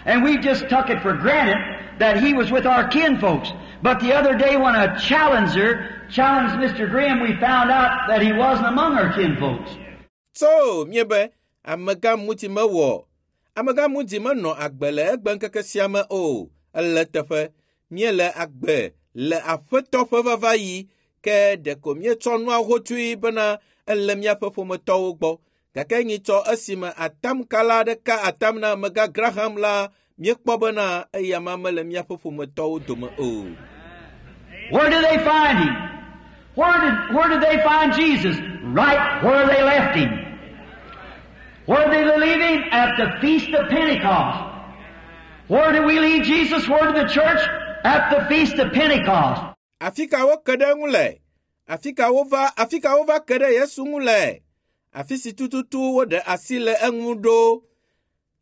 And we just took it for granted that he was with our kinfolks. But the other day when a challenger challenged Mister Graham, we found out that he wasn't among our kinfolks. So, míebe, amegã Moody mewɔ. Amegã Moody menɔ agbe le egbe ŋkeke sia me o. Ele teƒe. Míele agbe le aƒetɔ ƒe vava yi, ke ɖeko míetsɔ nua hotui bena ele míaƒe ƒometɔwo gbɔ. Gake nyitsɔ esime atamkala aɖe ka atam na amegã Graham la, míekpɔ bena eya ma mele míaƒe ƒometɔwo dome o. Where did they find him? Where did, where did they find Jesus? Right where they left him. Where did they leave him? At the Feast of Pentecost. Where did we leave Jesus? Where did the church? At the Feast of Pentecost. Afi ka woke ɖe eŋu le? Afi ka wova, afi ka wova ke ɖe Yesu ŋu le? Afi si tututu woɖe asi le eŋu ɖo.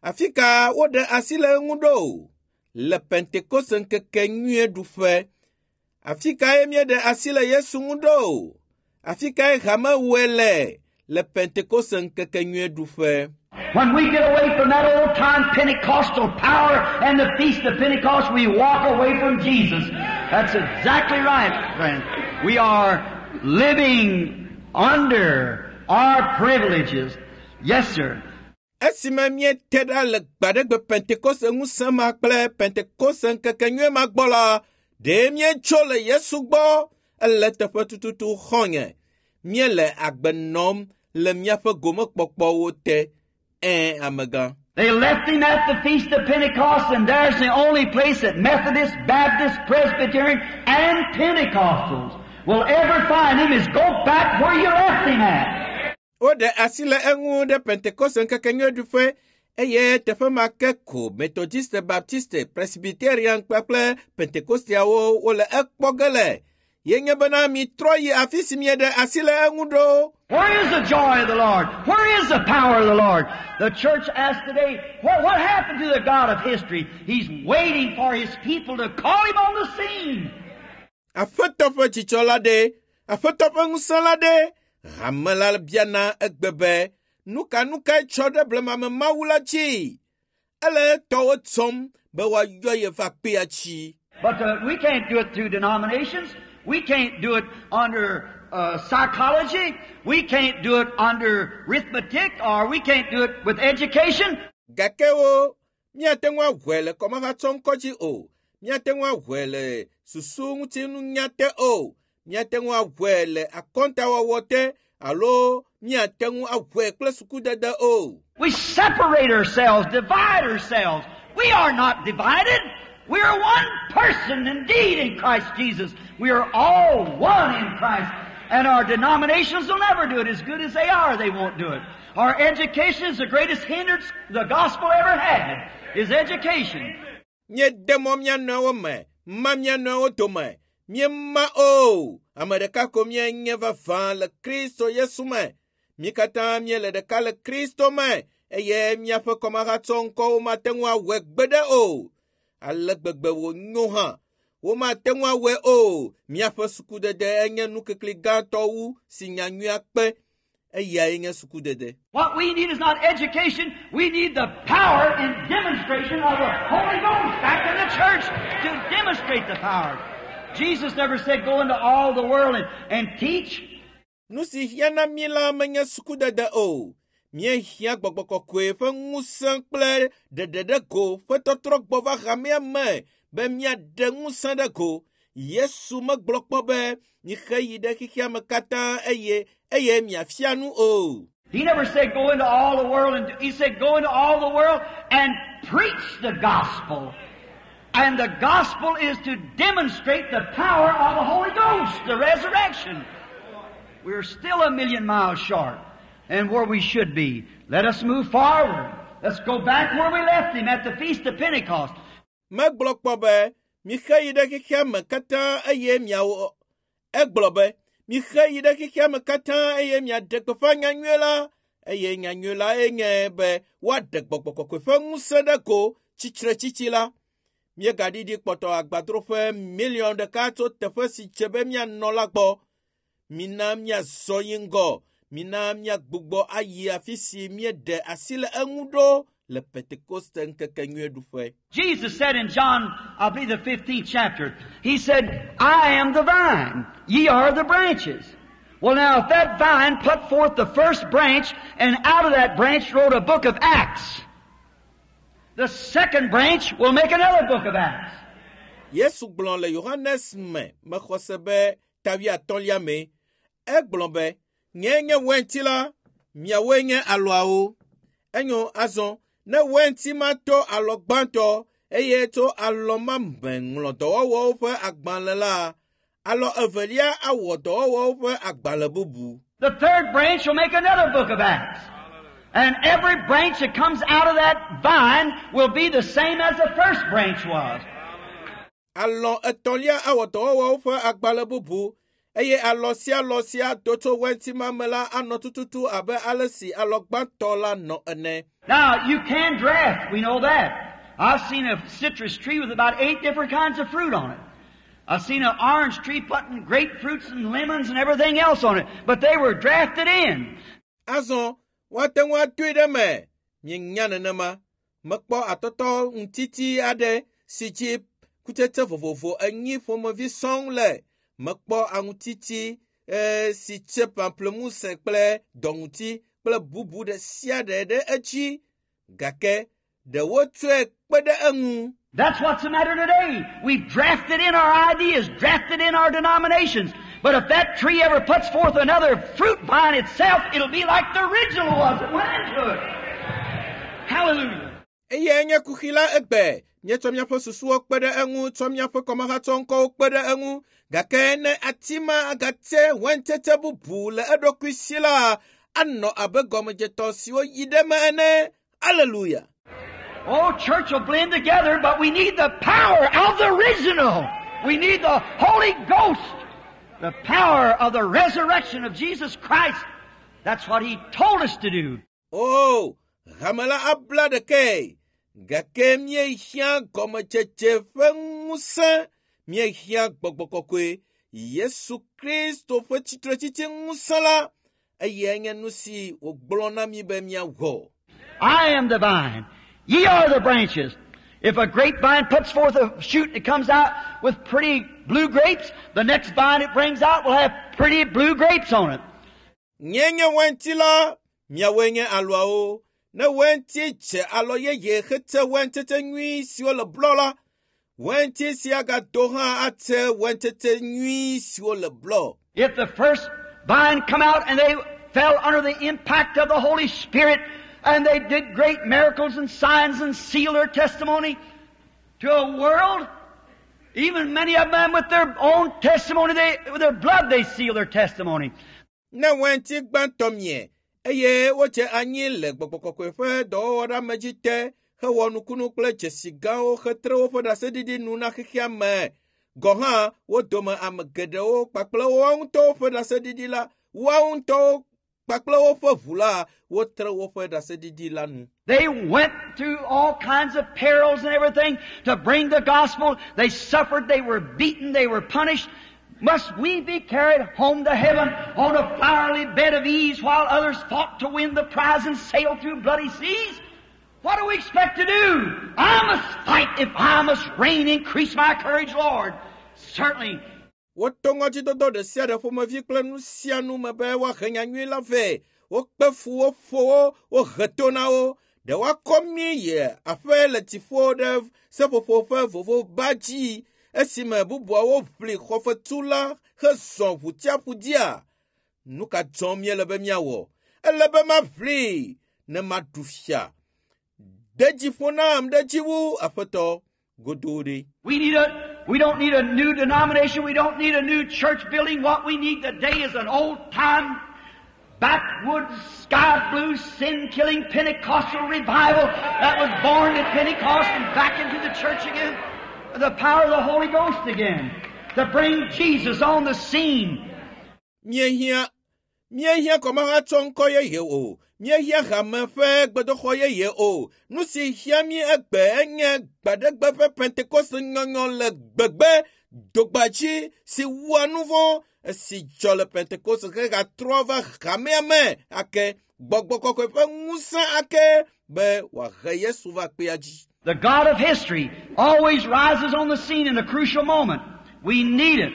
Afi ka woɖe asi le eŋu ɖo? Le Pentekoste ŋkeke nyuie ɖuƒe. Afi kae míeɖe asi le Yesu ŋu ɖo? Afi kae hame wɔe le? Le Pentekoste ŋkeke nyuie ɖuƒe. When we get away from that old time Pentecostal power and the Feast of Pentecost, we walk away from Jesus. That's exactly right, friend. We are living under our privileges. Yes, sir. Esime míete ɖa le gbaɖegbe Pentekoste ŋusẽ ma kple Pentekoste ŋkeke nyuie ma gbɔ la, ɖe míetso le Yesu gbɔ ele teƒe tututu xɔ̃nye. Míele agbe nɔm le míaƒe gomekpɔkpɔwo te. Ẽ, amegã. They left him at the Feast of Pentecost, and there's the only place that Methodists, Baptists, Presbyterian, and Pentecostals will ever find him is go back where you left him at. Woɖe asi le eŋu ɖe Pentekoste ŋkeke nyuie ɖuƒe eye teƒe ma ke ko Methodiste, Baptiste, Presbyterian kpakple Pentekosteawo wole ekpɔ ge le. Ye nye bena mitrɔ yi afi si mieɖe asi le eŋu ɖo. Where is the joy of the Lord? Where is the power of the Lord? The church asks today, what, what happened to the God of history? He's waiting for his people to call him on the scene. Aƒetɔ ƒe dzidzɔ la ɖe, aƒetɔ ƒe ŋusẽ la ɖe. Hame la biana egbe be, nu ka nu kae tsɔ ɖe blemame Mawu la dzi? Ele etɔwo tsɔm be woayɔ ye va kpea tsi. But uh, we can't do it through denominations. We can't do it under, uh, psychology. We can't do it under arithmetic, or we can't do it with education. Gake wo, míate ŋu awɔe le kɔmahatsɔŋkɔ dzi o. Míate ŋu awɔe le susu ŋutinunya te o. Míate ŋu awɔe le akɔntawɔwɔ te alo míate ŋu awɔe kple sukudede o. We separate ourselves, divide ourselves. We are not divided. We are one person indeed in Christ Jesus. We are all one in Christ. And our denominations will never do it. As good as they are, they won't do it. Our education is the greatest hindrance the gospel ever had, is education. Míede mɔ mía nɔewo me, ma mía nɔewo dome. Míema o. Ame ɖeka ko míenye vavã le Kristo Yesu me. Mí katã míele ɖeka le Kristo me eye míaƒe kɔmahatsɔŋkɔwo mate ŋu awɔe gbeɖe o. Ale gbegbe wònyo hã, womate ŋu awɔe o. Míaƒe sukudede enye nukikli gãtɔ wu si nyanyuia kpe. Eyae nye sukudede. What we need is not education. We need the power and demonstration of the Holy Ghost back in the church to demonstrate the power. Jesus never said go into all the world and, and teach. Nu si hiã na mí la menye sukudede o. Míehiã gbɔgbɔ kɔkɔe ƒe ŋusẽ kple ɖeɖe ɖe go ƒe tɔtrɔ gbɔ va hamea me be míaɖe ŋusẽ ɖe go. Yesu megblɔ kpɔ be mixe yi ɖe xexea me katã eye eye miafia nu o. He never said go into all the world and he said go into all the world and preach the gospel. And the gospel is to demonstrate the power of the Holy Ghost, the resurrection. We're still a million miles short and where we should be. Let us move forward. Let's go back where we left him at the Feast of Pentecost. Megblɔ kpɔ be mixe yi ɖe xexea me katã eye miawɔ egblɔ be mixe yi ɖe xexea me katã eye miaɖe gbeƒã nyanyui la eye nyanyui la enye be woaɖe gbɔgbɔ kɔkɔe ƒe ŋusẽ ɖe go tsitretsitsi la. Míegaɖiɖi kpɔtɔ agbadroƒe miliɔn ɖeka tso teƒe si dze be míanɔ la gbɔ. Mina míazɔ yi ŋgɔ. Mina míagbugbɔ ayi afi si míeɖe asi le eŋu ɖo le Pentekoste ŋkekenyuieɖuƒe. Jesus said in John, I believe the fifteenth chapter, He said, I am the vine, ye are the branches. Well now, if that vine put forth the first branch, and out of that branch wrote a book of Acts, the second branch will make another book of Acts. Yesu gblɔ le Yohanes me mexɔ se be ta wuiatɔ̃lia me. Egblɔ be, nye nye wɛnti la, miawoe nye alɔawo. Enyo azɔ, ne wɛnti ma to alɔ gbãtɔ eye to alɔ ma me ŋlɔ dɔwɔwɔwo ƒe agbalẽ la, alɔ evelia awɔ dɔwɔwɔwo ƒe agbalẽ bubu. The third branch will make another book of Acts. And every branch that comes out of that vine will be the same as the first branch was. Alɔ etɔ̃lia awɔ dɔwɔwɔwo ƒe agbalẽ bubu eye alɔ sia alɔ sia do tso wɛnti ma me la anɔ tututu abe ale si alɔ gbãtɔ la nɔ ene. Now, you can draft, we know that. I've seen a citrus tree with about eight different kinds of fruit on it. I've seen an orange tree putting grapefruits and lemons and everything else on it, but they were drafted in. Azɔ, woate ŋu adoe ɖe me. Mienya nenema. Mekpɔ atɔtɔ ŋutiti aɖe si dzi kutsetse vovovo enyi ƒomevi sɔŋ le. Mekpɔ aŋutiti eh, si tse pamplemousse kple dɔŋuti kple bubu ɖe sia ɖe ɖe edzi. Gake ɖe wotsɔe kpe ɖe eŋu. That's what's the matter today. We've drafted in our ideas, drafted in our denominations. But if that tree ever puts forth another fruit vine itself, it'll be like the original was that went into it. Hallelujah. Eye nye kuxi la egbe. Míetsɔ míaƒe susuwo kpe ɖe eŋu, tsɔ míaƒe kɔmahatsɔŋkɔwo kpe ɖe eŋu. Gake ne ati ma agatse wɛntsetse bubu le eɖokui si la, anɔ abe gɔmedzetɔ siwo yi ɖe me ene. Aleluya. Oh, church will blend together, but we need the power of the original. We need the Holy Ghost, the power of the resurrection of Jesus Christ. That's what He told us to do. O, hame la abla ɖekae. Gake míehiã gɔmedzedze ƒe ŋusẽ. Míehiã gbɔgbɔ kɔkɔe. Yesu Kristo ƒe tsitretsitsi ŋusẽ la, eyae nye nu si wògblɔ na mí be míawɔ. I am the vine. Ye are the branches. If a grapevine puts forth a shoot and it comes out with pretty blue grapes, the next vine it brings out will have pretty blue grapes on it. Nye nye wɛnti la, miawoe nye alɔawo. Ne wɛnti dze alɔ yeye hetse wɛntsetse nyui siwo le blɔ la, wɛnti sia gado hã atse wɛntsetse nyui siwo le blɔ. If the first vine come out and they fell under the impact of the Holy Spirit and they did great miracles and signs and sealed their testimony to a world, even many of them with their own testimony, they, with their blood they seal their testimony. Ne wɛnti gbãtɔ mie eye wodze anyi le gbɔgbɔ kɔkɔe ƒe dɔwɔwɔɖeamedzi te hewɔ nukunu kple dzesi gãwo hetre woƒe ɖaseɖiɖi nu na xexea me. Gɔ hã wo dome ame geɖewo kpakple woawo ŋutɔwo ƒe ɖaseɖiɖi la, woawo ŋutɔwo kpakple woƒe ʋu la, wotre woƒe ɖaseɖiɖi la nu. They went through all kinds of perils and everything to bring the gospel. They suffered, they were beaten, they were punished. Must we be carried home to heaven on a flowery bed of ease while others fought to win the prize and sail through bloody seas? What do we expect to do? I must fight if I must reign. Increase my courage, Lord. Certainly. Woto ŋɔdzidodo ɖe sia ɖe ƒomevi kple nu sia nu me be woahe nyanyui la vɛ. Wokpe fu wo ƒo wo, wohe to na wo. Ɖe woakɔ mí yi aƒe le dziƒo ɖe seƒoƒo ƒe vovoba dzi esime bubuawo ʋli xɔfetu la hezɔ ʋutiaƒu dzia? Nu ka dzɔm míele be míawɔ? Ele be maʋli ne maɖu fia. De dzi ƒo nam ɖe dzi wu aƒetɔ godoo ɖe. We need a, we don't need a new denomination. We don't need a new church building. What we need today is an old time, backwoods, sky blue, sin killing Pentecostal revival that was born at Pentecost and back into the church again. The power of the Holy Ghost again. To bring Jesus on the scene. Míehiã míehiã kɔmahatsɔ ŋkɔ yeye o. Míehiã hame ƒe gbedoxɔ yeye o. Nu si hiã mí egbe enye gbaɖegbe ƒe Pentekoste nyɔnyɔ le gbegbe dogbadzi si wua nu vɔ̃ esi dzɔ le Pentekoste hegatrɔ va hamea me ake gbɔgbɔ kɔkɔe ƒe ŋusẽ ake be wòahe Yesu va kpea dzi. The God of history always rises on the scene in a crucial moment. We need it.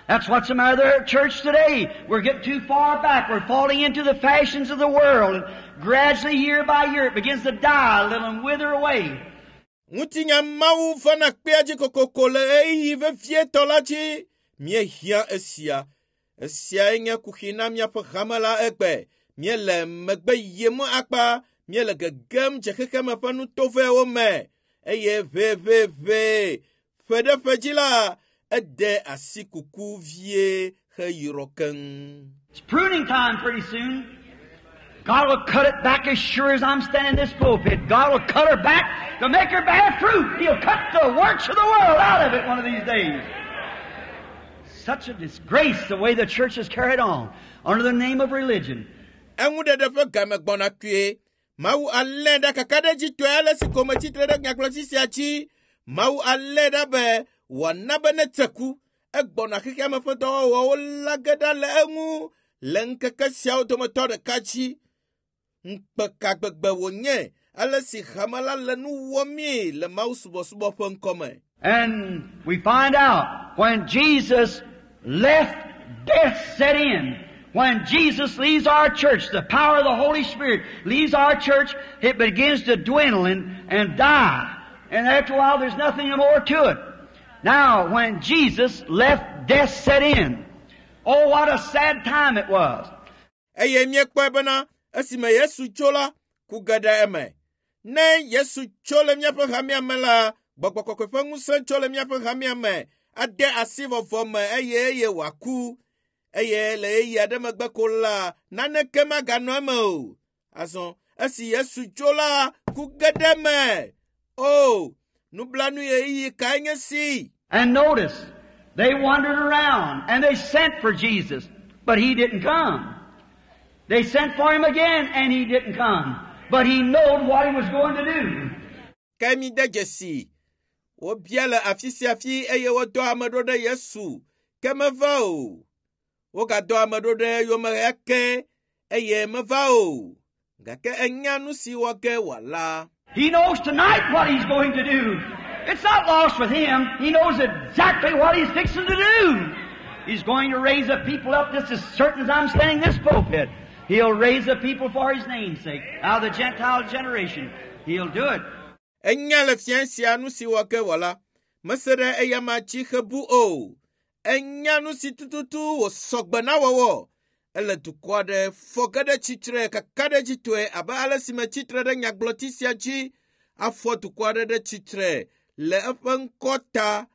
That's what's the matter with the church today. We're getting too far back. We're falling into the fashions of the world. And gradually, year by year, it begins to die a little and wither away. Ŋutinya Mawu vana kpea dzi kokoko le ɣeyiɣi vevietɔ la dzi. Míehiã esia. Esiae nye kuxi na míaƒe hame la egbe. Míele megbe yim akpa. Míele gegem dze xexeme ƒe nutovɛwo me eye ʋeʋeʋe ƒe ɖe ƒe dzi la, ede asi kuku vie heyrɔ keŋ. It's pruning time pretty soon. God will cut it back as sure as I'm standing in this pulpit. God will cut her back to make her bear fruit. He'll cut the works of the world out of it one of these days. Such a disgrace the way the church is carried on under the name of religion. Eŋuɖeɖe ƒe game gbɔna kpuie. Mawu alé ɖe kakaɖedzitɔe ale si ko metsitre ɖe nyagblɔɖi sia dzi. Mawu alé ɖa be wòana be netse ku. Egbɔna xexeame ƒe dɔwɔwɔwo la ge ɖa le eŋu le ŋkeke siawo dometɔ ɖeka dzi. Ŋukpe ka gbegbe wònye ale si hame la le nu wɔmee le Mawu subɔsubɔ ƒe ŋkɔme. And we find out when Jesus left, death set in. When Jesus leaves our church, the power of the Holy Spirit leaves our church, it begins to dwindle and, and die. And after a while, there's nothing more to it. Now, when Jesus left, death set in. Oh, what a sad time it was. Eye míekpɔe bena esime Yesu tso la, ku ge ɖe eme. Ne Yesu tso le míaƒe hamea me la, gbɔgbɔ kɔkɔe ƒe ŋusẽ tso le míaƒe hamea me, ade asi vɔvɔ me eye eye wòaku. Eye le ɣeyiɣi aɖe megbe ko la, naneke maganɔ eme o. Azɔ, esi Yesu tso la, ku ge ɖe eme. O, nublanui ɣeyiɣi kae nye si! And notice, they wandered around and they sent for Jesus, but He didn't come. They sent for Him again and He didn't come. But He knowed what He was going to do. Ke mi de dzesi. Wobia le afi sia afi eye wodɔ ame ɖo ɖe Yesu, ke meva o. Wogadɔ ame ɖo ɖe eyome ake eye meva o. Gake enya nu si wɔ ge wòala. He knows tonight what He's going to do. It's not lost with Him. He knows exactly what He's fixing to do. He's going to raise a people up just as certain as I'm standing in this pulpit. He'll raise a people for His name's sake. Out of the Gentile generation. He'll do it. Enya le fia sia nu si wɔ ge wòala. Mese ɖe eyama dzi hebu o. Enya nu si tututu wòsɔgbe na wɔwɔ. Ele dukɔ aɖe fɔ ge ɖe tsitre kakaɖedzitɔe abe ale si metsitre ɖe nyagblɔti sia dzi afɔ dukɔ aɖe ɖe tsitre le eƒe ŋkɔ ta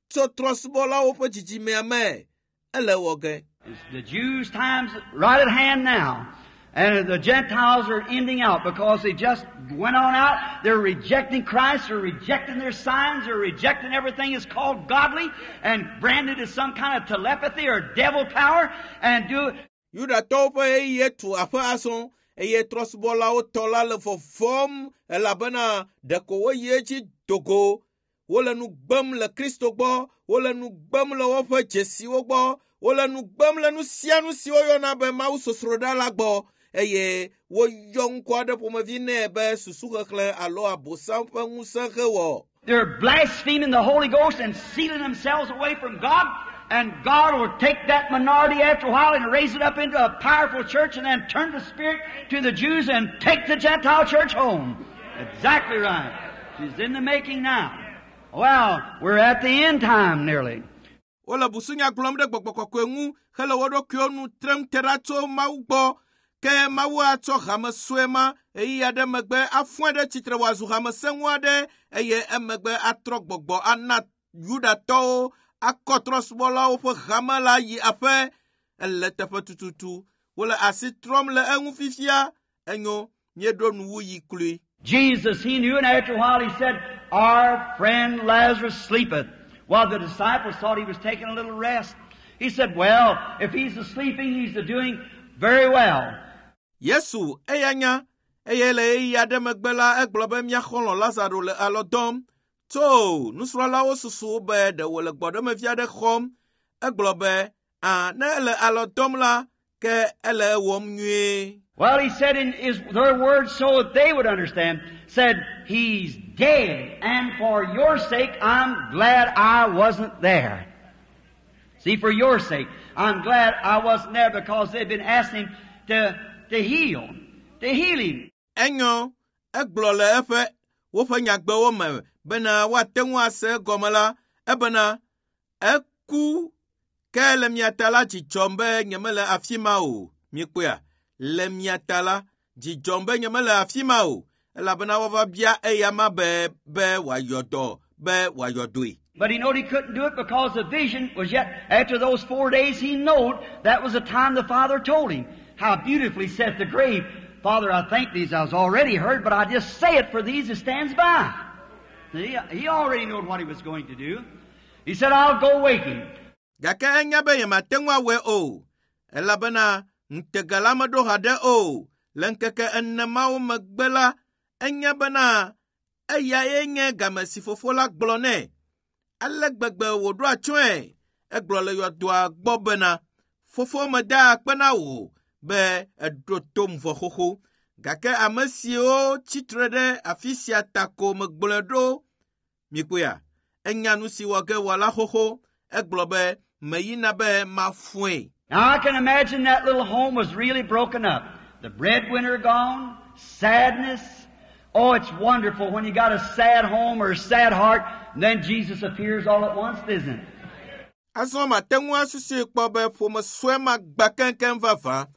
tso trɔ̃subɔlawo ƒe dzidzimea me. Ele wɔ ge. It's the Jews' time's right at hand now. And the Gentiles are ending out because they just went on out. They're rejecting Christ. They're rejecting their signs. They're rejecting everything that's called godly and branded as some kind of telepathy or devil power and do Yudatɔwo ƒe ɣeyiɣie tu aƒe azɔ eye trɔ̃subɔlawo tɔ la le vɔvɔm elabena ɖeko woyi edzi dogo. Wole nu gbem le Kristo gbɔ, wole nu gbem le woƒe dzesiwo gbɔ, wole nu gbem le nu sia nu si woyɔna be Mawu sosroɖa la gbɔ eye woyɔ ŋkɔ aɖe ƒomevi nɛ be susuxexlẽ alo abosam ƒe ŋusẽ hewɔ. They're blaspheming the Holy Ghost and sealing themselves away from God. And God will take that minority after a while and raise it up into a powerful church and then turn the Spirit to the Jews and take the Gentile church home. Exactly right. She's in the making now. Well, we're at the end time nearly. Wole busunya gblɔm ɖe gbɔgbɔ kɔkɔe ŋu hele wo ɖokuiwo nu trem te ɖa tso Mawu gbɔ. Ke Mawu atsɔ hame sue ma ɣeyiɣi aɖe megbe afɔe ɖe tsitre wòazu hame sẽŋu aɖe eye emegbe atrɔ gbɔgbɔ ana Yudatɔwo akɔ trɔ̃subɔlawo ƒe hame la yi aƒe. Ele teƒe tututu. Wole asi trɔm le eŋu fifia. Enyo, míeɖo nuwuyi kloe. Jesus, he knew, and after a while he said, Our friend Lazarus sleepeth. While the disciples thought he was taking a little rest. He said, Well, if he's a sleeping, he's a doing very well. Yesu eya nya eye le ɣeyiɣi aɖe megbe la egblɔ be mía xɔlɔ̃ Lazaro le alɔ dɔm. Tso nusrɔ̃lawo susu be ɖe wòle gbɔɖemevi aɖe xɔm. Egblɔ be, "Ã, ne ele alɔ dɔm la, ke ele ewɔm nyuie." Well, he said in his, their words so that they would understand, said, He's dead, and for your sake I'm glad I wasn't there. See, for your sake, I'm glad I wasn't there because they'd been asking him to, to heal, to heal him. Enyo, egblɔ le eƒe woƒe nyagbewo me bena woate ŋu ase egɔme la, ebena eku ke le mia ta la dzi dzɔm be nyemele afi ma o. Miekpɔea? Le mia ta la, dzi dzɔm be nyemele afi ma o elabena woava bia eyama be be wòayɔ dɔ be wòayɔ dɔe. But he knowed he couldn't do it because the vision was yet, after those four days, he knowed that was the time the Father told him. How beautifully saith the grave, Father, I thank thee, as I was already heard, but I just say it for these that stands by. See, he already knowed what he was going to do. He said, I'll go wake him. Gake enya be yemate ŋu awɔe o, elabena ŋutega la meɖo haɖe o. Le ŋkeke ene mawo megbe la, enya bena eyae nye game si fofo la gblɔ nɛ. Ale gbegbe wòɖo atsyɔ̃e. Egblɔ le yɔdoa gbɔ bena, fofo meda akpe na wò be èɖo tom vɔ xoxo. Gake ame siwo tsitre ɖe afi sia ta ko megblɔe ɖo. Mikpɔea? Enya nu si wɔ ge wòala xoxo. Egblɔ be meyina be mafɔe. Now I can imagine that little home was really broken up. The breadwinner gone, sadness. Oh, it's wonderful when you got a sad home or a sad heart, and then Jesus appears all at once, isn't it? Azɔ mate ŋu asusui kpɔ be ƒome sue ma gbã keŋkeŋ vavã.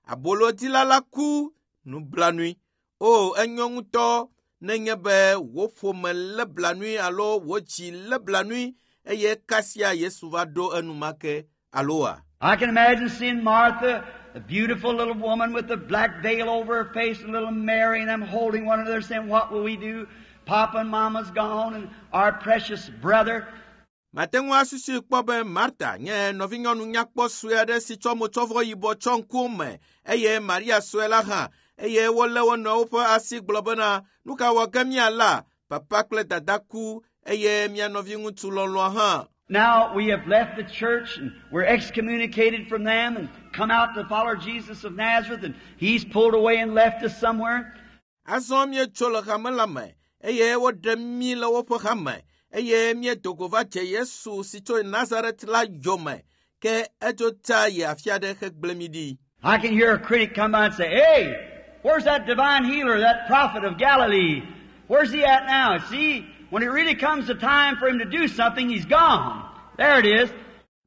Abolodila la ku nublanui. O, enyo ŋutɔ nenye be wò ƒome lé blanui alo wò dzi lé blanui eye kasia Yesu va ɖo enumake aloa? I can imagine seeing Martha, the beautiful little woman with the black veil over her face, and little Mary and them holding one another saying, What will we do? Papa and Mama's gone, and our precious brother. Mate ŋu asusui kpɔ be Marta nye nɔvinyɔnu nyakpɔ sue aɖe si tsɔ motsɔvɔ yibɔ tsɔ ŋkuwo me eye Maria sue la hã eye wolé wo nɔewo ƒe asi gblɔ bena nu ka wɔ ge míala papa kple dada ku eye mía nɔviŋutsu lɔlɔ̃a hã. Now we have left the church and we're excommunicated from them and come out to follow Jesus of Nazareth and he's pulled away and left us somewhere. Azɔ míetso le hame la me eye woɖe mí le woƒe hame eye míedo go va dze Yesu si tso Nazaret la yome ke edzo ta yi afi aɖe hegblẽ mí ɖi. I can hear a critic come by and say, Hey, where's that divine healer, that prophet of Galilee? Where's he at now? See, when it really comes to time for him to do something, he's gone. There it is.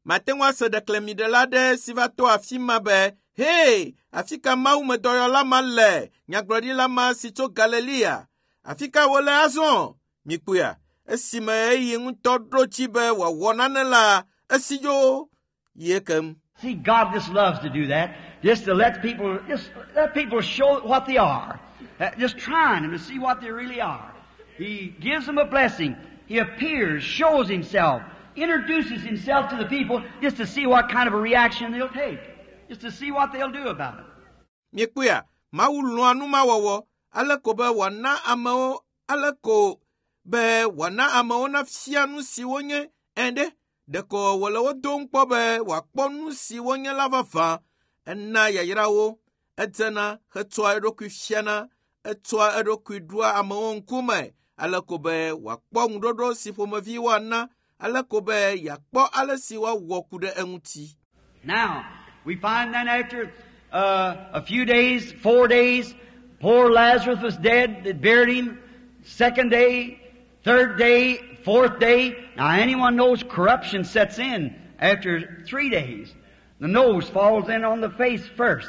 Mate ŋu ase ɖeklemiɖela aɖe si va to afi ma be, Hei, afi ka mawumedɔyɔla ma le, nyagblɔɖila ma si tso Galilea? Afi ka wòle azɔ? Mikpɔea? Esime eyi ŋutɔ ɖo dzi be wòawɔ nane la, esi dzo yi ekem. See, God just loves to do that. Just to let people, just let people show what they are. Uh, Just trying them to see what they really are. He gives them a blessing. He appears, shows himself, introduces himself to the people just to see what kind of a reaction they'll take. Just to see what they'll do about it. Mikpɔea? Mawu lɔ̃a nu ma wɔwɔ ale ko be wòana amewo ale ko be wòana amewo nafia nu si wonye ẽ ɖe. Ɖeko wòle wo dom kpɔ be wòakpɔ nu si wonye la vavã. Ena yayrawo, edzena hetsɔa eɖokui fiana, etsɔa eɖokui ɖoa amewo ŋkume ale ko be wòakpɔ ŋuɖoɖo si ƒomevi woana, ale ko be yeakpɔ ale si woawɔ ku ɖe eŋuti. Now, we find then after uh, a few days, four days, poor Lazarus was dead. They buried him. Second day, third day, fourth day. Now, anyone knows corruption sets in after three days. The nose falls in on the face first.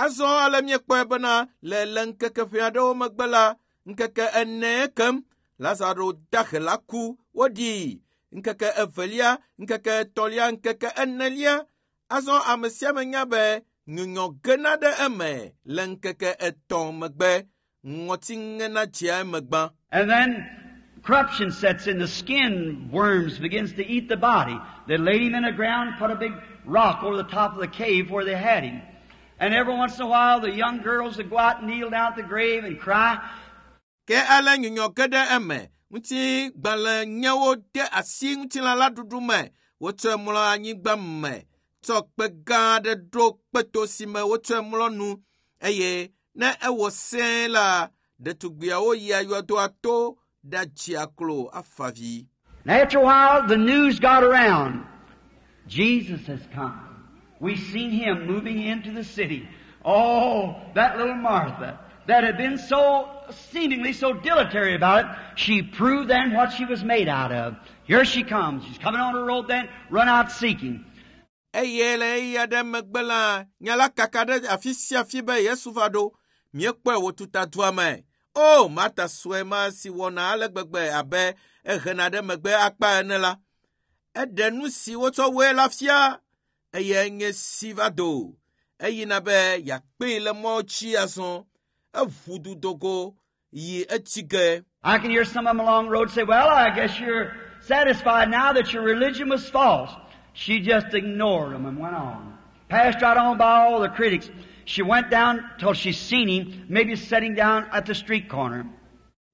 Azɔ ale míekpɔe bena le le ŋkeke ƒe aɖewo megbe la, ŋkeke ene kem, Lazaro dahe la ku woɖii. Ŋkeke evelia, ŋkeke etɔ̃lia, ŋkeke enelia. Azɔ ame sia ame nya be nyunyɔ gena ɖe eme le ŋkeke etɔ̃ megbe. Ŋɔti ŋena dzea eme gbã. And then corruption sets in, the skin worms begins to eat the body. They laid him in the ground, put a big rock over the top of the cave where they had him. And every once in a while the young girls would go out and kneel down at the grave and cry. Ke ale nyunyɔ ge ɖe eme. Ŋutigbalẽ nyewo de asi ŋutilã la ɖuɖu me. Wotsɔe mlɔ anyigba me. Tsɔ kpe gã aɖe ɖo kpeto si me wotsɔe mlɔ nu eye ne ewɔ sẽe la, ɖetugbiawo yia yɔdoa to ɖatsia klo afa vi. And after a while, the news got around. Jesus has come. We've seen him moving into the city. Oh, that little Martha that had been so seemingly so dilatory about it, she proved then what she was made out of. Here she comes. She's coming on her road then, run out seeking. Eye le ɣeyiɣi aɖe megbe la, nya la kaka ɖe afi sia afi be Yesu va ɖo. Míekpɔe wòtuta dua me. O, Marta sue ma si wɔna ale gbegbe abe ehena ɖe megbe akpa ene la. Eɖe nu si wotsɔ wɔe la fia eye nye si va do. Eyina be yeakpee le mɔ dzi azɔ. Eʋu du dogo yi etsi ge. I can hear some of them along the road say, well, I guess you're satisfied now that your religion was false. She just ignored them and went on. Passed right on by all the critics. She went down till she seen him, maybe sitting down at the street corner.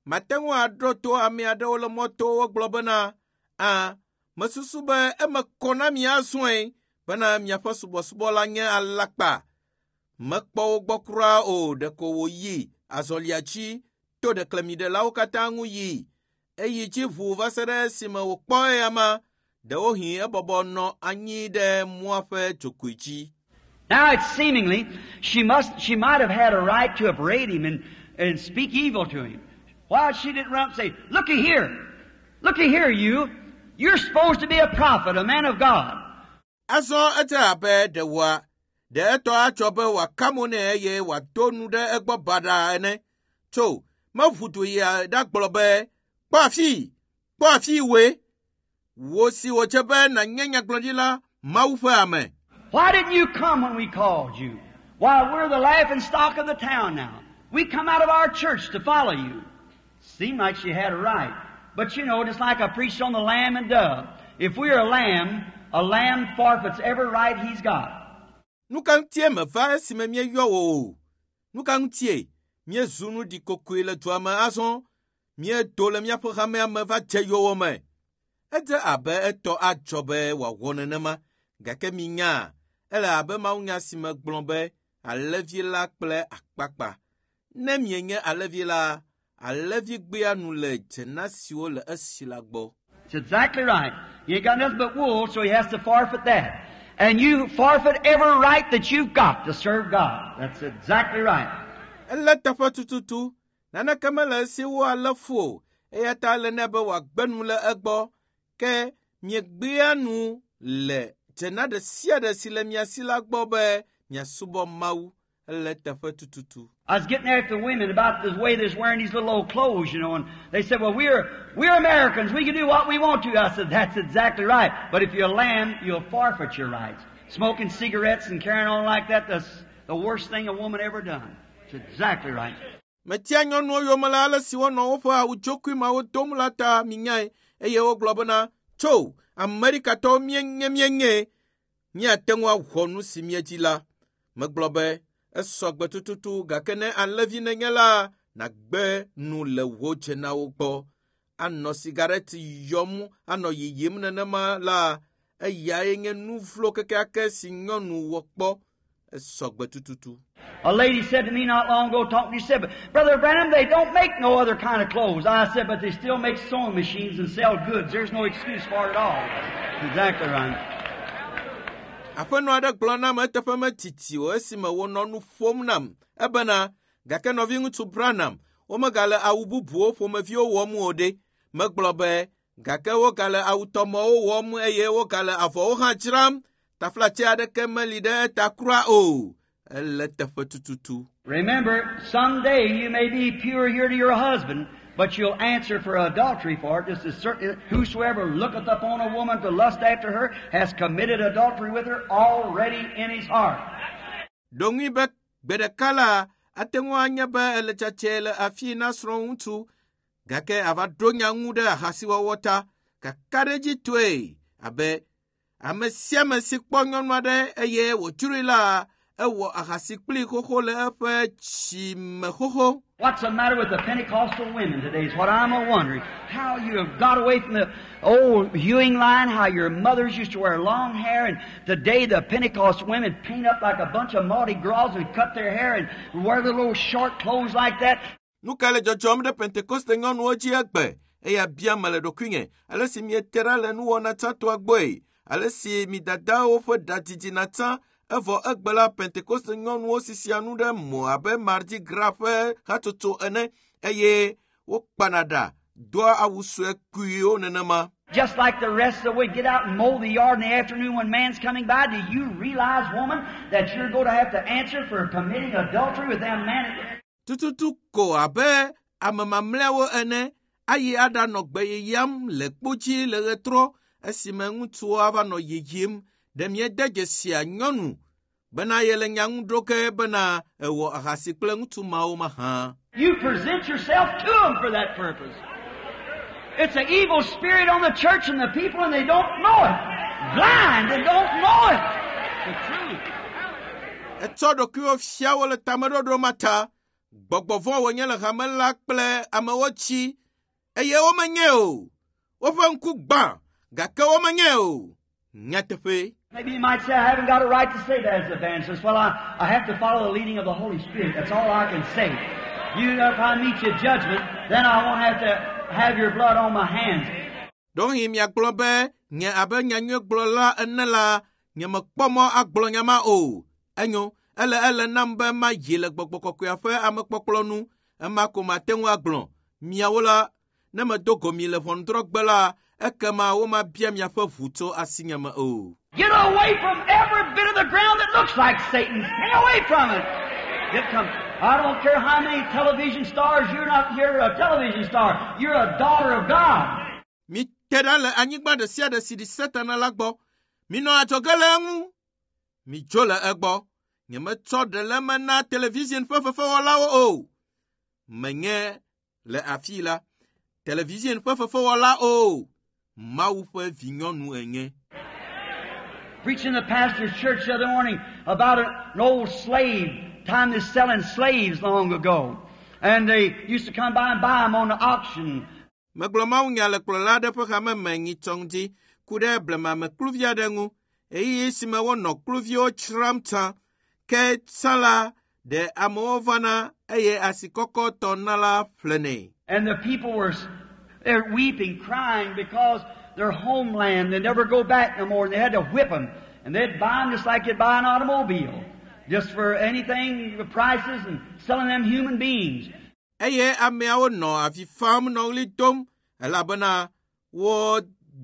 Mate ŋu aɖo to ame aɖewo le mɔto wogblɔ bena, a, mesusu be eme kɔ na mi azɔe bena miaƒe subɔsubɔ la nye alakpa. Mekpɔ wo gbɔ kura o, ɖeko wòyi azɔlia dzi to ɖeklemiɖelawo katã ŋu yi. Eyi dzi ʋuu va se ɖe esime wòkpɔ eyama. Ɖewohĩ ebɔbɔ nɔ anyi ɖe mɔa ƒe dzogoe dzi. Now it's seemingly she must she might have had a right to upbraid him and, and speak evil to him. Why she didn't run up and say, Looky here, looky here, you. You're supposed to be a prophet, a man of God. Azɔ edze abe ɖe wòa ɖe etɔ atsɔ be wòaka mo nɛ eye wòado nu ɖe egbɔ baɖa ene. Tso meʋu du yi ɖagblɔ be, kpɔ afii, kpɔ afii woe. Wò si wòdze be nànye nyagblɔɖila Mawu ƒe ame. Why didn't you come when we called you? Why, we're the laughing stock of the town now. We come out of our church to follow you. Seemed like she had a right. But you know, just like I preached on the lamb and dove, if we're a lamb, a lamb forfeits every right he's got. Nu ka ŋutie meva esime míeyɔ wò o? Nu ka ŋutie míezu nu ɖikokoe le dua me azɔ? Míedo le míaƒe hamea me va dze yowòme. Edze abe etɔ adzɔ be wòawɔ nenema, gake minya, ele abe mawunya si me gblɔ be alẽvi la kple akpakpa. Ne mienye alẽvi la, alẽvi gbea nu le dzena siwo le esi la gbɔ. It's exactly right. He ain't got nothing but wool, so he has to forfeit that. And you forfeit every right that you've got to serve God. That's exactly right. Ele teƒe tututu. Naneke mele esi wo alẽ fu o, eya ta ele nɛ be wòagbe nu le egbɔ. Ke miegbea nu le dzena ɖe sia ɖe si le mia si la gbɔ be miasubɔ Mawu. Ele teƒe tututu. I was getting after the women about the way they're wearing these little old clothes, you know, and they said, well, we're, we're Americans. We can do what we want to. I said, that's exactly right. But if you're a lamb, you'll forfeit your rights. Smoking cigarettes and carrying on like that, that's the worst thing a woman ever done. It's exactly right. Metia nyɔnuwo yome le ale si wonɔ woƒe awu dzokui mawo dom la ta minyae eye wogblɔ bena tso Amerikatɔwo míenye míenye míate ŋu awɔ nu si míedzi la. Megblɔ be esɔ gbe tututu gake ne alẽvi nenye la nàgbe nu le wò dzenawo gbɔ. Anɔ sigareti yɔm anɔ yiyim nenema la eyae nye nu vlo kekeake si nyɔnu wɔ kpɔ. Esɔ gbe tututu. A lady said to me not long ago, talking, she said, but Brother Branham, they don't make no other kind of clothes. I said, but they still make sewing machines and sell goods. There's no excuse for it at all. Exactly right. Aƒenɔ aɖe gblɔ nam eteƒe metiti o esime wònɔ nu ƒom nam ebena gake nɔviŋutsu Branham womegale awu bubuwo ƒomeviwo wɔm o ɖe. Megblɔ be gake wogale awutɔmɔwo wɔm eye wogale avɔwo hã dzram. Taflatse aɖeke meli ɖe eta kura o. Ele teƒe tututu. Remember, someday you may be pure here to your husband, but you'll answer for adultery for it. Just as certain, whosoever looketh upon a woman to lust after her has committed adultery with her already in his heart. Ɖo ŋui be gbe ɖeka la, ate ŋu anye be ele tsatsɛ le afi na srɔ̃ŋutsu gake ava ɖo nya ŋu ɖe ahasiwɔwɔ ta kakaɖedzitɔe abe ame sia ame si kpɔ nyɔnu aɖe eye wòdzroe la ewɔ ahasi kpli xoxo le eƒe dzime xoxo. What's the matter with the Pentecostal women today is what I'm a wondering. How you have got away from the old hewing line, how your mothers used to wear long hair, and today the Pentecost women paint up like a bunch of Mardi Gras and cut their hair and wear the little short clothes like that. Nu ka le dzɔdzɔm ɖe Pentekoste nyɔnuwo dzi egbe eya bia me le ɖokuinye ale si miete ɖa le nuwɔna tsãtɔa gbɔe ale si mi dadawo ƒe ɖa didina tsã evɔ egbe la Pentekoste nyɔnuwo sisia nu ɖe mo abe Mardi Gras ƒe hatsotso ene eye wokpana ɖa doa awu sue kpuiwo nenema. Just like the rest of the way, get out and mow the yard in the afternoon when man's coming by. Do you realize, woman, that you're going to have to answer for committing adultery with them man? Tututu ko abe ame mamlɛawo ene ayi aɖanɔ gbe yeyam le kpo dzi le ɣetrɔ esime ŋutsuwo ava nɔ yiyim ɖe miede dzesia nyɔnu bena yele nya ŋu ɖo ke bena ewɔ ahasi kple ŋutsu mawo mahã. You present yourself to them for that purpose. It's an evil spirit on the church and the people, and they don't know it. Blind and don't know it. The truth. Etsɔ ɖokuiwo fia wo le tameɖoɖo ma ta. Gbɔgbɔ vɔ̃ wònye le hame la kple amewo tsi eye womenye o. Woƒe ŋku gbã gake womenye o. Nyateƒe. Maybe you might say, I haven't got a right to say that as an evangelist. Well, I, I have to follow the leading of the Holy Spirit. That's all I can say. You know, if I meet you at judgment, then I won't have to have your blood on my hands. Ɖewohĩ miagblɔ be nye abe nyanyuiegblɔla ene la, nyemekpɔ mɔ agblɔ nya ma o. Enyo, ele ele nam be mayi le gbɔgbɔ kɔkɔea ƒe amekpɔkplɔ nu. Ema ko mate ŋu agblɔ. Miawo la, ne medo go mi le ʋɔnudrɔ̃gbe la, ekema womabia miaƒe ʋu tso asinye me o. Get away from every bit of the ground that looks like Satan. Stay away from it. Get come. I don't care how many television stars, you're not you're a television star. You're a daughter of God. Mite ɖa le anyigba ɖe sia ɖe si ɖi Satana la gbɔ. Minɔ adzɔge le eŋu. Midzo le egbɔ. Nyemetsɔ ɖe le eme na television ƒe fefewɔlawo o. Menye le afii la, television ƒe fefewɔla o. Mawu ƒe vinyɔnu enye. Preaching in the pastor's church the other morning about an old slave, time they selling slaves long ago. And they used to come by and buy them on the auction. Megblɔ mawunya le kplɔla aɖe ƒe hame me nyitsɔ ŋdi ku ɖe blemamekluvi aɖe ŋu. Ɣeyiɣi si me wonɔ kluviwo dzram tsã. Ke tsã la, ɖe amewo vana eye asikɔkɔtɔ na la ƒlenɛ. And the people were they're weeping, crying because their homeland, they never go back no more, and they had to whip them. And they'd buy them just like you'd buy an automobile. Just for anything, the prices, and selling them human beings. Eye ameawo nɔ avi fam nɔ ɣli dom elabena wo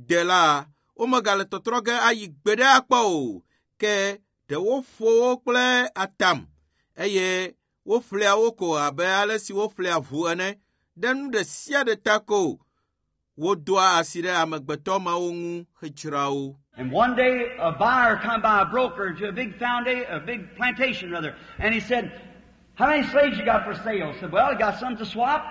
de la womegale tɔtrɔ ge ayi gbeɖe akpɔ o. Ke ɖe woƒo wo kple atam eye woƒlea wo ko abe ale si woƒlea ʋu ene ɖe nu ɖe sia ɖe ta ko wodoa asi ɖe amegbetɔ mawo ŋu hedzra wo. And one day, a buyer come by, a broker, to a big foundation, a big plantation rather, and he said, how many slaves you got for sale? I said, well, I got some to swap.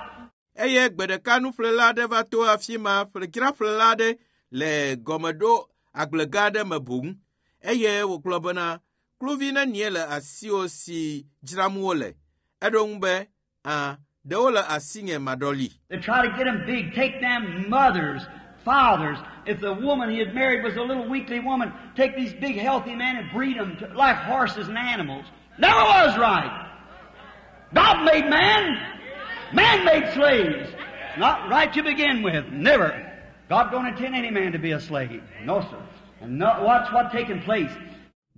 Eye gbe ɖeka nuƒlela aɖe va to afi ma ƒledzraƒlela aɖe le gɔmeɖo agblegã aɖe me boŋ eye wògblɔ bena kluvi nenie le asiwò si dzram wole. Eɖo ŋu be, ã, ɖewo le asinye maɖɔli. They try to get them big, take them mothers, fathers. If the woman he had married was a little weakly woman, take these big healthy men and breed them to, like horses and animals. Never was right. God made man. Man made slaves. It's not right to begin with. Never. God don't intend any man to be a slave. No, sir. And no, watch what taking place.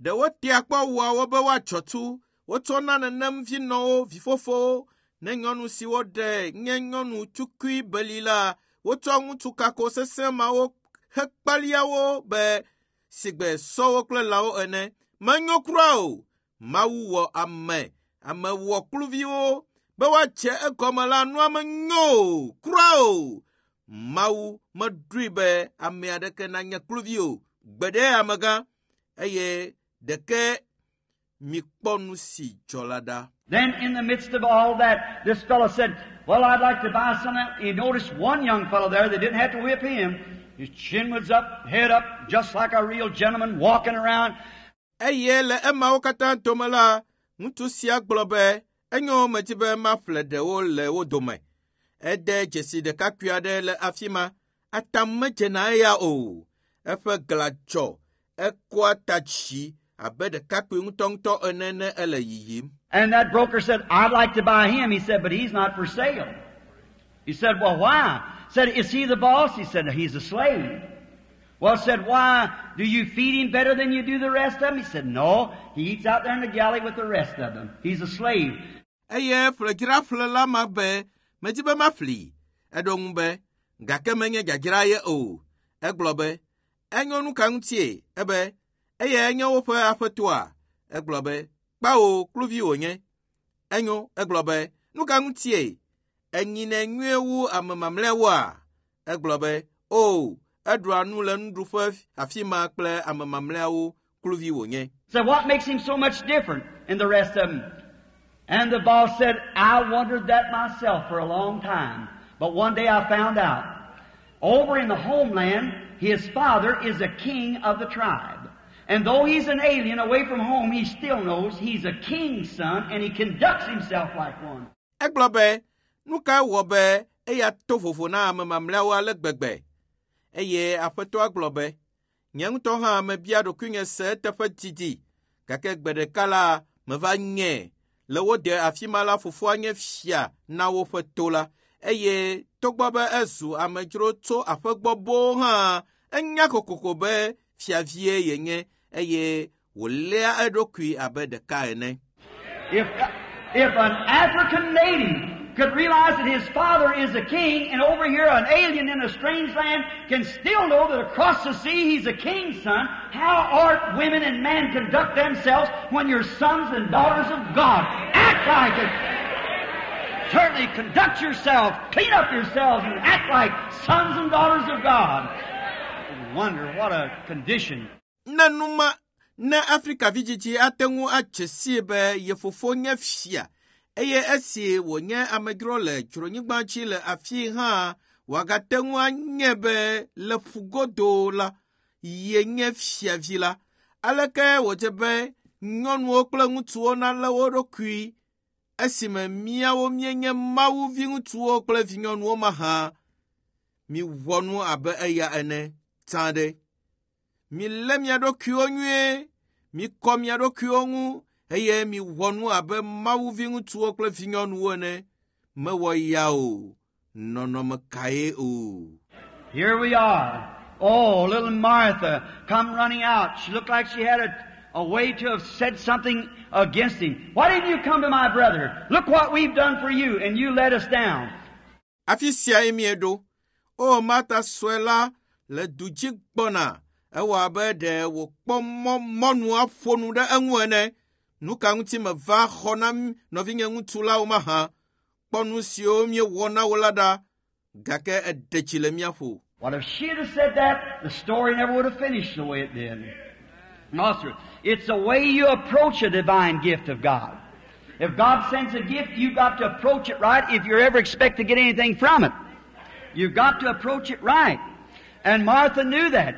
Ɖewo tea kpɔ wua wo be woatsɔ tu. Wotsɔna nenem vinɔwo, vifofowo, ne nyɔnu si woɖe nye nyɔnu tukui beli la, wotsɔ ŋutsu kako sesẽ mawo hekpalia wo be sigbe sɔwo kple lãwo ene. Menyo kura o. Mawu wɔ ame, ame wɔ kluviwo be woatse egɔme la nua menyo o, kura o. Mawu meɖoe be ame aɖeke nanye kluvi o. Gbe ɖe amegã eye ɖeke mikpɔ nu si dzɔ la ɖa. Then in the midst of all that, this fellow said, Well, I'd like to buy some. He noticed one young fellow there that didn't have to whip him. His chin was up, head up, just like a real gentleman walking around. Eye le emawo katã dome la, ŋutsu sia gblɔ be enyo medi be maƒle ɖewo le wo dome. Ede dzesi ɖekakpui aɖe le afi ma. Atam medzena eya o. Eƒe glã dzɔ, ekɔa ta dzi abe ɖekakpui ŋutɔŋutɔ ene ne ele yiyim. And that broker said, I'd like to buy him. He said, but he's not for sale. He said, well, why? Said, is he the boss? He said, he's a slave. Well, said, why? Do you feed him better than you do the rest of them? He said, no. He eats out there in the galley with the rest of them. He's a slave. Eye ƒledzraƒlela ma be medi be maƒli. Eɖo ŋu be gake menye dzadzra ye o. Egblɔ be enyo nu ka ŋutie? Ebe eye enye woƒe aƒetɔa? Egblɔ be kpawo kluvi wònye. Enyo egblɔ be nu ka ŋutie? Enyinɛ nyuie wu ame mamlɛawoa? Egblɔ be o eɖua nu le nuɖuƒe afi ma kple ame mamlɛawo kluvi wònye. So what makes him so much different than the rest of them? And the boss said, I wondered that myself for a long time. But one day I found out. Over in the homeland, his father is a king of the tribe. And though he's an alien away from home, he still knows he's a king's son and he conducts himself like one. Egblɔ be nu ka wɔ be eya to vovo na ame mamlɛawo ale gbegbe? Eye aƒetɔa gblɔ be nye ŋutɔ hã mebia ɖokuinye se eteƒe didi gake gbe ɖeka la meva nye le wo de afi ma la fofoa nye fia na woƒe to la eye togbɔ be ezu amedzro tso aƒe gbɔ boo hã enya kokoko be fiavie yenye eye wòléa eɖokui abe ɖeka ene. If, if an African native could realize that his father is a king and over here an alien in a strange land can still know that across the sea he's a king's son, how ought women and men conduct themselves when you're sons and daughters of God? Act like it. Certainly conduct yourself, clean up yourselves, and act like sons and daughters of God. Wonder what a condition. Ne numa ne Afrika vidzidzi ate ŋu adze sii be ye fofo nye fia eye esi wònye amedzro le dzronyigba dzi le afi hã wòagate ŋu anye be le ƒugodo la yenye fiavi la aleke wòdze be nyɔnuwo kple ŋutsuwo nalé wo ɖokui esime míawo míenye Mawu viŋutsuwo kple vinyɔnuwo mahã miwɔ nu abe eya ene tsã ɖe. Milé mia ɖokuiwo nyuie, mikɔ mia ɖokuiwo ŋu eye miwɔ nu abe Mawu viŋutsuwo kple vinyɔnuwo ene. Mewɔ ya o, nɔnɔme kae o. Here we are. Oh, little Martha come running out. She looked like she had a, a way to have said something against him. Why didn't you come to my brother? Look what we've done for you, and you let us down. Afi siae míeɖo. O Marta sue la le du dzi gbɔna. Ewɔ abe ɖe wòkpɔ mɔ mɔnu aƒo nu ɖe eŋu ene. Nu ka ŋuti meva xɔ na nɔvinye ŋutsu la o mahã? Kpɔ nu siwo míewɔ na wo la ɖa gake eɖe tsi le mía ƒo. Well, if she'd have said that, the story never would have finished the way it did. No, sir. It's the way you approach a divine gift of God. If God sends a gift, you've got to approach it right if you ever expect to get anything from it. You've got to approach it right. And Martha knew that.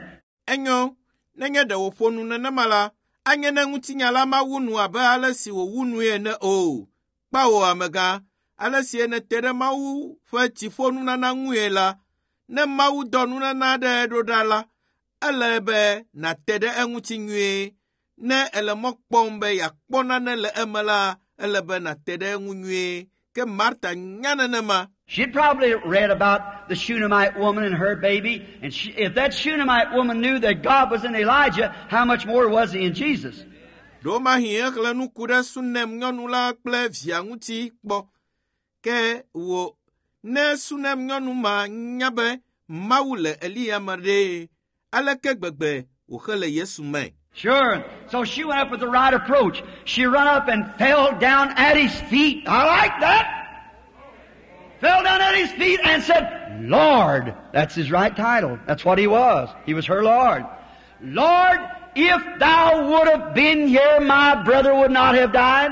Enyo, nenye ɖe wòƒo nu nenema la, anye ne ŋutinya la mawu nu abe ale si wòwu nue ene o. Kpawo amegã, ale si nète ɖe Mawu ƒe dziƒonunana ŋue la, ne Mawu dɔ nunana aɖe ɖo ɖa la, ele be nàte ɖe eŋuti nyuie. Ne èle mɔ kpɔm be yeakpɔ nane le eme la, ele be nàte ɖe eŋu nyuie. Ke Marta nya nenema. She'd probably read about the Shunammite woman and her baby, and she, if that Shunammite woman knew that God was in Elijah, how much more was he in Jesus? Ɖewomahi exlẽ nu ku ɖe Sunem nyɔnu la kple via ŋuti kpɔ. Ke wò ne Sunem nyɔnu ma nya be Mawu le Eliya me ɖe, aleke gbegbe wòxele Yesu me? Sure. So she went up with the right approach. She run up and fell down at his feet. I like that. Fell down at his feet and said, Lord. That's his right title. That's what he was. He was her Lord. Lord, if thou would have been here, my brother would not have died.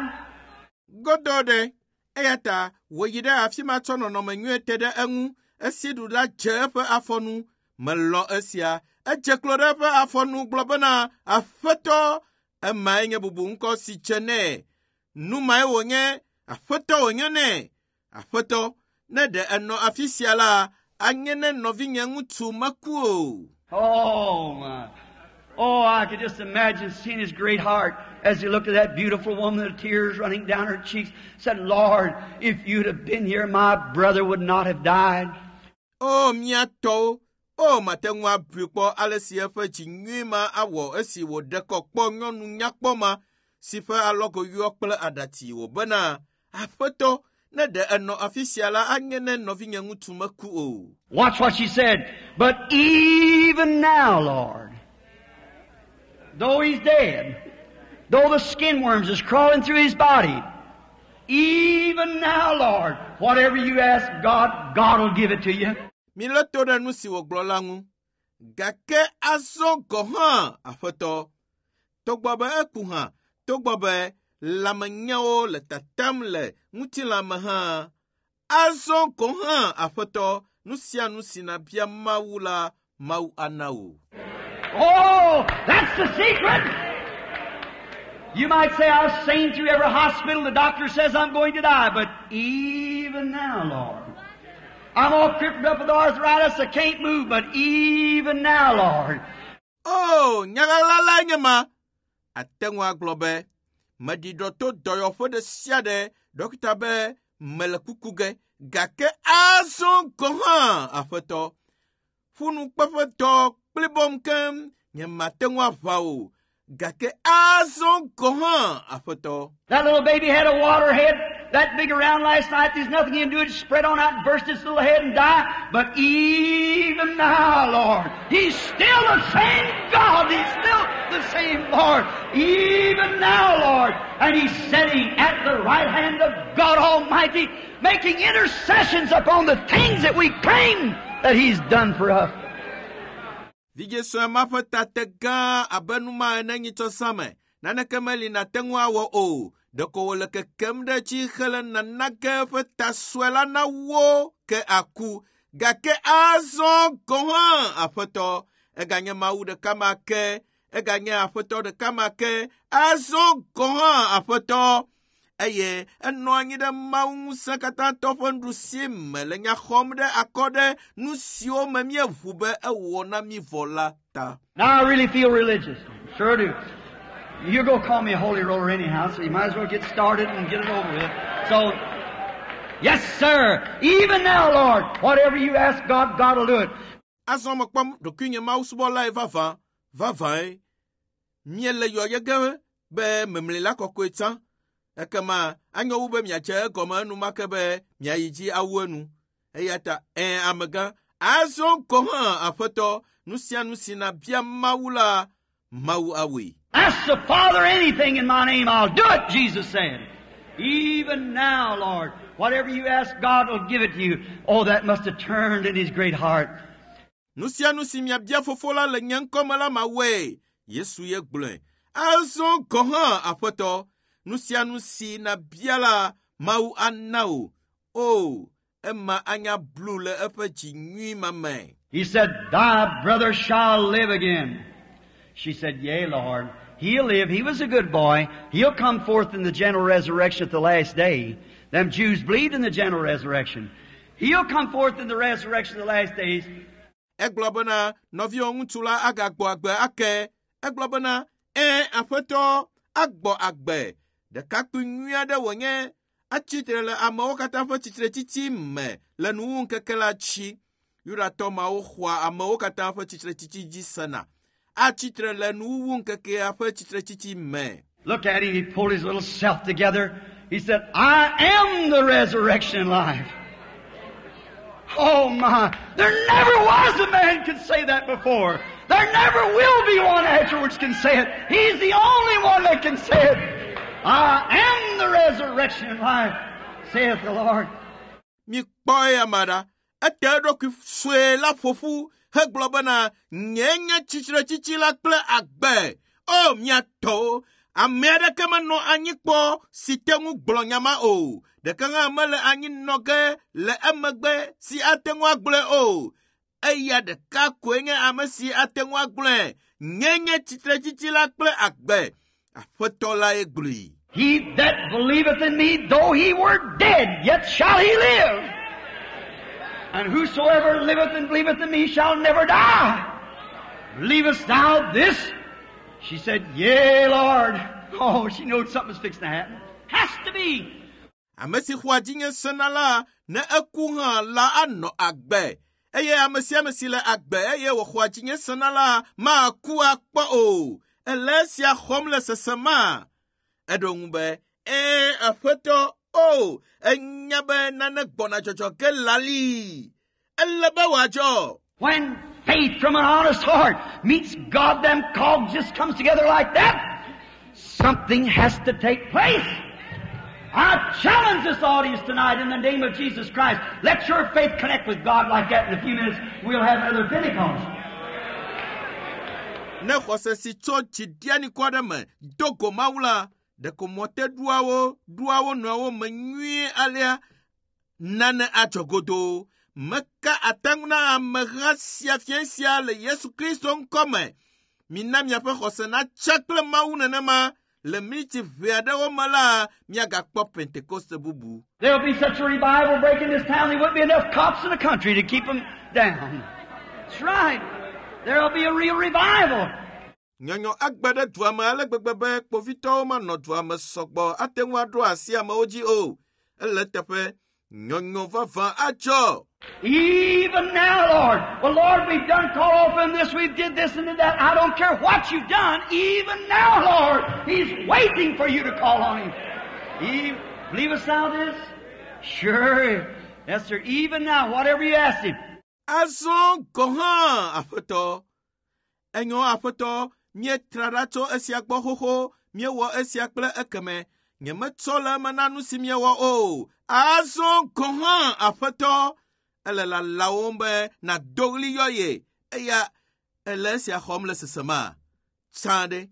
Godɔ ɖe eya ta wòyi ɖe afi ma tsɔ nɔnɔme nyuie te ɖe eŋu esi ɖu la dze eƒe afɔnu melɔ esia edze klo ɖe eƒe afɔnu gblɔ bena aƒetɔ emae nye bubu ŋkɔ si dze nɛ nu mae wònye aƒetɔ wònye nɛ aƒetɔ ne ɖe enɔ afi sia la anye ne nɔvinye ŋutsu meku o. Oh, my. Oh, I could just imagine seeing his great heart as he looked at that beautiful woman, the tears running down her cheeks, said, Lord, if you'd have been here, my brother would not have died. O mía tɔwo, o mate ŋu abui kpɔ ale si eƒe dzi nyui ma awɔ esi wòɖe kɔ kpɔ nyɔnu nyakpɔ ma si ƒe alɔgo yɔ kple aɖatsi wòbena aƒetɔ ne ɖe enɔ afi sia la anye ne nɔvinye ŋutsu meku o. Watch what she said. But even now, Lord, though he's dead, though the skin worms is crawling through his body, even now, Lord, whatever you ask God, God will give it to you. Milé to ɖe nu si wògblɔ la ŋu. Gake azɔ gɔ̃ hã, aƒetɔ, togbɔ be eku hã, togbɔ be lãmenyawo le tatam le ŋutilãme hã, azɔ gɔ̃ hã, aƒetɔ, nu sia nu si nàbia Mawu la, Mawu ana wò. Oh, that's the secret. You might say, I've seen through every hospital, the doctor says I'm going to die, but even now, Lord, I'm all crippled up with arthritis, I can't move, but even now, Lord, O, nyaɣaɣla lae nye ma. Ate ŋu agblɔ be, meɖi ɖɔ to dɔyɔƒe ɖe sia ɖe, ɖɔkita be mele kuku ge, gake azɔ gɔ̃ hã, aƒetɔ, ƒunukpeƒetɔ kplibɔm keŋ, nye mate ŋu aʋa o, gake azɔ gɔ̃ hã, aƒetɔ. That little baby had a water head that big around last night. There's nothing you can do. It spread on out and burst its little head and die. But even now, Lord, He's still the same God. He's still the same Lord. Even now, Lord. And He's sitting at the right hand of God Almighty, making intercessions upon the things that we claim that He's done for us. Vidzĩ sue ma ƒe ta te gã abe nu ma ene nyitsɔ zã me. Naneke meli nàte ŋu awɔ o. Ɖeko wòle kekem ɖe edzi hele nana ge eƒe ta sue la na wo ke aku. Gake azɔ gɔ̃ hã, aƒetɔ, eganye Mawu ɖeka ma ke, eganye aƒetɔ ɖeka ma ke, azɔ gɔ̃ hã, aƒetɔ. Eye enɔ anyi ɖe Mawu ŋusẽkatãtɔ ƒe nuɖusi me le nya xɔm ɖe akɔ ɖe nu siwo me míeʋu be ewɔ na mí vɔ la ta. Now I really feel religious. Sure do. You're going to call me a holy roller anyhow, so you might as well get started and get it over with. So, yes, sir. Even now, Lord, whatever you ask God, God will do it. Azɔ mekpɔ ɖokuinye mawusubɔlae vavã, vavãe. Míele yɔyɔ ge be memlila kɔkɔe tsã. Ekema anyo wu be miadze egɔme enumake be miayi dzi awu enu. Eya ta ẽ amegã, azɔ gɔ̃ hã aƒetɔ, nu sia nu si nàbia Mawu la, Mawu awɔe. Ask the Father anything in my name, I'll do it, Jesus said. Even now, Lord, whatever you ask, God will give it to you. Oh, that must have turned in his great heart. Nu sia nu si miabia fofo la le nye ŋkɔ me la mawɔe. Yesu ye gblɔe. Azɔ gɔ̃ hã aƒetɔ, nu sia nu si nàbia la, Mawu ana wò. O, ema anya blu le eƒe dzi nyui ma me. He said, Thy brother shall live again. She said, Yea, Lord. He'll live. He was a good boy. He'll come forth in the general resurrection at the last day. Them Jews believed in the general resurrection. He'll come forth in the resurrection of the last days. Egblɔ bena nɔviwò ŋutsu la agagbɔ agbe ake. Egblɔ bena ẽ aƒetɔ agbɔ agbe. Ɖekakpui nyui aɖe wònye. Atsitre le amewo katã ƒe tsitretsitsi me le nuwuŋkeke la dzi. Yudatɔ mawo xɔa amewo katã ƒe tsitretsitsi dzi sena. Atsitre le nuwuwuŋkekea ƒe tsitretsitsi me. Look at him. He pulled his little self together. He said, I am the resurrection and life. Oh my! There never was a man could say that before. There never will be one afterwards can say it. He's the only one that can say it. I am the resurrection and life, saith the Lord. Mikpɔ eya ma ɖa. Ete eɖokui sue la ƒo ƒu hegblɔ bena nye nye tsitretsitsi la kple agbe. O mia tɔwo, ame aɖeke menɔ anyi kpɔ si te ŋu gblɔ nya ma o. Ɖeke hã mele anyi nɔ ge le emegbe si ate ŋu agblɔe o. Eya ɖeka koe nye ame si ate ŋu agblɔe. Nye nye tsitretsitsi la kple agbe. Aƒetɔ lae gblɔe. He that believeth in me, though he were dead, yet shall he live. And whosoever liveth and believeth in me shall never die. Believest thou this? She said, Yea, Lord. Oh, she knows something's fixing to happen. Has to be. Ame si xɔa dzinye sena la, ne eku hã la anɔ agbe. Eye ame sia ame si le agbe eye wòxɔa dzinye sena la maku akpɔ o. Ele esia xɔm le sesema. Eɖo ŋu be, ee aƒetɔ, o, enya be nane gbɔna dzɔdzɔ ge lali. Ele be wòadzɔ. When faith from an honest heart meets God, them cogs just comes together like that. Something has to take place. I challenge this audience tonight in the name of Jesus Christ. Let your faith connect with God like that in a few minutes. We'll have another Pentecost. Ne xɔse si tso dziɖianikɔ aɖe me do go Mawu la, ɖeko mɔteɖuawo ɖua wo nɔewo me nyuie alea nane adzɔ godoo. Meka ate ŋu na ameha sia fia sia le Yesu Kristo ŋkɔ me. Mina miaƒe xɔse natsa kple Mawu nenema le miniti ʋɛ aɖewo me la, miagakpɔ Pentekoste bubu. There'll be such a revival break in this town, there wouldn't be enough cops in the country to keep them down. That's right. There'll be a real revival. Nyɔnyɔ agbe ɖe dua me ale gbegbe be kpovitɔwo manɔ dua me sɔgbɔ ate ŋu aɖo asi amewo dzi o. Ele teƒe nyɔnyɔ vavã adzɔ. Even now, Lord. Well, Lord, we've done call off in this, we've did this and did that. I don't care what you've done. Even now, Lord, He's waiting for you to call on Him. He, believest thou this? Sure. Yes, sir. Even now, whatever you ask Him. Azɔ gɔ̃ hã, aƒetɔ. Enyo aƒetɔ, míetra ɖa tso esia gbɔ xoxo, míewɔ esia kple ekeme. Nyemetsɔ le eme na nu si míewɔ o. Azɔ gɔ̃ hã, aƒetɔ. Ele lalawom be nàdo ɣli yɔ ye. Eya ele esia xɔm le sesema. Tsã ɖe.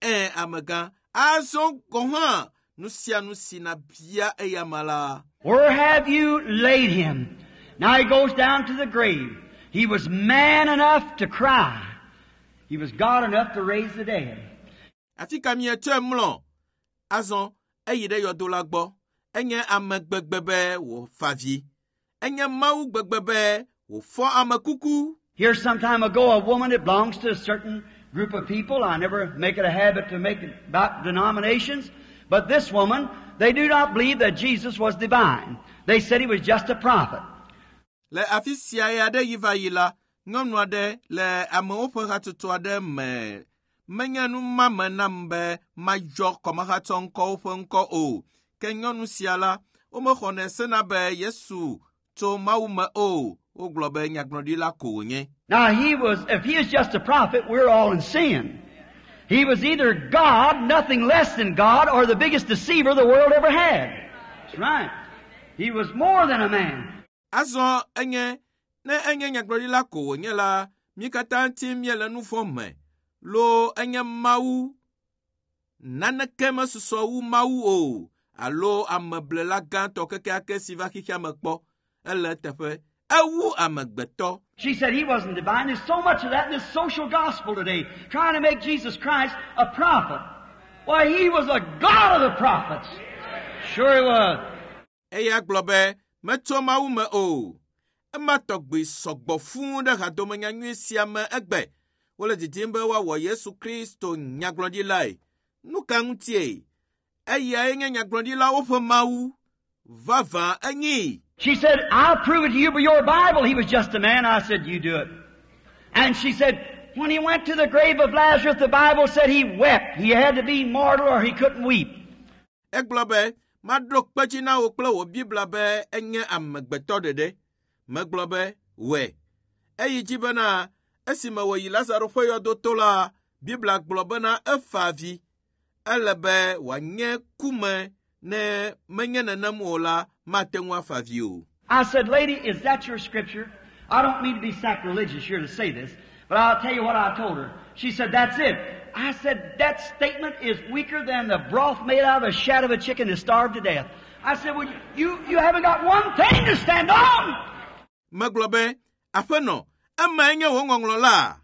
Ẽ amegã. Azɔ gɔ̃ hã, nu sia nu si nàbia eya ma la. Where have you laid him? Now he goes down to the grave. He was man enough to cry. He was God enough to raise the dead. Afi ka mietsɔe mlɔ? Azɔ eyi ɖe yɔdo la gbɔ. Enye ame gbegbe be wòfa vi. Enye Mawu gbegbe be wòfɔ ame kuku. Here some time ago, a woman that belongs to a certain group of people. I never make it a habit to make it about denominations. But this woman, they do not believe that Jesus was divine. They said he was just a prophet. Le afi sia ya ɖe yi va yi la, nyɔnu aɖe le amewo ƒe hatsotso aɖe me. Menye nu mame nam be mayɔ kɔmehatsɔ ŋkɔwo ƒe ŋkɔ o. Ke nyɔnu sia la, womexɔnɛ sena be Yesu tso Mawu me o. Wogblɔ be nyagblɔɖila ko wònye. Now he was, if he is just a prophet, we're all in sin. He was either God, nothing less than God, or the biggest deceiver the world ever had. That's right. He was more than a man. Azɔ enye, ne enye nyagblɔɖila ko wònye la, mí katã ŋuti míele nu vɔ̃ me. Loo enye Mawu. Naneke mesusɔ wu Mawu o, alo ameblela gãtɔ kekeake si va xexea me kpɔ. Ele eteƒe. Ewu amegbetɔ. She said he wasn't divine. There's so much of that in this social gospel today, trying to make Jesus Christ a prophet. Why, he was a God of the prophets. Sure he was. Eya gblɔ be metso Mawu me o. Ema tɔgbi sɔgbɔ fũu ɖe hadomenyanyui sia me egbe. Wole didim be woawɔ Yesu Kristo nyagblɔɖilae. Nu ka ŋutie? Eyae nye nyagblɔɖilawo ƒe Mawu. Vavã enyi. She said, I'll prove it to you by your Bible. He was just a man. I said, you do it. And she said, when he went to the grave of Lazarus, the Bible said he wept. He had to be mortal or he couldn't weep. Egblɔ be, maɖo kpe dzi na wò kple wò Biblia be enye amegbetɔ ɖeɖe. Megblɔ be, wɔe. Eyi dzi bena esime wòyi Lazaro ƒe yɔdo to la, Biblia gblɔ bena efa avi. Ele be wòanye kume ne menye nenem o la, mate ŋu afa avi o. I said, Lady, is that your scripture? I don't mean to be sacrilegious here to say this, but I'll tell you what I told her. She said, That's it. I said, That statement is weaker than the broth made out of a shat of a chicken that starved to death. I said, Well, you, you haven't got one thing to stand on. Megblɔ be, aƒenɔ, emae nye wò ŋɔŋlɔ la?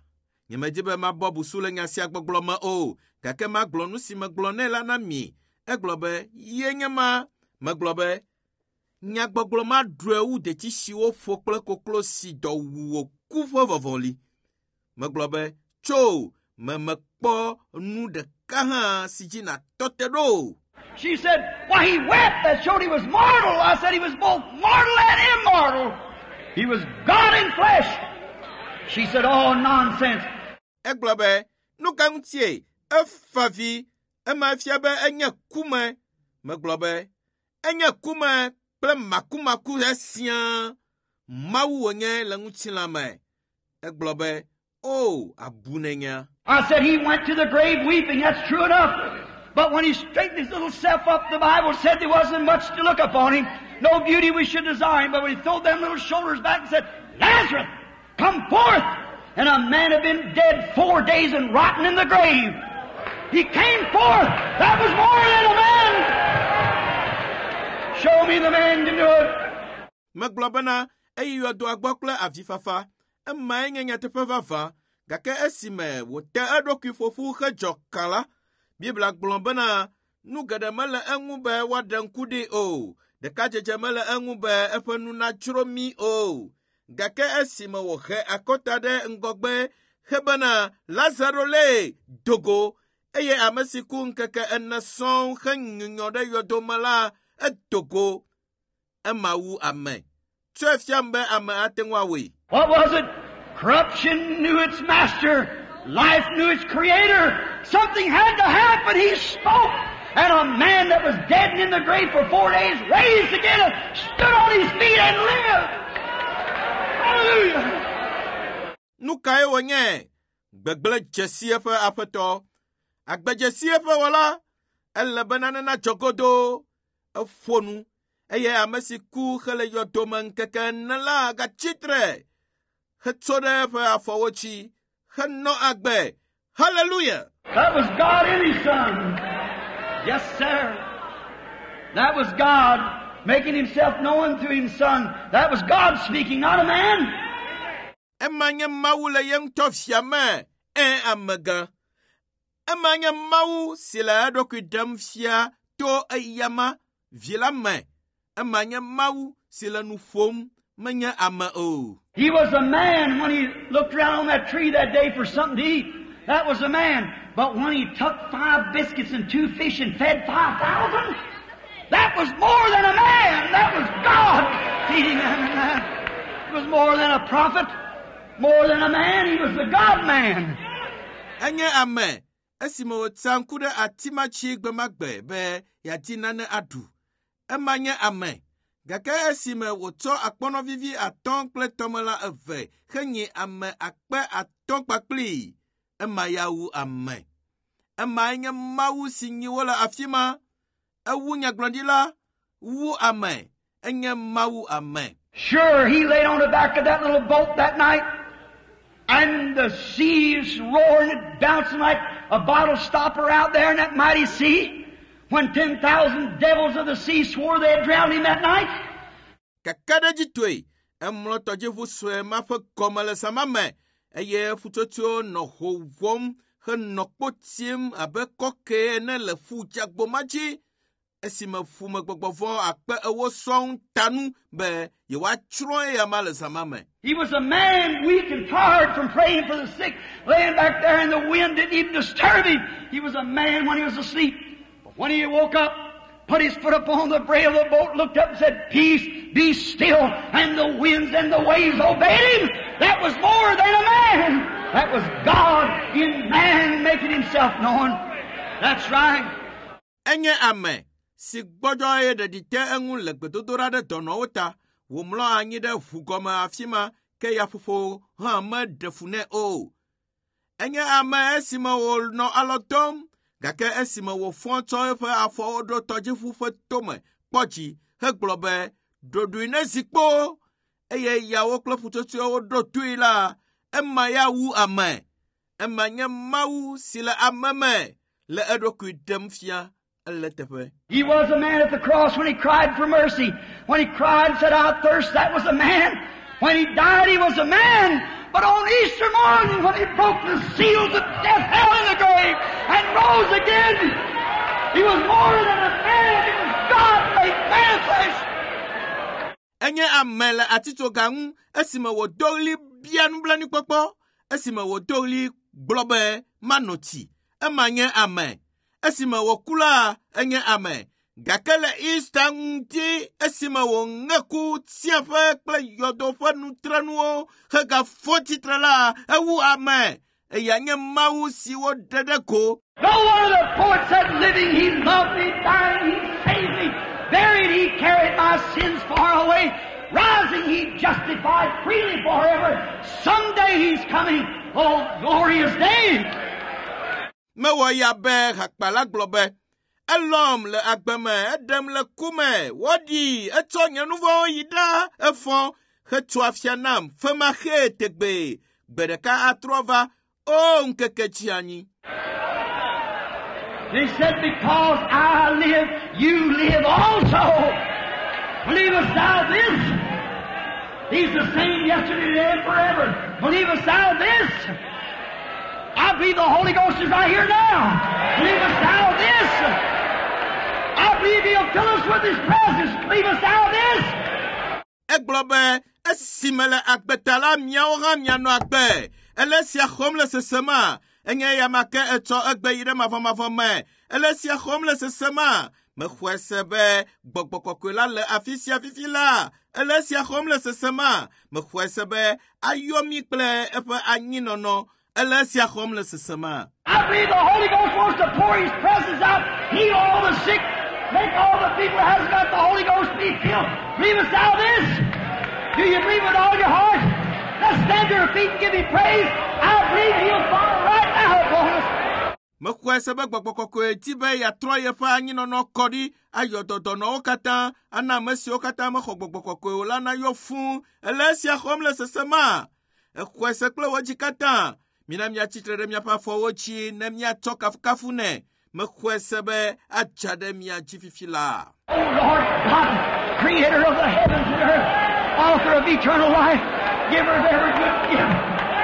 Nyemedi be mabɔ busu le nya sia gbɔgblɔ me o, gake magblɔ nu si megblɔ nɛ la na mi. Egblɔ be, ye nye ma. Megblɔ be, nyagbɔgblɔ ma ɖɔe wu detsi si woƒo kple koklo si dɔ wu wòku ƒe vɔvɔli. Megblɔ be, tso, me mekpɔ nu ɖeka hã si dzi nàtɔ te ɖo o. She said, Why, he wept. That showed he was mortal. I said he was both mortal and immortal. He was God in flesh. She said, Oh, nonsense. Egblɔ be, nu ka ŋutie efa vi, ema fia be enye kume. Megblɔ be, enye kume kple makumaku siaa. Mawu wònye le ŋutilã me. Egblɔ be, o, abu nenya. I said he went to the grave weeping. That's true enough. But when he straightened his little self up, the Bible said there wasn't much to look upon him. No beauty we should desire him. But when he threw them little shoulders back and said, Lazarus, come forth! And a man had been dead four days and rotten in the grave. He came forth. That was more than a man. Show me the man can do it. Megblɔ bena eyi yɔdoa gbɔ kple avifafa. Emae nye nyateƒe vavã. Gake esime wòte eɖokui ƒoƒu hedzɔ kã la, Biblia gblɔ bena nu geɖe mele eŋu be woaɖe ŋku ɖi o. Ɖekadzedze mele eŋu be eƒe nu nadzro mí o. Gake esime wòhe akɔta ɖe ŋgɔgbe hebena Lazaro le dogo eye ame si ku ŋkeke ene sɔŋ henyunyɔ ɖe yɔdome la edo go. Ema wu ame. Tsɔe fiam be ame ate ŋu awɔe. What was it? Corruption knew its master. Life knew its creator. Something had to happen. He spoke. And a man that was dead and in the grave for four days raised again and stood on his feet and lived. Hallelujah. Nu kae wònye? Gbegblẽ dzesi eƒe aƒetɔ. Agbe dzesi eƒe wɔla. Ele be nane nadzɔ godoo. Eƒo nu eye ame si ku hele yɔdome ŋkeke ene la gatsi tre hetso ɖe eƒe afɔwo dzi henɔ agbe. Hallelujah! That was God in His Son. Yes, sir. That was God making Himself known through His Son. That was God speaking, not a man. Ema nye Mawu le ye ŋutɔ via me, ẽ amegã. Ema nye Mawu si le eɖokui ɖem fia to eyama vi la me. Ema nye Mawu si le nu ƒom, menye ame o. He was a man when he looked around on that tree that day for something to eat. That was a man. But when he took five biscuits and two fish and fed five thousand, that was more than a man. That was God feeding them. And that. It was more than a prophet, more than a man. He was the God man. Enye ame esime wòtsa ŋku ɖe ati ma dzi gbe ma gbe be yeadi nane aɖu. Ema nye ame. Gake esime wòtsɔ akpɔnɔ vivi atɔ̃ kple tɔmelã eve henyi ame akpe atɔ̃ kpakplii, ema ya wu ame. Emae nye Mawu si nyi wo le afi ma. Ewu nyagblɔɖila, wu ame. Enye Mawu ame. Sure, he laid on the back of that little boat that night, and the seas roaring and bouncing like a bottle stopper out there in that mighty sea. When ten thousand devils of the sea swore they had drowned him that night. Kakaɖedzitɔe, emlɔ tɔdziʋu sue ma ƒe gɔme le zã ma me eye ƒutsotsoewo nɔ ho wɔm henɔ kpo tim abe kɔke ene le ƒu dzeagbo ma dzi esime ƒumegbɔgbɔ vɔ̃ akpe ewo sɔŋ ta nu be yewoatsrɔ̃ eyama le zã ma me. He was a man weak and tired from praying for the sick, laying back there and the wind didn't even disturb him. He was a man when he was asleep. But when he woke up, put his foot upon the brail of the boat, looked up and said, Peace, be still. And the winds and the waves obeyed him. That was more than a man. That was God in man making himself known. That's right. Enye ame si gbɔdzɔ eye ɖeɖi te eŋu le gbedodoɖa ɖe dɔnɔwo ta. Wòmlɔ anyi ɖe ʋu gɔme afi ma ke yaƒoƒo hã meɖe fu nɛ o. Enye ame esime wònɔ alɔ dɔm gake esime wòfɔ tsɔ eƒe afɔwo ɖo tɔdziʋu ƒe tome kpɔ dzi hegblɔ be ɖoɖoe ne zi kpo eye yawo kple ƒutsotsoewo ɖo toe la, ema ya wu ame. Ema nye Mawu si le ame me le eɖokui ɖem fia ele teƒe. He was a man at the cross when he cried for mercy. When he cried and said, I thirst, that was a man. When he died, he was a man. But on Easter morning, when he broke the seals of death, hell, and the grave, and rose again, he was more than a man. He was God made manifest. Enye ame le atitsoga ŋu esime wòdo ɣli bia nublanuikpɔkpɔ, esime wòdo ɣli gblɔ be manɔ tsi. Ema nye ame. Esime wòku la, enye ame. Gake le Easter ŋuti esime wòŋe ku tsiẽƒe kple yɔdo ƒe nutrenuwo hegafɔ tsitre la, ewu ame. Eya nye Mawu si woɖe ɖe go. No one of the poets said, living, he loved me, dying, he saved me, buried, he carried my sins far away, rising, he justified freely forever. Someday he's coming. Oh, glorious day! Mewɔ ya be hakpala gblɔ be, elɔ̃m le agbe me, eɖem le ku me, woɖii, etsɔ nye nu vɔ̃wo yi ɖa, efɔ, hetso afia nam femaxee tegbee. Gbe ɖeka atrɔ va, o ŋkeke tsi anyi. He said, because I live, you live also. Believest thou this? He's the same yesterday, today, and forever. Believest thou this? I believe the Holy Ghost is right here now. Believest thou this? I believe He'll fill us with His presence. Believest thou this? Egblɔ be esime le agbe ta la miawo hã mianɔ agbe. Ele esia xɔm le sesema. Enye eya ma ke etsɔ egbe yi ɖe mavɔmavɔ me. Ele esia xɔm le sesema. Mexɔe se be gbɔgbɔ kɔkɔe la le afi sia fifi la. Ele esia xɔm le sesema. Mexɔe se be ayɔ mí kple eƒe anyinɔnɔ. Ele esia xɔm le sesema. I believe the Holy Ghost wants to pour His presence out, heal all the sick, make all the people who hasn't got the Holy Ghost be filled. Believest thou this? Do you believe with all your heart? Let's stand to your feet and give Him praise. I believe He'll fall right now upon us. Mexɔe se be gbɔgbɔ kɔkɔe di be yeatrɔ yeƒe anyinɔnɔ kɔ ɖi ayɔ dɔdɔnɔwo katã ana ame siwo katã mexɔ gbɔgbɔ kɔkɔe o la nayɔ fũu. Ele esia xɔm le sesema. Exɔe se kple wò dzi katã. Mina míatsitre ɖe míaƒe afɔwo dzi ne míatsɔ kafukafu nɛ. Mexɔe se be adza ɖe mía dzi fifi la. Oh Lord God, creator of the heavens and earth, author of eternal life, giver of every good gift,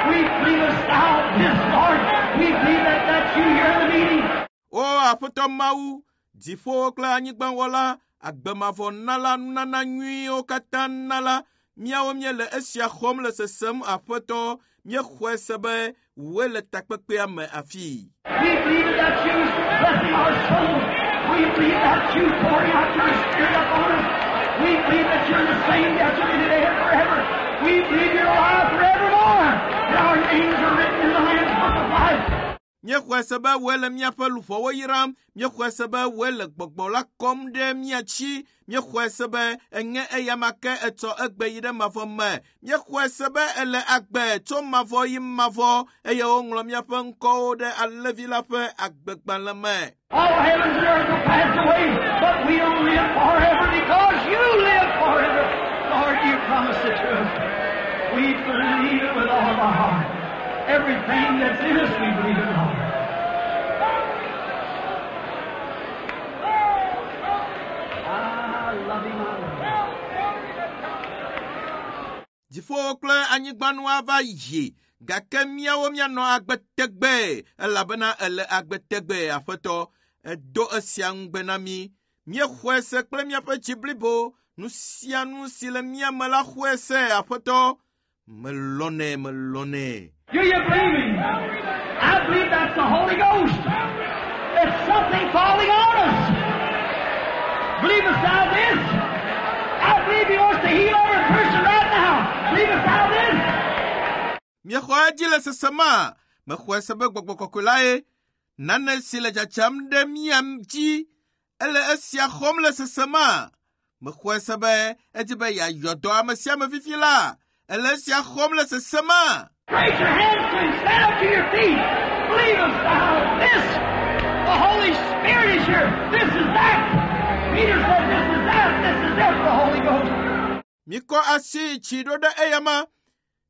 we believe thou this, Lord. We believe that that's you here in the meeting. O Aƒetɔ Mawu, dziƒowo kple anyigbawɔla, agbemavɔnala, nunana nyuiwo katã nala, míawo míele esia xɔm le sesem Aƒetɔ, míexɔe se be wòe le takpekpea me afii. We believe that that's you blessing our souls. We believe that's you pouring out your Spirit upon us. We believe that you're the same yesterday, today, and forever. We believe you're alive forevermore. And our names are written in the Lamb's Book of Life. Míexɔe se be wòe le míaƒe luʋɔwo yram, míexɔe se be wòe le gbɔgbɔ la kɔm ɖe mía dzi, míexɔe se be enye eyama ke etsɔ egbe yi ɖe mavɔ me, míexɔe se be ele agbe tso mavɔ yi mavɔ eye woŋlɔ míaƒe ŋkɔwo ɖe Alẽvi la ƒe agbegbalẽ me. All heavens and earth will pass away, but we'll live forever because you live forever. Lord, you promised it to us. We believe it with all of our heart. Everything that's in us, we believe it, Lord. I love him, I love him. Dziƒowo kple anyigbanu ava yi, gake míawo míanɔ agbe tegbee elabena ele agbe tegbee Aƒetɔ. Edo esia ŋugbe na mí. Míexɔe se kple míaƒe dzi blibo. Nu sia nu si le mía me la xɔe se Aƒetɔ. Melɔ̃nɛ, melɔ̃nɛ. Do you believe him? I believe that's the Holy Ghost. It's something falling on us. Believest thou this? I believe he wants to heal every person right now. Believest thou this? Míexɔ edzi le sesema. Mexɔe se be gbɔgbɔ kɔkɔe lae. Nane si le dzadzam ɖe mía dzi. Ele esia xɔm le sesema. Mexɔe se be edi be yeayɔ dɔ ame sia ame fifi la. Ele esia xɔm le sesema. Raise your hands to Him. Stand up to your feet. Believe us now. This, the Holy Spirit is here. This is that. Peter said, this is that. This is it, the Holy Ghost. Mikɔ asi tsi ɖo ɖe eyama.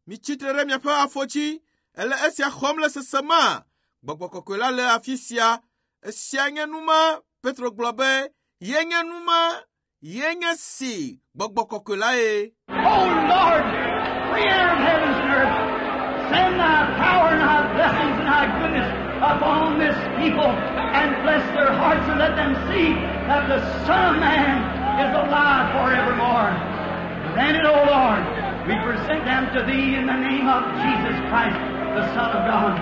Mitsitre ɖe miaƒe afɔ dzi. Ele esia xɔm le sesema. Gbɔgbɔ kɔkɔe la le afi sia. Esia nye nu ma. Petro gblɔ be ye nye nu ma. Ye nye si gbɔgbɔ kɔkɔe la ye. Oh Lord, creator of heavens and earth, send thy power and thy blessings and thy goodness upon this people and bless their hearts and let them see that the Son of Man is alive forevermore. Grant it, O Lord. We present them to thee in the name of Jesus Christ, the Son of God.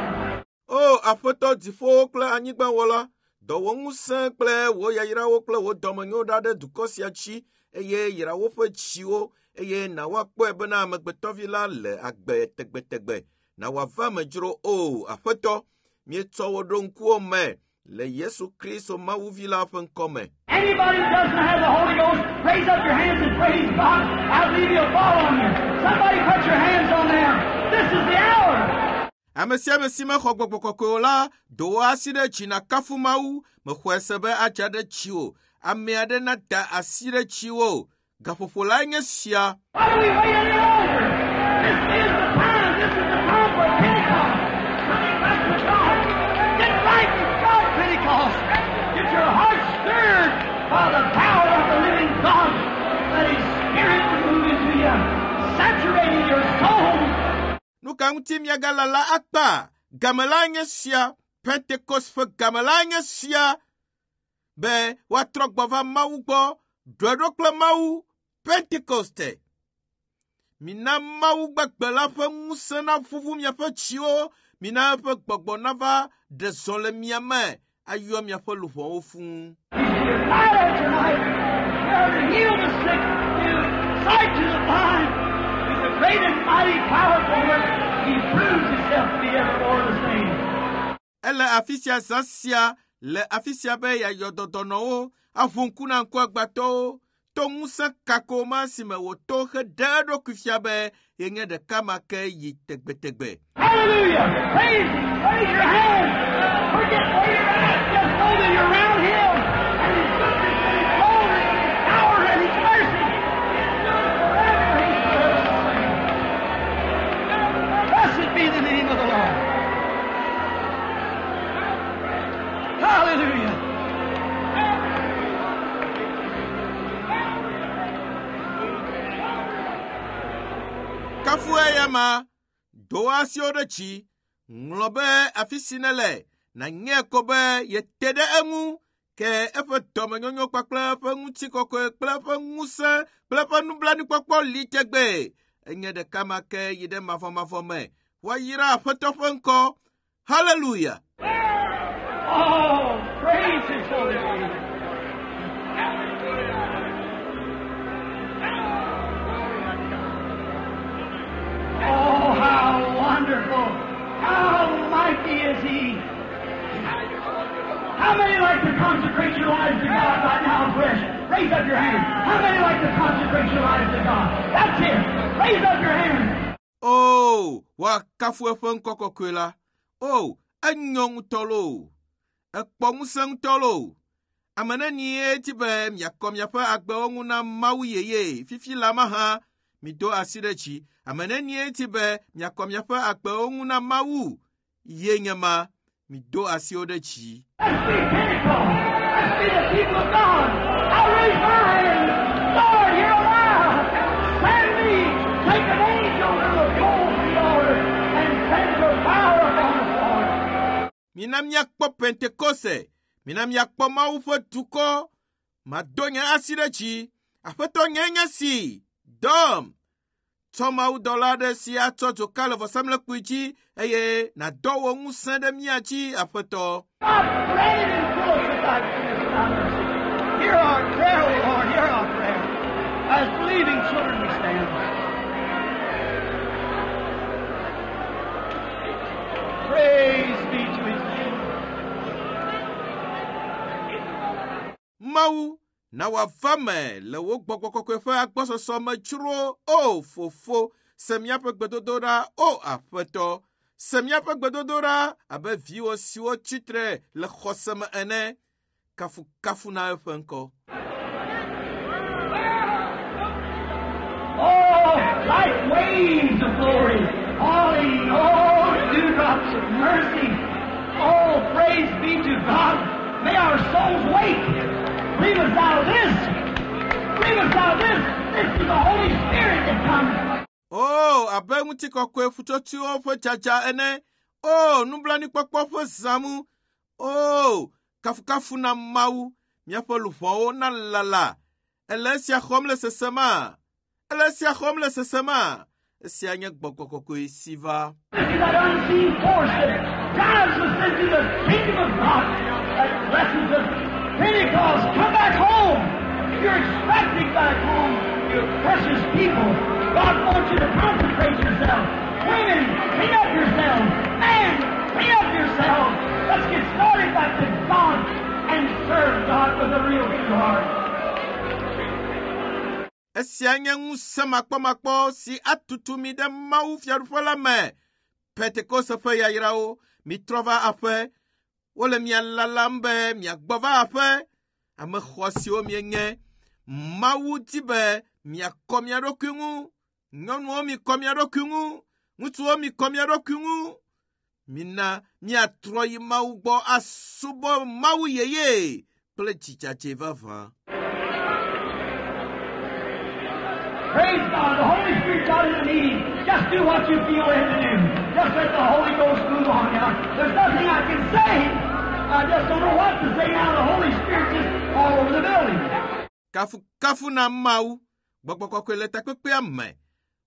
O Aƒetɔ dziƒowo kple anyigbawɔla, dɔ wò ŋusẽ kple wò yayrawo kple wò dɔmenyo ɖa ɖe dukɔ sia dzi eye yra woƒe dziwo eye na woakpɔe bena amegbetɔvi la le agbe tegbetegbe. Na wòava me dzro o Aƒetɔ, míetsɔ wo ɖo ŋkuwò me le Yesu Kristo Mawuvi la ƒe ŋkɔme. Anybody who doesn't have the Holy Ghost, raise up your hands and praise God. I believe He'll fall on you. Somebody put your hands on them. This is the hour. Ame sia ame si mexɔ gbɔgbɔ kɔkɔe o la, do wò asi ɖe dzi nàkafu Mawu. Mexɔe se be adza ɖe dziwò. Ame aɖe nada asi ɖe dziwò. Gaƒoƒo lae nye sia. Why do we wait any longer? This is the time. This is the time for Pentecost. Coming back to God. Get right with God, Pentecost. Get your heart stirred by the power of the living God. Let His Spirit move into you, saturating your soul. Nu ka ŋuti miagalala akpa? Game la nye sia. Pentekost ƒe game la nye sia. Be woatrɔ gbɔ va Mawu gbɔ. Ɖɔe ɖo kple Mawu. Pentekoste. Mina Mawu gbagbe la ƒe ŋusẽ naʋuʋu miaƒe dziwo. Mina eƒe gbɔgbɔ nava ɖe zɔ le mia me ayɔ miaƒe luʋɔwo fũu. He's right out tonight. Here to heal the sick, give sight to the blind. With the great and mighty powerful work, He proves Himself to be evermore the same. Ele afi sia zã sia le afi sia be yeayɔ dɔdɔnɔwo, aʋu ŋku na ŋkuagbãtɔwo, to ŋusẽ kako ma si me wòto heɖe eɖokui fia be yenye ɖeka ma ke yi tegbetegbe. Hallelujah! Praise Him! Raise your hands! Forget where you're at. Just know that you're around Him and His goodness and His glory and His power and His mercy. Endures forever. He's forever the same. Blessed be the name of the Lord. Hallelujah! Kafu eya ma, do asiwo ɖe dzi, ŋlɔ be afi si nele, nànyae ko be yete ɖe eŋu ke eƒe dɔmenyonyo kpakple eƒe ŋutikɔkɔe kple eƒe ŋusẽ kple eƒe nublanuikpɔkpɔ li tegbe. Enye ɖeka ma ke yi ɖe mavɔmavɔ me. Woayra Aƒetɔ ƒe ŋkɔ. Hallelujah! Oh, praise His holy name. Oh, how wonderful! How mighty is He! How many like to consecrate your lives to God right now afresh? Raise up your hand. How many like to consecrate your lives to God? That's it. Raise up your hand. O, woakafu eƒe ŋkɔ kɔkɔe la. O, enyo ŋutɔ loo. Ekpɔ ŋusẽ ŋutɔ loo. Ame nenie di be miakɔ miaƒe agbewo ŋu na Mawu yeye fifi la mahã mido asi ɖe dzi. Ame nenie di be miakɔ miaƒe agbewo ŋu na Mawu ye nye ma mido asiwo ɖe dzi. Let's be Pentecost. Let's be the people of God. I raise my hand. Lord, here am I. Send me. Take an angel to the pole the altar and send your power upon us, Lord. Mina míakpɔ Pentekoste. Mina míakpɔ Mawu ƒe dukɔ. Mado nye asi ɖe dzi. Aƒetɔ nye nye si. Dɔm. Tsɔ mawudɔla aɖe si atsɔ dzoka le vɔsamlekpui dzi eye nàdɔ wò ŋusẽ ɖe mía dzi, Aƒetɔ. God, grant and fill us with thy goodness and thy mercy. Hear our prayer, O Lord, hear our prayer. As believing children we stand. Praise be to his name. Mawu, Na wòava me le wò gbɔgbɔ kɔkɔe ƒe agbɔsɔsɔ me dzro o fofo se míaƒe gbedodoɖa o aƒetɔ se míaƒe gbedodoɖa abe viwò siwo tsitre le xɔse me ene kafukafu na eƒe ŋkɔ. Oh, like waves of glory, falling, oh, dewdrops of mercy. Oh, praise be to God. May our souls wake. Bring us out of this. Bring us out of this. This is the Holy Spirit that comes. O abe ŋutikɔkɔe ƒutsotsoewo ƒe dzadza ene. O nublanuikpɔkpɔ ƒe zãmu. O kafukafu na Mawu. Míaƒe luʋɔwo nalala. Ele esia xɔm le sesema. Ele esia xɔm le sesema. Esia nye gbɔgbɔ kɔkɔe si va. This is that unseen force that drives us into the kingdom of God. That blessings of Pentecost, come back home. You're expecting back home, you precious people. God wants you to consecrate yourself. Women, clean up yourselves. Men, clean up yourselves. Let's get started back to God and serve God with a real true heart. Esia nye ŋusẽ makpɔmakpɔ si atutu mi ɖe Mawu fiaɖuƒe la me. Pentekoste ƒe yayrawo, mitrɔ va aƒe. Wole mia lalam be miagbɔ va aƒe. Ame xɔasiwo mienye. Mawu di be miakɔ mia ɖokui ŋu. Nyɔnuwo mikɔ mia ɖokui ŋu. Ŋutsuwo mikɔ mia ɖokui ŋu. Mina miatrɔ yi Mawu gbɔ asubɔ Mawu yeye kple dzidzadze vavã. Praise God. The Holy Spirit's out in the meeting. Just do what you feel led to do. Just let the Holy Ghost move on now. There's nothing I can say. I just don't know what to say now. The Holy Spirit's just all over the building. Kafukafu na Mawu. Gbɔgbɔ kɔkɔe le takpekpea me.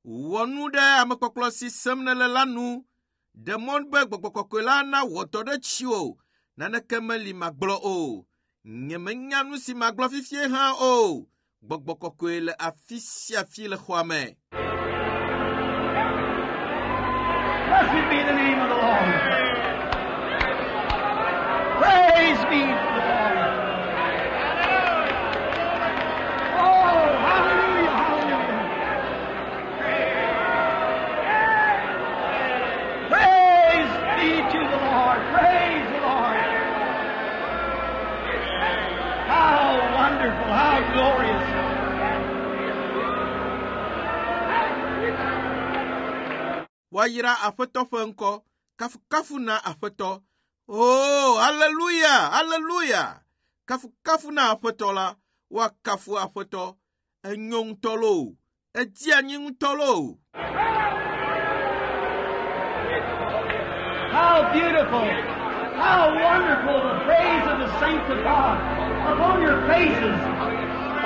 Wɔ nu ɖe amekpɔkplɔ si sem nèle la nu. Ɖe mɔ be gbɔgbɔ kɔkɔe la nawɔ dɔ ɖe tsiwò. Naneke meli magblɔ o. Nyemenya nu si magblɔ fifie hã o. Gbɔgbɔ kɔkɔe le afi sia afi le xɔa me. Blessed be the name of the Lord. Praise be to the Lord. Oh, hallelujah, hallelujah. Praise be to the Lord. Praise the Lord. How wonderful, how glorious. Woayra Aƒetɔ ƒe ŋkɔ. Kafukafu na Aƒetɔ. Oh, haleluya, haleluya. Kafukafu na Aƒetɔ la. Woakafu Aƒetɔ. Enyo ŋutɔ loo. Edzi anyi ŋutɔ loo. How beautiful, how wonderful the praise of the saints of God upon your faces,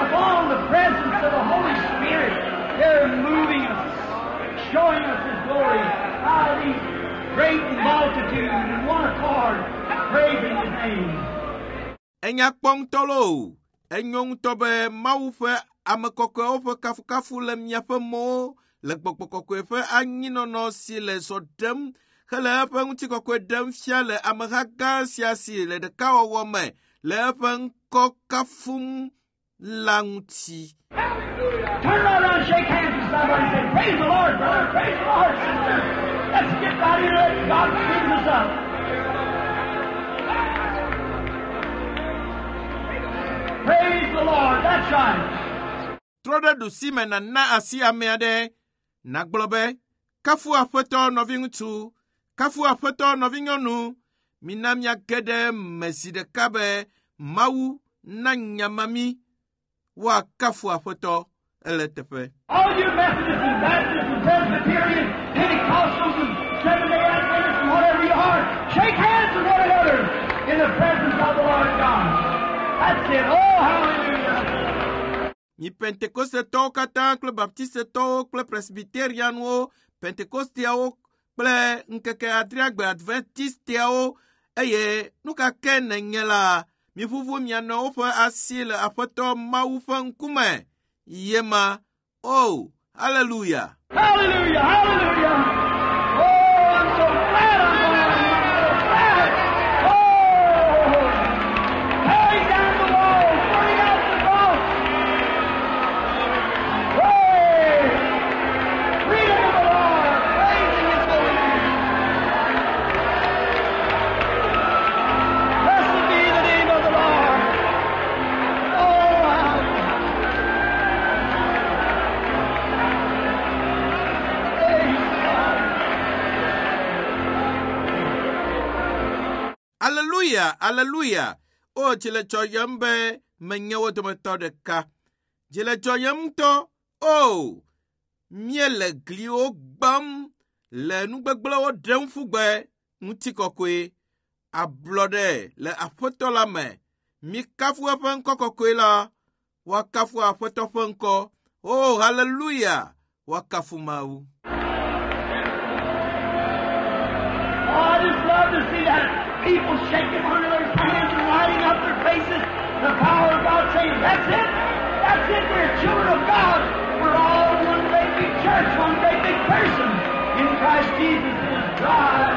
upon the presence of the Holy Spirit. They're moving us, showing us His glory. How these great multitude in one accord praising His name. Enya kpɔ ŋutɔ loo. Enyo ŋutɔ be Mawu ƒe ame kɔkɔewo ƒe kafukafu le miaƒe mɔwo le gbɔgbɔ kɔkɔe ƒe anyinɔnɔ si le zɔ ɖem hele eƒe ŋutikɔkɔe ɖem fia le ameha gã sia si le ɖekawɔwɔ me le eƒe ŋkɔ kafum la ŋuti. Turn right around and shake hands with somebody and say, Praise the Lord, brother, praise the Lord, sister. Let's get right here and let God clean us up. Praise the Lord, that's right. Trɔ ɖe ɖusi me nàna asi ame aɖe. Nàgblɔ be, kafu Aƒetɔ nɔviŋutsu, kafu Aƒetɔ nɔvinyɔnu. Mina miage ɖe me zi ɖeka be Mawu na nyama mí. Woakafu Aƒetɔ ele teƒe. All you Methodists and Baptists and Presbyterians, Pentecostals and Seventh-day Adventists and whatever you are, shake hands with one another in the presence of the Lord God. That's it. Oh, hallelujah. Mi Pentekostetɔwo katã kple Baptistetɔwo kple Presbyterianwo, Pentekosteawo kple ŋkeke adreagbe Adventisteawo eye nu ka ke nènye la, miʋuʋu mia nɔewo ƒe asi le Aƒetɔ Mawu ƒe ŋkume. Yema. Oh, hallelujah. Hallelujah, hallelujah. Oh, I'm so glad I'm born. I'm so glad. Oh, tearing down the wall, burning out the cross, Aleluya, aleluya! O, dzi le dzɔyem be menye wo dometɔ ɖeka. Dzi le dzɔyem ŋutɔ. O, míele gliwo gbam le nugbegblẽwo ɖem ƒu gbe. Ŋutikɔkɔe, ablɔɖe le Aƒetɔ la me. Mikafu eƒe ŋkɔ kɔkɔe la. Woakafu Aƒetɔ ƒe ŋkɔ. O, haleluya! Woakafu Mawu. Oh, I just love to see that people shaking one another's hands and lighting up their faces. The power of God saying, that's it. That's it. We're children of God. We're all one great big church, one great big person. In Christ Jesus it is God,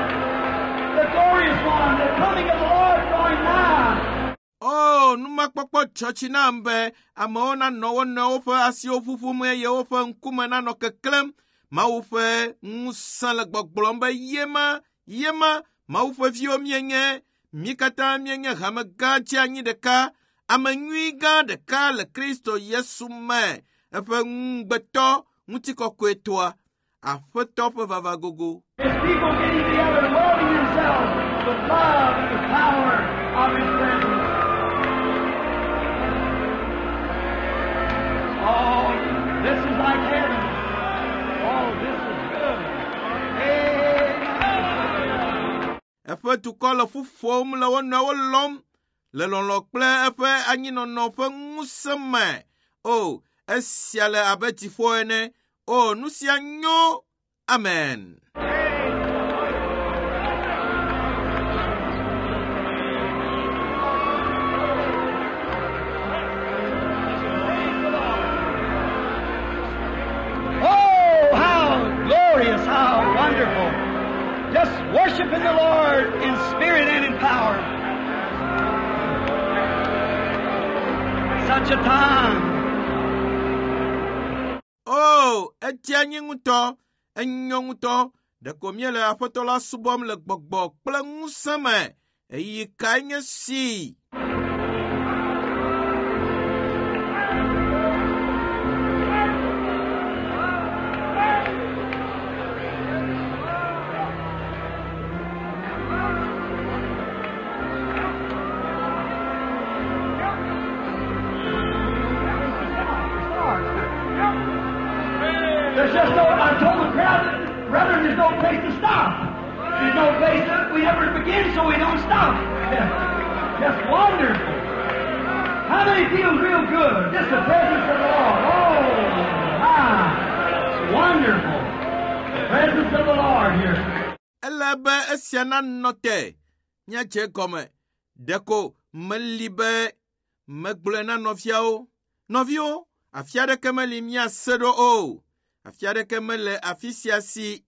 the glorious one, the coming of the Lord drawing nigh. O, numakpɔkpɔ dzɔ dzi nam be amewo nanɔ wo nɔewo ƒe asiwo ƒuƒum eye woƒe ŋkume nanɔ keklẽm. Mawu ƒe ŋusẽ le gbɔgblɔm be yema, yema, Mawu ƒe viwo míenye. Mí katã míenye hame gã dzeanyi ɖeka, ame nyui gã ɖeka le Kristo Yesu me, eƒe ŋugbetɔ ŋutikɔkɔetɔa, Aƒetɔ ƒe vava gogo. His people getting together and welding themselves with love and the power of His presence. Oh, this is like heaven. Oh, this is good. Amen. Eƒe dukɔ le ƒu ƒom le wo nɔewo lɔm le lɔlɔ̃ kple eƒe anyinɔnɔ ƒe ŋusẽ me. O, esia le abe dziƒo ene. O, nu sia nyo. Amen. Oh, how glorious, how wonderful. Just worshiping the Lord in spirit and in power. Such a time. O, edze anyi ŋutɔ, enyo ŋutɔ. Ɖeko míele Aƒetɔ la subɔm le gbɔgbɔ kple ŋusẽ me. Ɣeyiɣi kae nye si? There's just no, I told the crowd, brethren, there's no place to stop. There's no place that we ever begin, so we don't stop. Just wonderful. How many feel real good? Just the presence of the Lord. Oh, my. It's wonderful. The presence of the Lord here. Ele be esia nanɔ te míadze gɔme. Ɖeko meli be megblɔe na nɔviawo. Nɔviwo, afi aɖeke meli míase ɖo o. Afi aɖeke mele afi sia si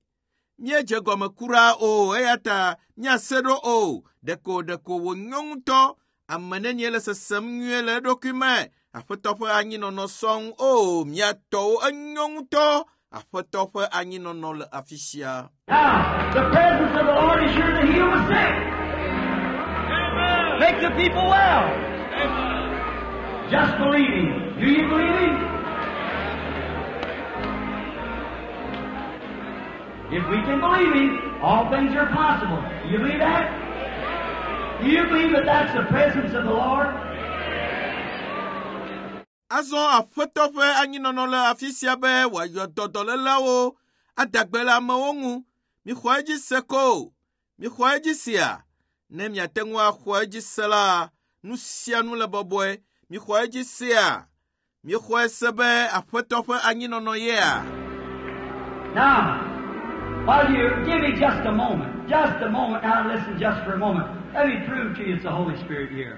míedze gɔme kura o, eya ta míase ɖo o. Ɖeko ɖeko wònyo ŋutɔ. Ame nenie le sesem nyuie le eɖokui me. Aƒetɔ ƒe anyinɔnɔ sɔŋ. O, mía tɔwo enyo ŋutɔ. Aƒetɔ ƒe anyinɔnɔ le afi sia. Now, the presence of the Lord is here to heal the sick. Make the people well. Just believe Him. Do you believe Him? If we can believe Him, all things are possible. Do you believe that? Do you believe that that's the presence of the Lord? Azɔ Aƒetɔ ƒe anyinɔnɔ le afi sia be wòayɔ dɔ dɔléleawo ada gbe le amewo ŋu. Mixɔ edzi se ko. Mixɔ edzi sea. Ne miate ŋu axɔ edzi se la, nu sia nu le bɔbɔe. Mixɔ edzi sea. Mixɔe se be Aƒetɔ ƒe anyinɔnɔ yea. Now, while you give me just a moment, just a moment, now listen just for a moment. Let me prove to you it's the Holy Spirit here.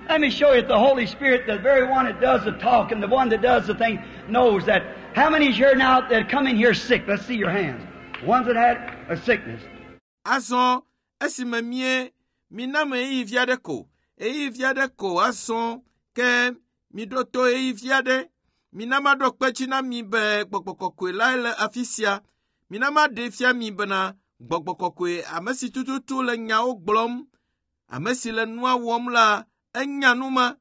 Let me show you that the Holy Spirit, the very one that does the talk and the one that does the thing, knows that. How many is here now that come in here sick? Let's see your hands. Ones that had a sickness. Azɔ esime mie mina me ɣeyiɣi vi aɖe ko, ɣeyiɣi vi aɖe ko azɔ ke miɖo to ɣeyiɣi vi aɖe. Mina maɖo kpe dzi na mi be gbɔgbɔ kɔkɔe lae le afi sia. Mina maɖee fia mi bena gbɔgbɔ kɔkɔe ame si tututu le nyawo gblɔm, ame si le nua wɔm la, enya nu ma.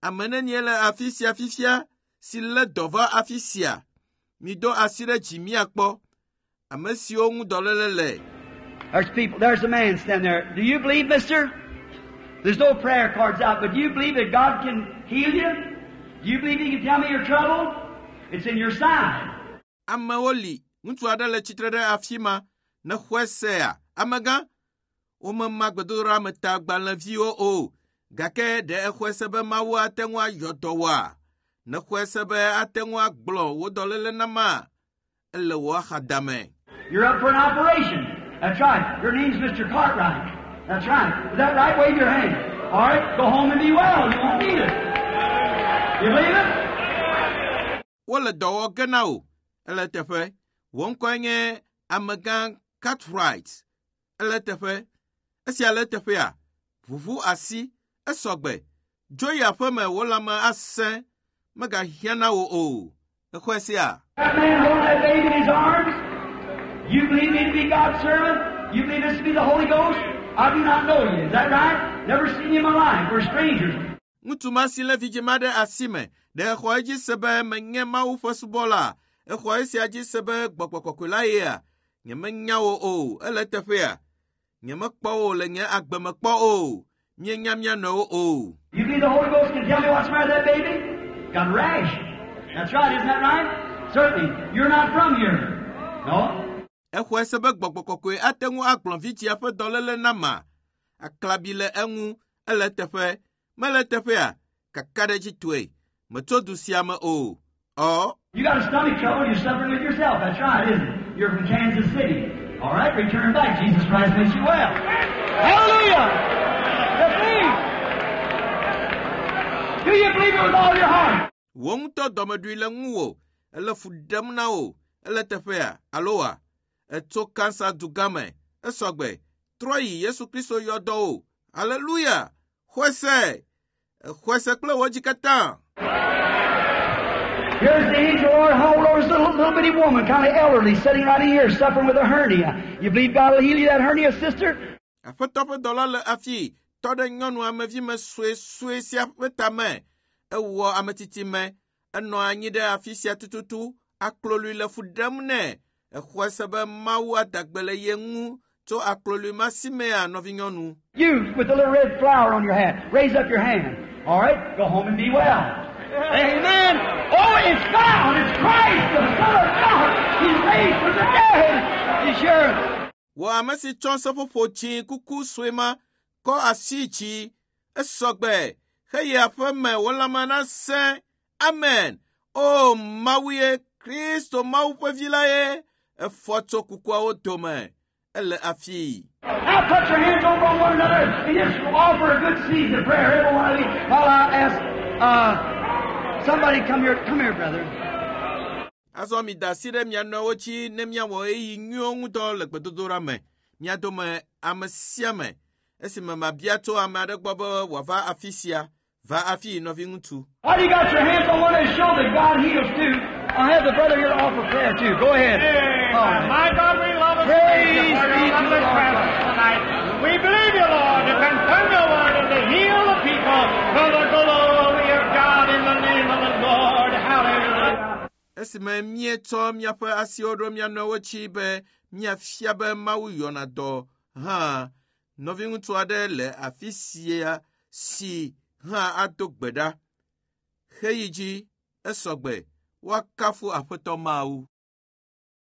Ame nenie le afi sia fifia si lé dɔ va afi sia. Mido asi ɖe dzi miakpɔ ame siwo ŋu dɔléle le. There's people, there's a man standing there. Do you believe, mister? There's no prayer cards out, but do you believe that God can heal you? Do you believe He can tell me your trouble? It's in your side. Amewo li, ŋutsu aɖe le tsitre ɖe afi ma, ne xɔe sea, amegã, womema gbedodoɖametagbalẽviwo o, gake ɖe exɔe se be Mawu ate ŋu ayɔ dɔ wòa? Ne xɔe se be ate ŋu agblɔ wò dɔléle nama? Ele wò axadame. You're up for an operation. That's right. Your name's Mr. Cartwright. That's right. Is that right? Wave your hand. All right. Go home and be well. You won't need it. You believe it? Wole dɔ wɔ ge na wò. Ele teƒe. Wò ŋkɔe nye amegã Cartwright. Ele teƒe. Esia le teƒea. Ʋuʋu asi. Esɔgbe. Dzo yi aƒeme wò lãme asẽ. Megahiã na wò o. Exɔe sia? That man holding that baby in his arms. You believe me to be God's servant? You believe this to be the Holy Ghost? I do not know you. Is that right? Never seen you in my life. We're strangers. Ŋutsu ma si lé vidzĩ ma ɖe asi me, ɖe exɔ edzi se be menye Mawu ƒe subɔla. Exɔ esia dzi se be gbɔgbɔ kɔkɔe la yea? Nyemenya wò o. Ele teƒea? Nyemekpɔ wò le nye agbe me kpɔ o. Míenya mía nɔewo o. You believe the Holy Ghost can tell me what's the matter with that baby? Got a rash. That's right, isn't that right? Certainly. You're not from here. No. Exɔe se be gbɔgbɔ kɔkɔe ate ŋu agblɔ vidzĩa ƒe dɔléle nama. Aklabi le eŋu. Ele teƒe. Mele teƒea? Kakaɖedzitɔe. Metso du sia me o. Ɔ. You got a stomach trouble, you're suffering with yourself. That's right, isn't it? You're from Kansas City. All right, return back. Jesus Christ makes you well. Hallelujah! You believe. Do you believe it with all your heart? Wò ŋutɔ dɔmeɖui le ŋuwò. Ele fu ɖem na wò. Ele teƒea alo wa? Etso Kansas dugã me. Esɔgbe. Trɔ yi Yesu Kristo yɔ dɔ wò. Haleluya! Xɔe se. Exɔe se kple wò dzi katã. Here's the angel of the Lord hold over this little, little bitty woman, kind of elderly, sitting right in here, suffering with a hernia. You believe God will heal you that hernia, sister? Aƒetɔ ƒe dɔla le afi tɔ ɖe nyɔnu amevime suesue sia ƒe tame. Ewɔ ametsitsi me. Enɔ anyi ɖe afi sia tututu. Aklolui le fu ɖem nɛ. Exɔe se be Mawu ada gbe le ye ŋu tso aklolui ma si mea nɔvinyɔnu. You with the little red flower on your hat, raise up your hand. All right, go home and be well. Amen. Oh, it's found. It's Christ, the Son of God. He's raised from the dead. He's sure. Wò ame si tsɔ seƒoƒo tsi kuku sue ma kɔ asi dzi esɔgbe heyi aƒe me wò lãme nasẽ. Amen. O Mawu ye Kristo Mawu ƒe vi la ye efɔ tso kukuawo dome. Ele afi. Now put your hands over on one another and just offer a good seed of prayer, every one of you. While I ask uh, somebody come here. Come here, brother. Azɔ mi da asi ɖe mia nɔewo dzi ne miawɔ ɣeyiɣi nyuiwo ŋudɔ le gbedodoɖa me. Mia dome ame sia ame. Esime mabia tso ame aɖe gbɔ be wòava afi sia, va afi nɔviŋutsu. While you got your hands on one another, show that God heals too. I'll have the brother here to offer prayer too. Go ahead. All right. My God, we love and Praise praise you for be your to lovely the Lord. presence tonight. We believe you, Lord, to confirm your word and to heal the people for the glory of God in the name of the Lord. Hallelujah. Esime míetsɔ míaƒe asiwo ɖo mía nɔewo dzi be míafia be Mawu yɔna dɔ hã, nɔviŋutsu aɖe le afi sia si hã ado gbe ɖa. Heyi dzi esɔgbe woakafu Aƒetɔ Mawu.